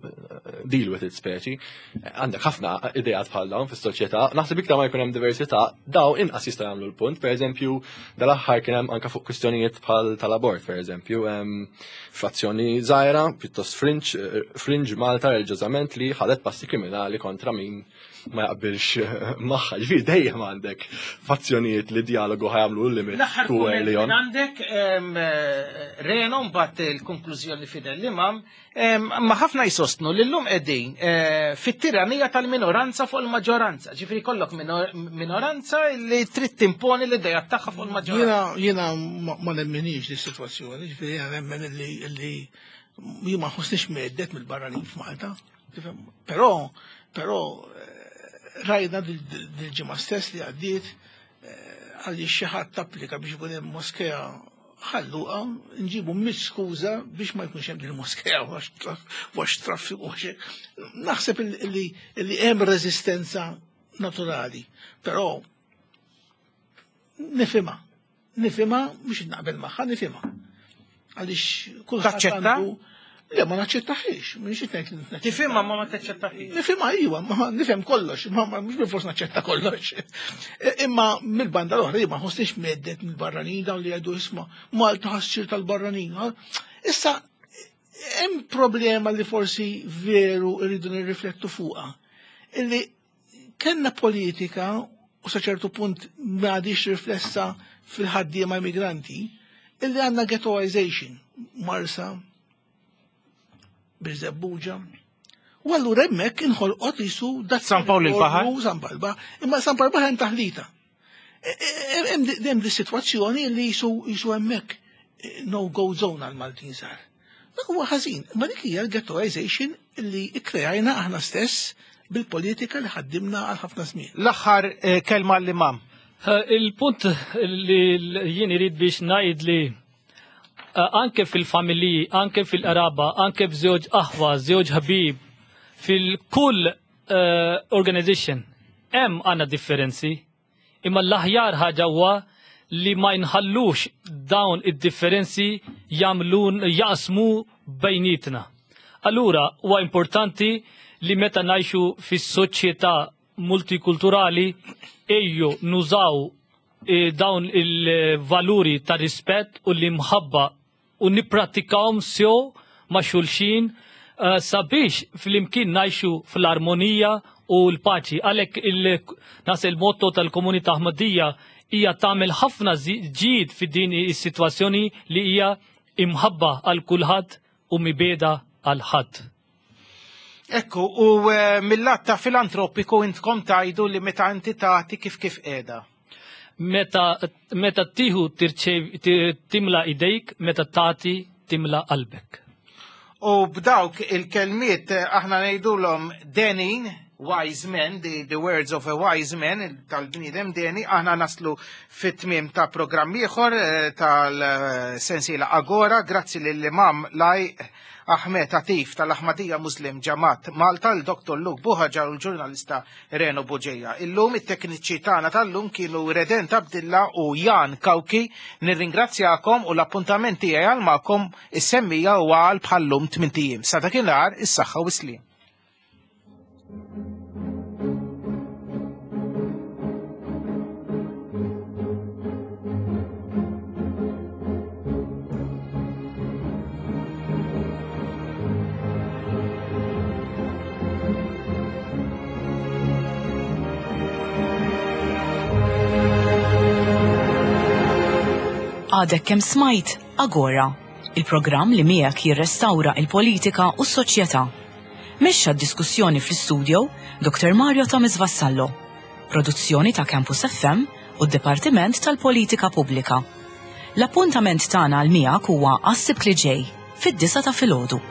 deal with it speċi. Għandek ħafna ideat bħal dawn fis-soċjetà, naħseb iktar ma jkun hemm diversità, daw inqas jistgħu jagħmlu l-punt. Pereżempju, dal-aħħar kien hemm anke fuq kwistjonijiet bħal tal-abort, pereżempju, frazzjoni żgħira, pjuttost fringe, fringe Malta reliġjożament li ħadet passi kriminali kontra min ma jaqbilx magħha. Ġifieri dejjem għandek fazzjonijiet li dialogu ħa jagħmlu l-limit. L-aħħar kumment minn għandek Reno mbagħad il-konklużjoni fidel l-imam, ma ħafna jsostnu li llum qegħdin fit-tiranija tal-minoranza fuq il-maġġoranza. Ġifieri kollok minoranza li trid timponi l-idea tagħha fuq il-maġġoranza. Jiena ma nemminix di sitwazzjoni, ġifieri jiena nemmen li jien ma nħossniex mhedded mill-barranin f'Malta. Però però rajna dil-ġimgħa stess li għaddiet għalli xi ħadd applika biex ikun hemm moskea Ħal Luqa, nġibu mitt skuża biex ma jkunx hemm dil-moskea għax traffiku għax. Naħseb li hemm reżistenza naturali, però nifhimha, nifhimha mhux naqbel magħha, nifhimha. Għaliex kulħadd għandu. Le, ma naċċettaħiex, mhux qed ngħid. Tifhimha ma ma taċċettaħiex. Nifhimha iva, ma nifhem kollox, ma mhux bilfors naċċetta kollox. Imma mill-banda l-oħra ma nħossniex mhedded mill-barranin dawn li jgħidu isma' Malta ħa ssir tal-barranin. Issa hemm problema li forsi veru rridu nirriflettu fuqha. Illi kellna politika u sa ċertu punt ma għadix riflessa fil-ħaddiema immigranti, illi għandna ghettoization, Marsa, Birżebbuġa. U allura hemmhekk inħolqot jisu dak San Pawl il-Baħar. San Pawl il-Baħar. Imma San Pawl il-Baħar hemm taħlita. Hemm di sitwazzjoni li jisu jisu hemmhekk no go zone għal Maltin sar. Dak huwa ħażin, imma dik hija l-ghettoization li ikkreajna aħna stess bil-politika li ħaddimna għal ħafna żmien. L-aħħar kelma l-imam. Il-punt li jien irid biex ngħid li anke fil-familji, anke fil-qraba, anke f'żewġ aħwa, żewġ ħabib, fil-kull organization, hemm għandna differenzi, imma l-aħjar ħaġa huwa li ma nħallux dawn id-differenzi jagħmlun jaqsmu bejnietna. Allura huwa importanti li meta ngħixu fis-soċjetà multikulturali ejju nużaw dawn il-valuri ta' rispett u l-imħabba u nipprattikawhom sew ma' xulxin sabiex fl-imkien ngħixu fl-armonija u l-paċi. Għalhekk nas il-motto tal-komunità Ahmadija hija tagħmel ħafna ġid fi din is-sitwazzjoni li hija imħabba għal kulħadd u mibeda għal ħadd. Ekku, u mill-lat ta' filantropiku intkom tajdu li meta inti tagħti kif kif qiegħda. Meta meta tieħu timla idejk, meta tagħti timla qalbek. U b'dawk il-kelmiet aħna ngħidulhom denin, wise men, the, the words of a wise man, tal-bniedem deni, aħna naslu fit-tmiem ta' programm ieħor tal-sensiela Agora, grazzi lill-imam Laj Ahmed Atif tal-Ahmadija Muslim Ġamat Malta, l-Doktor Luke Buhaġar u l-ġurnalista Reno Bugeja. Illum it-tekniċi tagħna tal-lum kienu Redent Abdilla u Jan Kawki. Nirringrazzjakom u l-appuntament tiegħi għal magħkom is-semmija huwa għal bħallum tmint ijiem. Sa dakinhar is-saħħa u s-sliem. Għadek kemm smajt Agora, il-programm li miegħek jirrestawra il-politika u s-soċjetà. Mexxa d-diskussjoni fl-istudio Dr. Mario Thomas Vassallo. Produzzjoni ta' Campus FM u d-Dipartiment tal-Politika Pubblika. L-appuntament tagħna għal miegħek huwa għas-Sibt li ġej fid-disgħa ta' filgħodu.